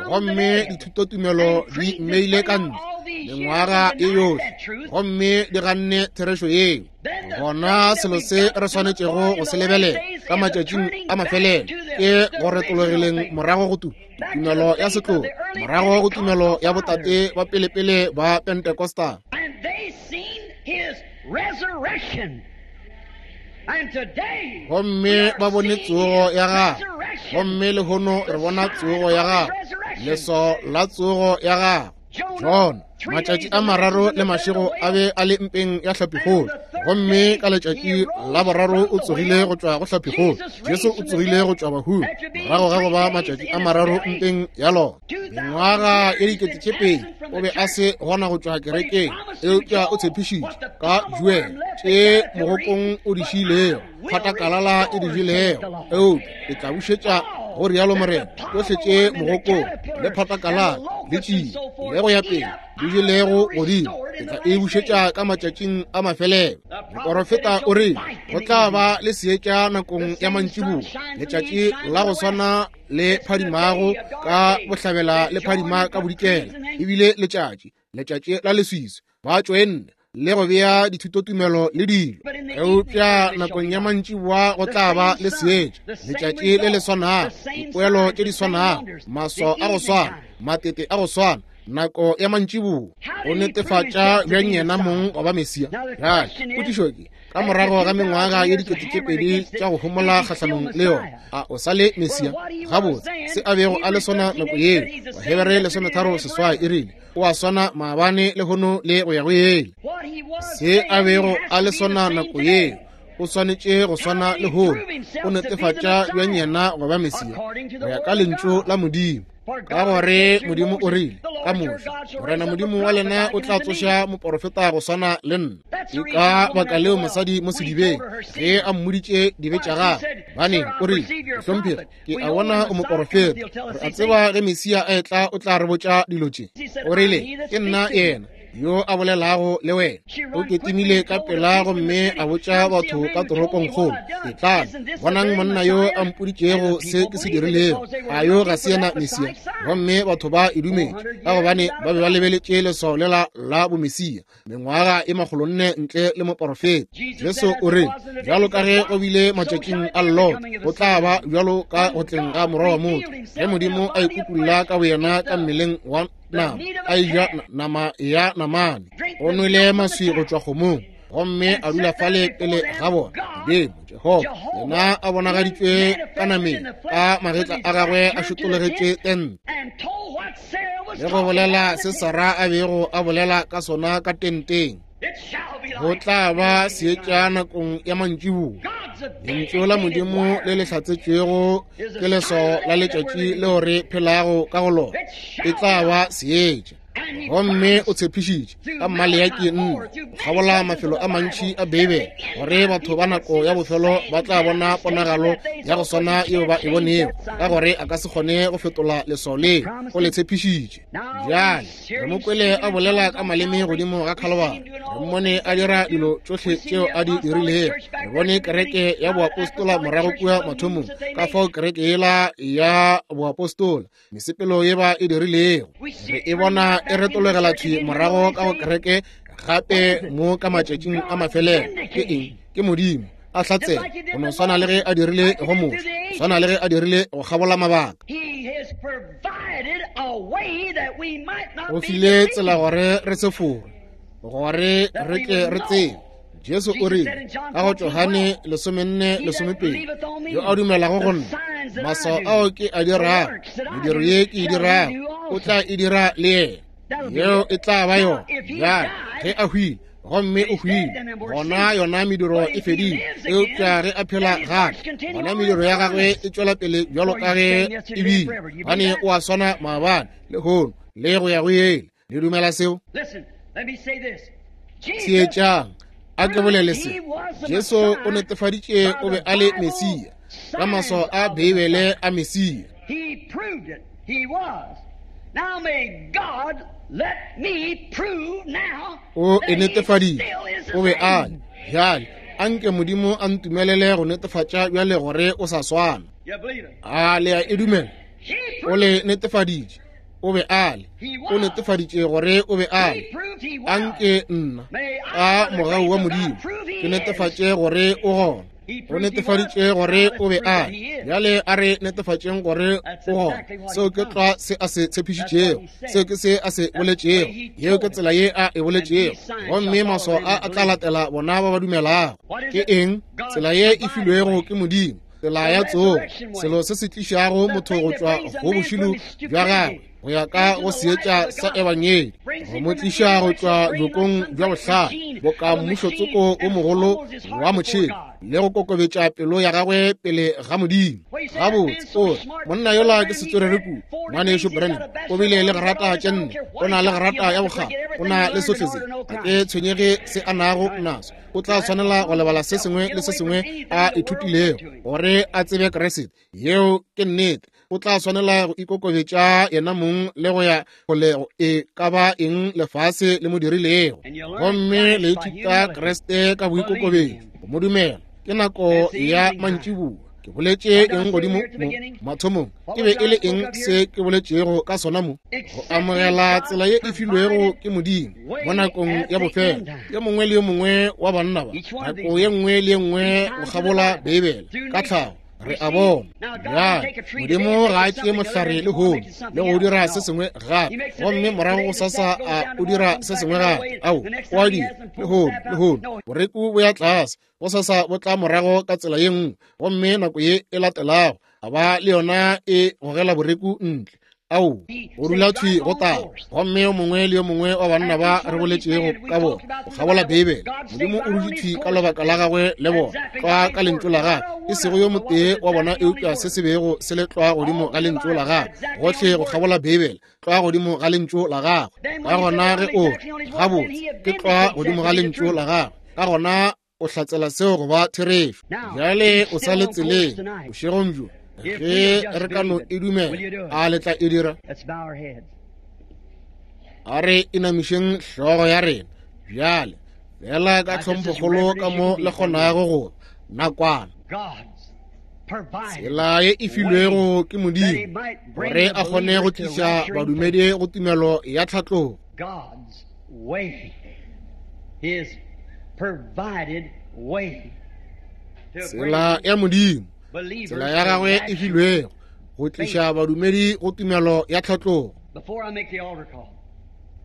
gomme dithutotumelo di mmeile ka ntle mengwaga e yohle, gomme di ganne therešo yeo, gona selo se re swanetšego go se lebelela ka matšatšing a mafelelo ke go retologileng morago go tumelo ya setlogo, morago go tumelo ya botate ba pelepele ba Pentecostal. Gomme ba bone tsogo ya gagwe, gomme lehono re bona tsogo ya gagwe, leswao la tsogo ya gagwe. Jona, matšatši a mararo le mašego a be a le mpeng ya hlapikgolo, gomme ka letšatši la boraro o tsogile go tšwa go hlapikgolo. Jesu o tsogile go tšwa bahung morago ga go ba matšatši a mararo mpeng ya lona. Mengwaga ye 2000 o be a se gona go tšwa kerekeng, eupša o tshepišitše ka Joel tše mogokong o di šiilego, phatakalala e di jelego, eupša e tla bušetša, go rialo Morena, tšohle tše mogokong le phatakalala le tšie le go ya pele di jelego godimo, ke tla e bušetša ka matšatšing a mafelelo. Moporofeta o rile go tla ba le seetša nakong ya mantšiboa, letšatši la go swana le phadimago ka bohlabela le phadima ka bodikela, ebile letšatši, letšatši la leswiswi, ba tšoenne le go bea dithutotumelo le dilo. Eupša nakong ya mantšiboa go tla ba le seetša, letšatši le le swanago, dipoelo tše di swanago, maswao a go swana, matete a go swana, nako ya mantšiboa. O netefatša bjang yena mong go ba Mesia? Bjale potšišo ke, ka morago ga mengwaga ye 2000 tša go homola kgahlanong le yona, a o sa le Mesia? Gabotse, se a bego a le sona nako yeo, Bahebere 13:8 e rile, o a swana maabane lehono le go ya go ele. Se a bego a le sona nako yeo, o swanetše go swana lehono. O netefatša bjang yena go ba Mesia? Go ya ka lentšu la Modimo. Ka gore Modimo o rile ka Moshe, Morena Modimo wa lena o tla tsoša moporofeta go swana le nna. Ke ka baka leo mosadi mo sedibeng, ge a mmoditše dibe tša gagwe, baneng o rile, Mohlomphegi, ke a bona o moporofeta, re a tseba ge Mesia a etla o tla re botša dilo tše. O rile, Ke nna yena yo a bolelago le wena. O ketimile ka pela gomme a botša batho ka toropongkgolo, Etlang, bonang monna yo a mpoditšego se ke se dirilego. A yo ga se yena Mesia? Gomme batho ba e dumetše, ka gobane ba be ba lebeletše leswao lela la bomesia mengwaga e 400 ntle le moporofeta. Jesu o re, bjalo ka ge go bile matšatšing a Lot, go tla ba bjalo ka go tleng ga Morwa wa motho, ge Modimo a ikutulla ka boyena ka mmeleng wa nama, a eja nama ya namane, o nwele maswi go tšwa kgomong, gomme a dula fale pele ga bona. Modimo Jehofa yena a bonagaditšwe ka nameng, ka magetla a gagwe a šotologetše tente, le go bolela se Sara a bego a bolela ka sona ka tenteng. Go tla ba seetša nakong ya mantšiboa. Lentšu la Modimo le le hlatsetšwego ke leswao la letšatši leo re phelago ka go lona. E tla ba seetša. Gomme o tshepišitše ka Maleaki 4, go kgabola mafelo a mantši a Beibele, gore batho ba nako ya bofelo ba tla bona ponagalo ya go swana yeo ba e bonego, ka gore a ka se kgone go fetola leswao leo o le tshepišitše. Bjale re mo kwele a bolela ka maleme godimo ga Khalibari, re mmone a dira dilo tšohle tšeo a di dirilego, re bone kereke ya boapostola morago kua mathomong, ka fao kereke yela ya boapostola mesepelo ye ba e dirilego, re e bona e retologela thwi morago ka go kereke gape mo ka matšatšing a mafelelo. Ke eng? Ke Modimo a hlatsela, go no swana le ge a dirile go Moshe, go swana le ge a dirile go kgabola mabaka. O file tsela gore re se fore, gore re tle re tsebe. Jesu o rile ka go Johane 14:12, yo a dumelago go nna, maswao ao ke a dirago, mediro ye ke e dirago, o tla e dira le yena. Yeo e tla ba yona. Bjale ge a hwile, gomme o hwile, gona yona mediro e fedile. Eupša ge a phela gape, gona mediro ya gagwe e tšwela pele bjalo ka ge e bile, gobane o a swana maabane, lehono, le go ya go ile. Le dumela seo? Theetšang, a ke bolele se. Jesu o netefaditše o be a le Mesia ka maswao a Beibele a Mesia. O e netefaditše, o be a le. Bjale, anke Modimo a ntumelele go netefatša bjale gore o sa swana. A le a e dumela? O le netefaditše. O be a le. O netefaditše gore o be a le. Anke nna, ka mogau wa Modimo, ke netefatše gore o gona. O netefaditše gore o be a le. Bjale a re netefatšeng gore o gona. Seo ke tlwa se a se tshepišitšego. Seo ke se a se boletšego. Yeo ke tsela ye a e boletšego. Gomme maswao a a tla latela bona ba ba dumelago. Ke eng? Tsela ye e filwego ke Modimo. Tsela ya tsogo, selo se se tlišago motho go tšwa go bošilo bja gagwe go ya ka go seetša sa ebangedi, go mo tliša go tšwa bjokong bja bohlale boka mmušotsoko o mogolo wa motšhene, le go kokobetša pelo ya gagwe pele ga Modimo. Gabotse, o re, monna yola ke setswerere kudu. Ngwanešu Branham o bile le grata tše nne, o na le grata ya bokgabo, o na le sohle se. Ga ke tshwenyege se a nago naso. O tla swanela go lebala se sengwe le se sengwe a ithutilego gore a tsebe Kriste. Yeo ke nnete. O tla swanela go ikokobetša yena mong le go ya kgolego e ka ba eng lefase le mo dirilego. Gomme le ithuta Kriste ka boikokobetšo, go mo dumela. Ke nako ya mantšiboa. Ke boletše eng godimo mo mathomong? E be e le eng se ke boletšego ka sona mo? Go amogela tsela ye e filwego ke Modimo mo nakong ya bofelo. Yo mongwe le yo mongwe wa banna ba, nako ye nngwe le ye nngwe go kgabola Beibele, ka tlhago re a bona. Bjale, Modimo ga a tšee mohlare lehono le go dira se sengwe gape, gomme morago go sasa a o dira se sengwe gape. Ao, o a dira lehono, lehono boreku bo ya tlase, go sasa bo tla morago ka tsela ye nngwe, gomme nako ye e latelago a ba le yona e gogela boreku ntle. Ao, go dula thwi go taba. Gomme yo mongwe le yo mongwe wa banna ba re boletšego ka bona go kgabola Beibele, Modimo o dutše thwi ka lebaka la gagwe le bona, tlwa ka lentšu la gagwe, e sego yo motee wa bona eupša se se bego se le tlwa godimo ga lentšu la gagwe, gohle go kgabola Beibele, tlwa godimo ga lentšu la gagwe. Ka gona ge o re, gabotse, ke tlwa godimo ga lentšu la gagwe, ka gona o hlatsela seo go ba therešo. Bjale o sa le tseleng bošegong bjo, ge re ka no e dumela. A le tla e dira? A re inamišeng hlogo ya rena bjale, fela ka tlhomphokgolo ka mo le kgonago go nakwana. Tsela ye e filwego ke Modimo gore a kgone go tliša badumedi go tumelo ya tlhatlogo. Tsela ya Modimo, tsela ya gagwe e filwego go tliša badumedi go tumelo ya tlhatlogo.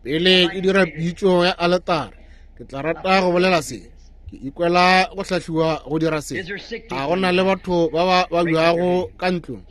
Pele ke dira pitšo ya aletare, ke tla rata go bolela se. Ke ikwela go hlahliwa go dira se. A go na le batho ba ba babjago ka ntlong?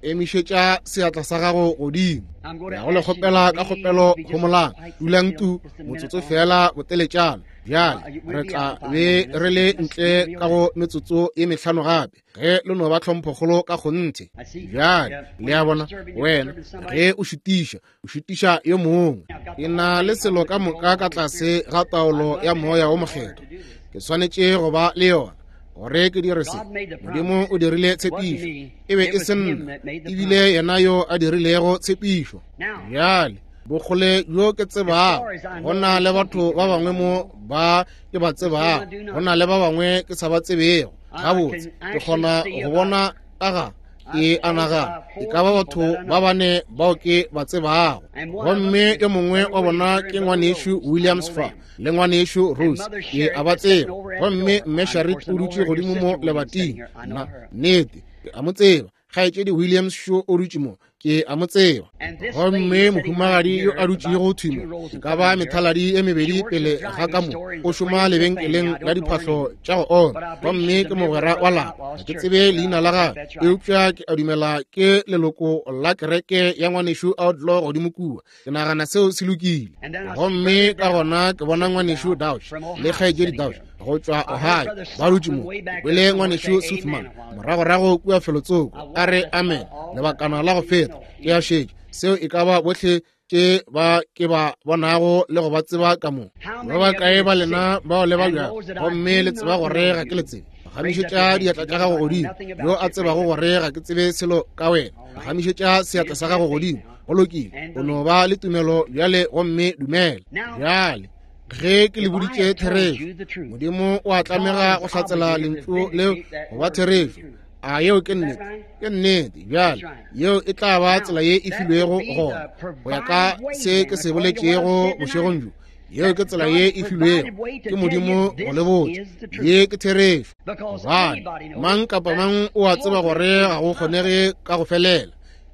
Emišetša seatla sa gago godimo. Ya go le kgopela ka kgopelo, homolang, dulang tu motsotso fela boteletšana. Bjale re tla be re le ntle ka go metsotso ye mehlano gape, ge le no ba tlhomphokgolo ka kgonthe. Bjale le a bona, wena ge o šutiša, o šutiša yo mongwe. Ke na le selo ka moka ka tlase ga taolo ya Moya wo Mokgethwa. Ke swanetše go ba le yona gore ke dire se. Modimo o dirile tshepišo, e be e se nna, ebile yena yo a dirilego tshepišo. Bjale bokgole bjo ke tsebago, go na le batho ba bangwe mo ba ke ba tsebago, go na le ba bangwe ke sa ba tsebego gabotse. Ke kgona go bona ka ga ke a nagana e ka ba batho ba bane bao ke ba tsebago, gomme yo mongwe wa bona ke ngwanešu Williams fa le ngwanešu Rose, ke a ba tseba. Gomme mme Sharit o dutše godimo mo lebating, nna nnete ke a mo tseba. Kgaetšedi Williams šo o dutše mo, ke a mo tseba. Gomme mohumagadi yo a dutšego thwi mo, e ka ba methaladi e mebedi pele ga ka mo, o šoma lebenkeleng la diphahlo tša go oma, gomme ke mogwera wa lapa. Ga ke tsebe leina la gagwe, eupša ke a dumela ke leloko la kereke ya ngwanešu Outlaw godimo kua. Ke nagana seo se lokile. Gomme ka gona ke bona ngwanešu Dauch le kgaetšedi Dauch go tšwa Ohio ba dutše mo. Ke kwele ngwanešu Suthman moragorago kua felotsoko a re amen lebakana la go feta. Ke a šetše seo e ka ba bohle tše ba ke ba bonago le go ba tseba ka mo. Ba bakae ba lena bao le babjago gomme le tseba gore ga ke le tsebe? Gamišetša diatla tša gago godimo. Yo a tsebago gore ga ke tsebe selo ka wena, gamišetša seatla sa gago godimo. Go lokile, o no ba le tumelo bjale gomme dumela. Bjale ge ke le boditše therešo, Modimo o a tlamega go hlatsela lentšu leo go ba therešo. A yeo ke nnete? Ke nnete. Bjale yeo e tla ba tsela ye e filwego gona go ya ka se ke se boletšego bošegong bjo. Yeo ke tsela ye e filwego ke Modimo go le botša. Ye ke therešo. Gobane mang kapa mang o a tseba gore ga go kgonege ka go felela.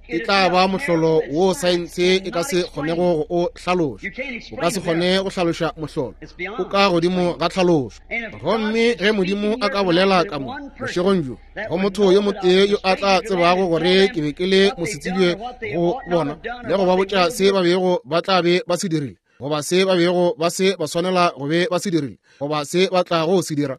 E tla ba mohlolo wo saense e ka se kgonego go o hlaloša. O ka se kgone go hlaloša mohlolo, o ka godimo ga tlhalošo. Gomme ge Modimo a ka bolela ka mo bošegong bjo go motho yo motee yo a tla tsebago gore ke be ke le mosetsebje go bona le go ba botša se ba bego ba tla be ba se dirile, goba se ba bego ba se ba swanela go be ba se dirile, goba se ba tlago se dira,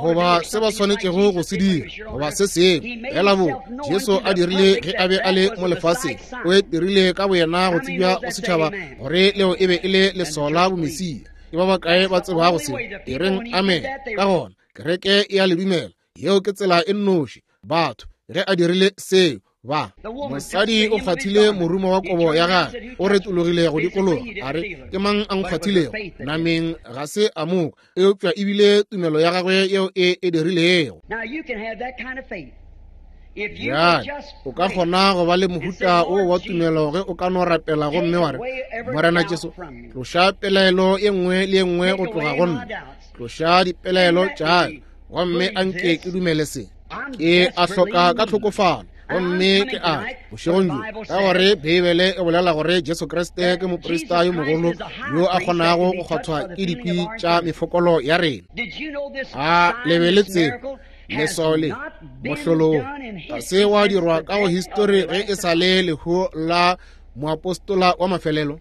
goba se ba swanetšego go se dira, goba se sengwe. Fela bo Jesu a dirile ge a be a le mo lefaseng, o e dirile ka boyena go tsebja go setšhaba gore leo e be e le leswao la bomesia. Ke ba bakae ba tsebago se? E reng amen. Ka gona kereke e a le dumela. Yeo ke tsela e nnoši batho ge a dirile seo. Ba mosadi o kgwathile morumo wa kobo ya gagwe, o retologile go dikologa, a re, Ke mang a nkgwathilego? Nameng ga se a mo kwa, eupša ebile tumelo ya gagwe yeo e e dirilego. Bjale o ka kgona go ba le mohuta wo wa tumelo ge o ka no rapela gomme wa re, Morena Jesu, tloša pelaelo ye nngwe le ye nngwe go tloga go nna, tloša dipelaelo tša ka, gomme a nke ke dumele se. Ke a hloka ka tlhokofalo, gomme ke a bošegong bjo, ka gore Beibele e bolela gore Jesu Kriste ke moprista yo mogolo yo a kgonago go kgwathwa ke dikwi tša mefokolo ya rena. A le be le tsebe leswao le mohlolo wo ga se wa dirwa ka go histori ge e sa le lehu la moapostola wa mafelelo?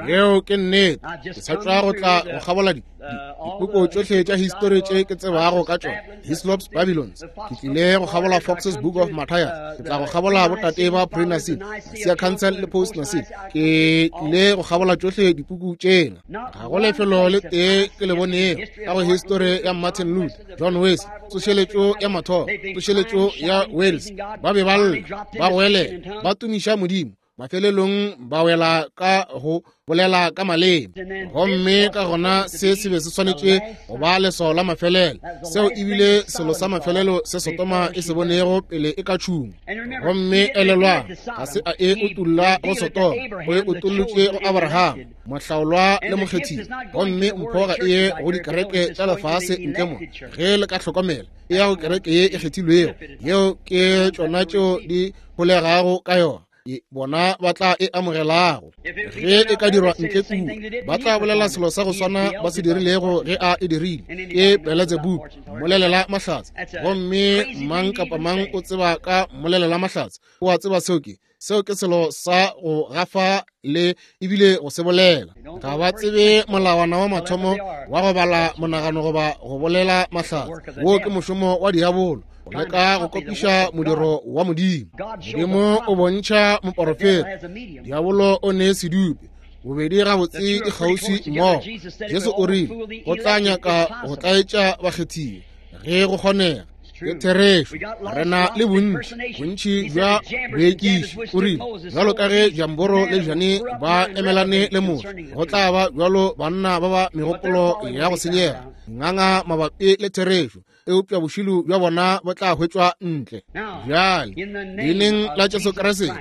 Yeo ke nnete. Ke sa tšwa go tla go kgabola dipuku tšohle tša histori tše ke tsebago ka tšona, Hislop's Babylons. Ke tlile go kgabola Fox's Book of Matthias. Ke tla go kgabola botate ba Pre-Nicene, Nicaea Council le Post-Nicene. Ke tlile go kgabola tšohle dipuku tšena. Ga go lefelo le tee ke le bonego ka go histori ya Martin Luther, John Wesley, tsošeletšo ya mathomo, tsošeletšo ya Wales. Ba be ba lla, ba goelela, ba tumiša Modimo, mafelelong ba wela ka go bolela ka maleme. Gomme ka gona se se be se swanetše go ba leswao la mafelelo. Seo ebile selo sa mafelelo se Sodoma e se bonego pele e ka tšhungwa. Gomme elelwang, ga se a e utolla go Sodoma, o e utollotše go Abraham, mohlaolwa le mokgethiwa. Gomme mpho ga e ye go dikereke tša lefase ntle mo, ge le ka hlokomela, e ya go kereke ye e kgethilwego. Yeo ke tšona tšeo di holegago ka yona, bona ba tla e amogelago. Ge e ka dirwa ntle kua, ba tla bolela selo sa go swana ba se dirilego ge a e dirile. Ke Beelzebub, mmolelela mahlatse. Gomme mang kapa mang o tseba ka mmolelela mahlatse, o a tseba seo ke seo ke selo sa go gafa le ebile go se bolela. Ga ba tsebe molawana wa mathomo wa go bala monagano goba go bolela mahlatse. Wo ke mošomo wa diabolo, go leka go kopiša modiro wa Modimo. Modimo o bontšha moporofeta, diabolo o ne sedupe. Bobedi gabotse di kgauswi mmogo. Jesu o rile go tla nyaka go tlaetša bakgethiwa ge go kgonega. Ke therešo, re na le bontši, bontši bja boekiši. O rile, bjalo ka ge Jamboro le Jane ba emelane le Moshe, go tla ba bjalo banna ba ba megopolo ya go senyega, nganga mabapi le therešo, eupša bošilo bja bona bo tla hwetšwa ntle. Bjale, leineng la Jesu Kriste,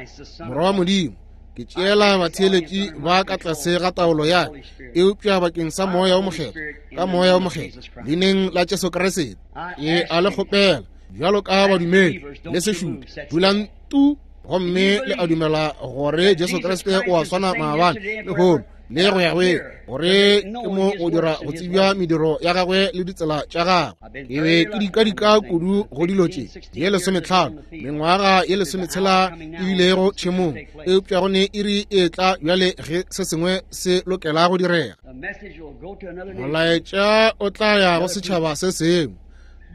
Morwa wa Modimo, ke tšeela batheeletši ba ka tlase ga taolo ya ka, eupša bakeng sa Moya wo Mokgethwa, ka Moya wo Mokgethwa, leineng la Jesu Kriste, ke a le kgopela bjalo ka badumedi le sešupe, dulang tu gomme le a dumela gore Jesu Kriste o a swana maabane, lehono le go ya go ile, gore ke mo go dira go tsebja mediro ya gagwe le ditsela tša gagwe. Ke be ke dikadika kudu go dilo tše ye 15, mengwaga ye 16 e bilego tšhemong, eupša go ne iri e tla bjale ge se sengwe se lokela go direga. Molaetša o tla ya go setšhaba se sengwe,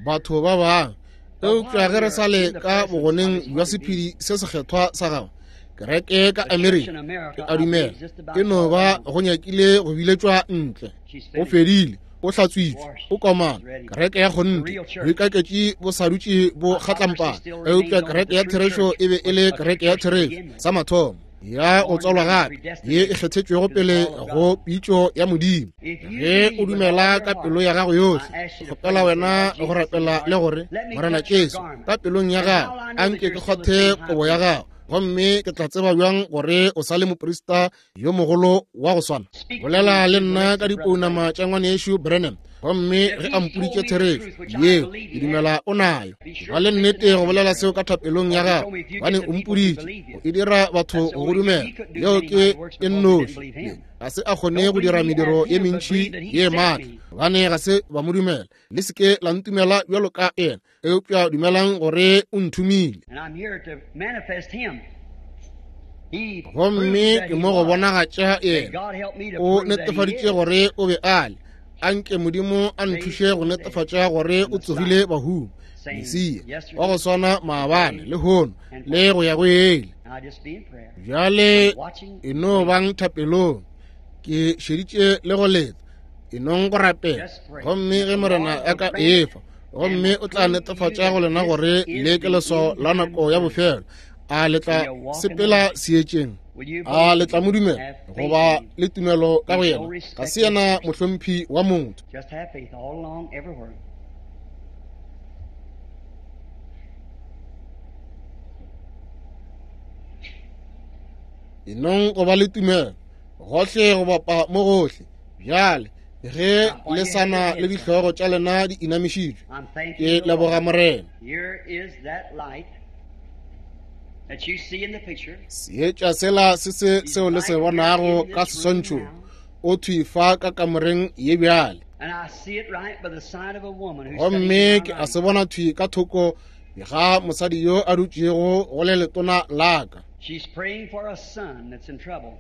batho ba bangwe, eupša ge re sa le ka bogoneng bja sephedi se sekgethwa sa gagwe, kereke ka Amerika, ke a dumela e no ba go nyakile go biletšwa ntle. O fedile, o hlatswitšwe, o komana. Kereke ya kgonthe, boikaketši bo sa dutše bo kgatlampana, eupša kereke ya therešo e be e le kereke ya therešo sa mathomo. ya go tswalwa gape ye e kgethetšwego pele go pitšo ya Modimo. Ge o dumela ka pelo ya gago yohle, ke kgopela wena go rapela le gore, Morena Jesu, ka pelong ya gago, a nke ke kgwathe kobo ya gago, gomme ke tla tseba bjang gore o sa le moprista yo mogolo wa go swana. Bolela le nna ka dipounama tša ngwanešu Branham, gomme ge a mpoditše therešo yeo, ke dumela o nayo. Ba le nnete go bolela seo ka thapelong ya gago, gobane o mpoditše go e dira batho go go dumela. Yeo ke e nnoši. Ga se a kgone go dira mediro ye mentši ye maatla, gobane ga se ba mo dumela. Le se ke la ntumela bjalo ka yena, eupša dumelang gore o nthomile. Gomme ke mo go bonagatša yena. O netefaditše gore o be a le. A nke Modimo a nthuše go netefatša gore o tsogile bahung, Mesia wa go swana maabane, lehono, le go ya go ile. Bjale e no bang thapelong. Ke šeditše le go leta. E nong go rapela. Gomme ge Morena a ka efa, gomme o tla netefatša go lena gore le ke leswao la nako ya bofelo, a le tla sepela seetšeng? A le tla mo dumela goba le tumelo ka go yena? Ga se yena mohlomphi wa motho. E nong go ba le tumelo gohle go bapa mo gohle. Bjale ge le sa na le dihlogo tša lena di inamišitšwe, ke leboga Morena. Seetša sela se se seo le se bonago ka seswantšhong, o thwi fa ka kamoreng ye bjale. Gomme ke a se bona thwi ka thoko ga mosadi yo a dutšego go le letona la ka.
She's praying for a son that's in trouble.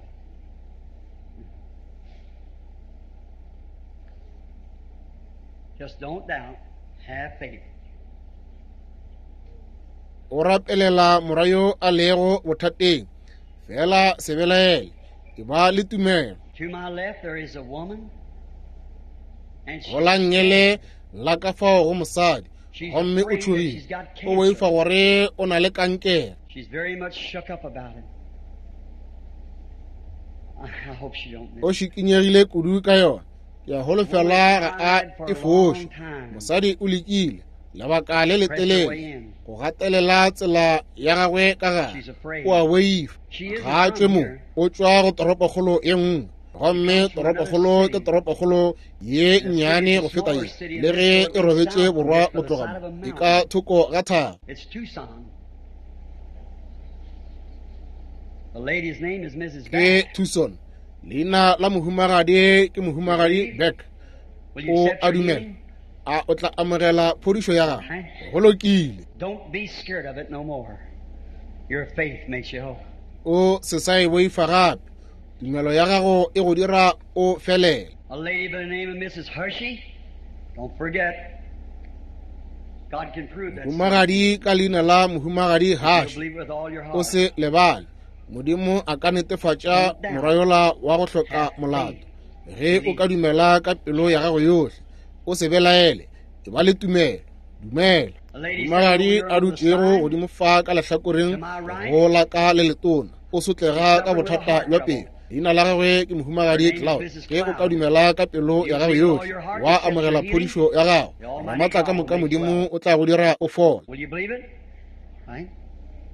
Just don't doubt. Have faith.
O rapelela morwa yo a lego bothateng. Fela se belaele. E ba le tumelo.
To my left there is a woman. And she
Go la nngele la ka fao go mosadi, gomme o tšhogile, o boifa gore o na le kankere.
She's very much shook up about it. I hope she don't miss
O šikinyegile kudu ka yona. Ke a holofela ga a e foše. Mosadi o lekile lebaka le letelele go gatelela tsela ya gagwe ka gare. O a boifa. Ga a tšwe mo, o tšwa go toropokgolo ye nngwe. Gomme toropokgolo ke toropokgolo ye nnyane go feta ye, le ge e robetše borwa go tloga mo, e ka thoko ga thaba.
It's Tucson. The lady's name is Mrs.
Ke
Beck.
Tucson. Leina la mohumagadi ke mohumagadi Beck.
Will you
O
accept
a
your
dumela.
healing?
A o tla amogela phodišo ya gagwe? Go lokile.
Don't be scared of it no more. Your faith makes you whole.
O se sa e boifa gape. Tumelo ya gago e go dira o felele.
A lady by the name of Mrs. Hershey. Don't forget. God can prove that.
Mohumagadi ka leina la mohumagadi
You'll
Hash.
believe with all your
O
heart.
se lebale. Modimo a ka netefatša morwa yola wa go hloka molato. Ge o ka dumela ka pelo ya gago yohle, o se belaele, e ba le tumelo. Dumela. Mohumagadi a dutšego godimo fa ka lehlakoreng go la ka le letona, o sotlega ka bothata bja pelo. Leina la gagwe ke mohumagadi Cloud. Ge o ka dumela ka pelo ya gago yohle, wa amogela phodišo ya gago, Ramaatla ka moka Modimo o tla go dira o fole.
Will you believe it? Right?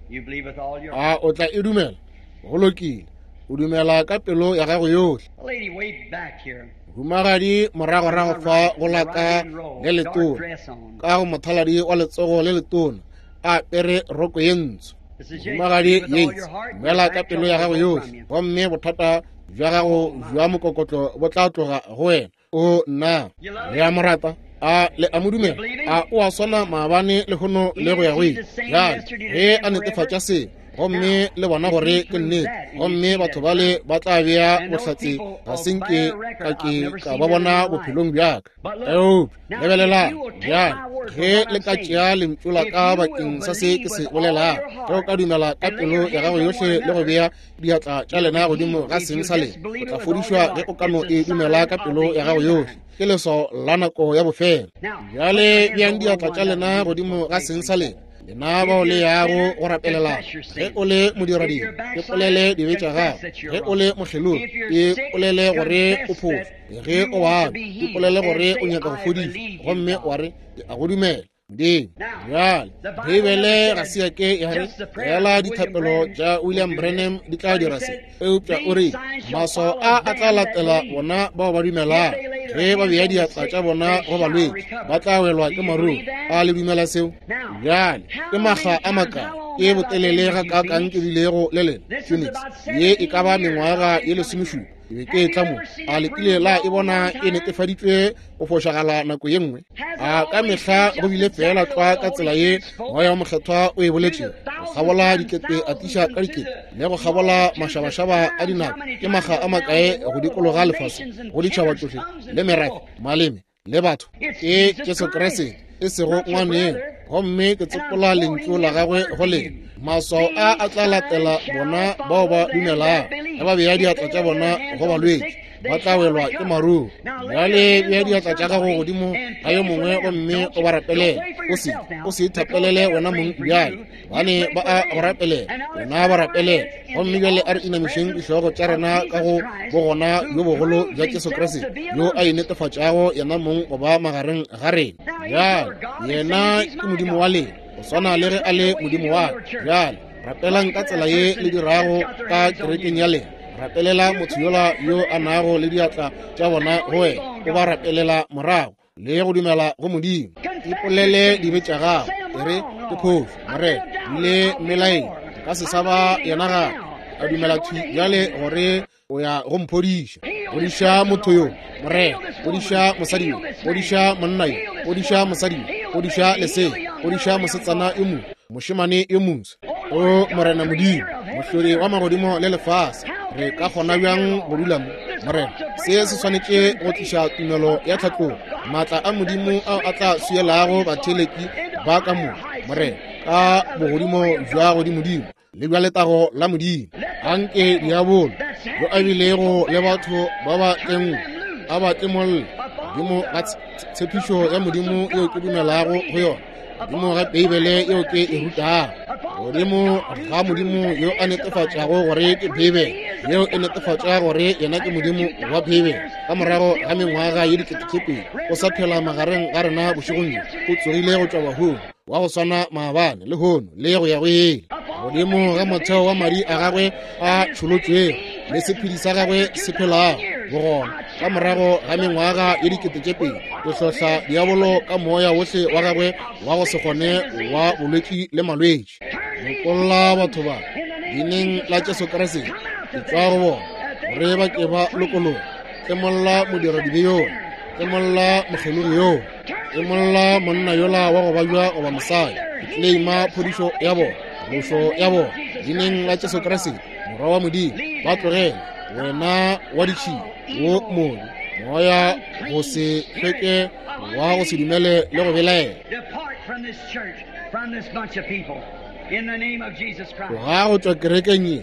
You believe with all your
A o tla e dumela? Go lokile. O dumela ka pelo ya gago yohle.
A lady way back here.
Mohumagadi moragorago fa go la ka le letona, ka go mothaladi wa letsogo le letona, a apere roko ye ntsho.
Mrs. Yates,
Mohumagadi
believe with all
Yates,
your heart, your
dumela ka
back
pelo ya
trouble
gago
will go
yohle,
from you.
gomme bothata bja gago bja mokokotlo bo tla tloga go wena. O nna le a mo rata? A le a mo dumela? A o a swana maabane lehono le go ya go ile? Bjale ge a netefatša se, gomme le bona gore ke nnete, gomme batho bale ba tla bea bohlatse, ga se nke ka ke ka ba bona bophelong bja ka. Eupša lebelelang bjale, ge le ka tšea lentšu la ka bakeng sa se ke se bolelago, ge o ka dumela ka pelo ya gago yohle le go bea diatla tša lena godimo ga seng sa lena, o tla fodišwa ge o ka no e dumela ka pelo ya gago yohle. Ke leswao la nako ya bofelo. Bjale beang diatla tša lena godimo ga seng sa lena. Lena bao le yago go rapelelana, ge o le modiradibe, ipolele dibe tša gago. Ge o le mokgelogi, ipolele gore o phošo. Ge o babja, ipolele gore o nyaka go fodišwa, gomme wa re, Ke a go dumela, Modimo. Bjale, Beibele ga se ya ke ya re fela dithapelo tša William Branham di tla dira se, eupša o re maswao a a tla latela bona bao ba dumelago. Ge ba bea diatla tša bona go balwetši, ba tla welwa ke maruru. A le dumela seo? Bjale, ke makga a makae, ke botelele gakaakang ke bilego le lena, Phoenix? Ye e ka ba mengwaga ye lesomešupa ke be ke etla mo. A le kile la e bona e netefaditšwe go fošagala nako ye nngwe? A ka mehla go bile feela tlwa ka tsela ye Moya wo Mokgethwa o e boletšego, go kgabola dikete a tliša ka dikete, le go kgabola mašabašaba a dinako, ke makga a makae go dikologa lefase, go ditšhaba tšohle le merafe, maleme, le batho. Ke Jesu Kriste, e sego ngwaneng. Gomme ke tsopola lentšu la gagwe go lena. Maswao a a tla latela bona bao ba dumelago. Ge ba bea diatla tša bona go balwetši, ba tla welwa ke maruru. Bjale bea diatla tša gago godimo ga yo mongwe gomme o ba rapelele. O se, o se ithapelele wena mong bjale, gobane ba a go rapelela, wena ba rapelele. Gomme bjale a re inamišeng dihlogo tša rena ka go bogona bjo bogolo bja Jesu Kriste, yo a inetefatšago yena mong go ba magareng ga rena. Bjale, yena ke Modimo wa lena, go swana le ge a le Modimo wa ka. Bjale, rapelang ka tsela ye le dirago ka kerekeng ya lena. Rapelela motho yola yo a nago le diatla tša bona go wena, o ba rapelela morago le go dumela go Modimo. Ipolele dibe tša gago, e re, Ke phošo, Morena, le mmelaeng, nka se sa ba yena gape. A dumela thwi bjale gore o ya go mphodiša. Fodiša motho yo, Morena. Fodiša mosadi yo. Fodiša monna yo. Fodiša mosadi yo. Fodiša lesea. Fodiša mosetsana yo moswa, mošemane yo moswa. O Morena Modimo, Mohlodi wa magodimo le lefase, re ka kgona bjang go dula mo, Morena? Se se swanetše go tliša tumelo ya tlhatlogo, maatla a Modimo ao a tla swielago batheeletši ba ka mo, Morena, ka bogodimo bja godimodimo le bja letago la Modimo. Anke diabolo yo a bilego le batho ba ba tlengwe a ba tlemolle godimo ga tshepišo ya Modimo yeo ke dumelago go yona, godimo ga Beibele yeo ke e rutago, godimo ga Modimo yo a netefatšago gore ke Beibele, yeo e netefatša gore yena ke Modimo wa Beibele. Ka morago ga mengwaga ye diketekete o sa phela magareng ga rena bošegong bjo, o tsogile go tšwa bahung, wa go swana maabane, lehono, le go ya go ile. Godimo ga motheo wa madi a gagwe a tšholotšwego le sephedi sa gagwe se phelago bogona, ka morago ga mengwaga ye 2000, ke hlohla diabolo ka moya wohle wa gagwe wa go se kgone wa bolwetši le malwetši. Lokolla batho ba leineng la Jesu Kriste, ke tšwa go bona gore ba ke ba lokologe. Tlemolla modiradibe yola, tlemolla mokgelogi yola, tlemolla monna yola wa go babja goba mosadi. Ke tleleima phodišo ya bona, phološo ya bona leineng la Jesu Kriste, Morwa wa Modimo. Ba tlogele, wena wa ditšhila, wo mobe, moya go se hlweke wa go se dumele le go belaela. Tloga go tšwa kerekeng ye,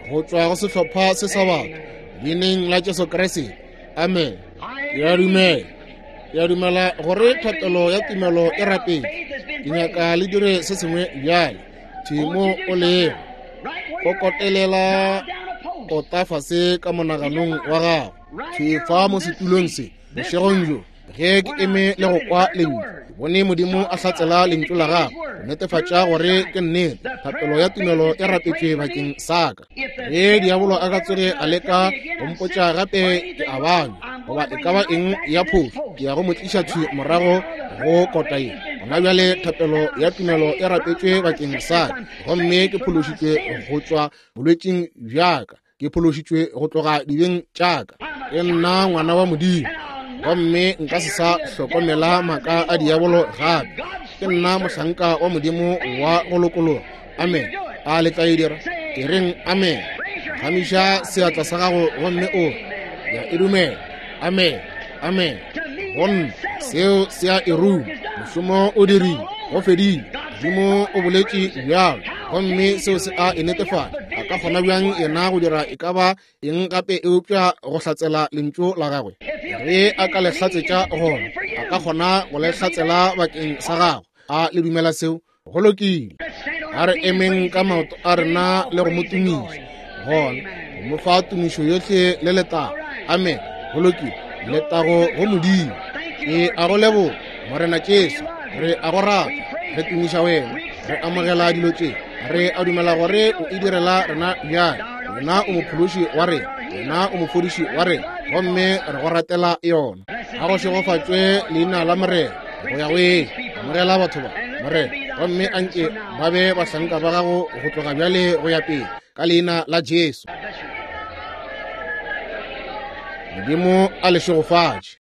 go tšwa go sehlopha se sa batho, leineng la Jesu Kriste. Amen. Ke a dumela, ke a dumela gore thapelo ya tumelo e rapetše. Ke nyaka le dire se sengwe bjale. Thwi mo o lego, kokotelela kota fase ka monaganong wa gago. Thwi fa mo setulong se, bošegong bjo, ge ke eme le go kwa lentšu, ke bone Modimo a hlatsela lentšu la gagwe go netefatša gore ke nnete. Thapelo ya tumelo e rapetšwe bakeng sa ka. Ge diabolo a ka tsoge a leka go mpotša gape ke a babja goba e ka ba eng ya phošo, ke ya go mo tliša thwi morago go kota ye. Gona bjale thapelo ya tumelo e rapetšwe bakeng sa ka, gomme ke phološitšwe go tšwa bolwetšing bja ka, ke phološitšwe go tloga dibeng tša ka. Ke nna ngwana wa Modimo, gomme nka se sa hlokomela maaka a diabolo gape. Ke nna mohlanka wa Modimo wa go lokologa. Amen. A le tla e dira? E reng amen. Gamiša seatla sa gago gomme o ya e dumela. Amen. Amen. Go nna seo se a e ruma. Mošomo o dirile, go fedile. Modimo o boletše bjalo, gomme seo se a e netefatša. A ka kgona bjang yena go dira e ka ba eng gape eupša go hlatsela lentšu la gagwe? Ge a ka le hlatsetša gona, a ka kgona go le hlatsela bakeng sa gago. A le dumela seo? Go lokile. A re emeng ka maoto a rena le go mo tumiša. Gona, go mo fa tumišo yohle le letago. Amen. Go lokile. Letago go Modimo. Ke a go leboga, Morena Jesu. Re a go rata. Re tumiša wena. Re amogela dilo tše. Re a dumela gore o e direla rena bjale. Wena o mophološi wa rena. Wena o mofodiši wa rena. Gomme re go ratela yona. A go šegofatšwe leina la Morena go ya go ile. Amogela batho ba, Morena, gomme anke ba be bahlanka ba gago go tloga bjale go ya pele, ka leina la Jesu. Modimo a le šegofatše.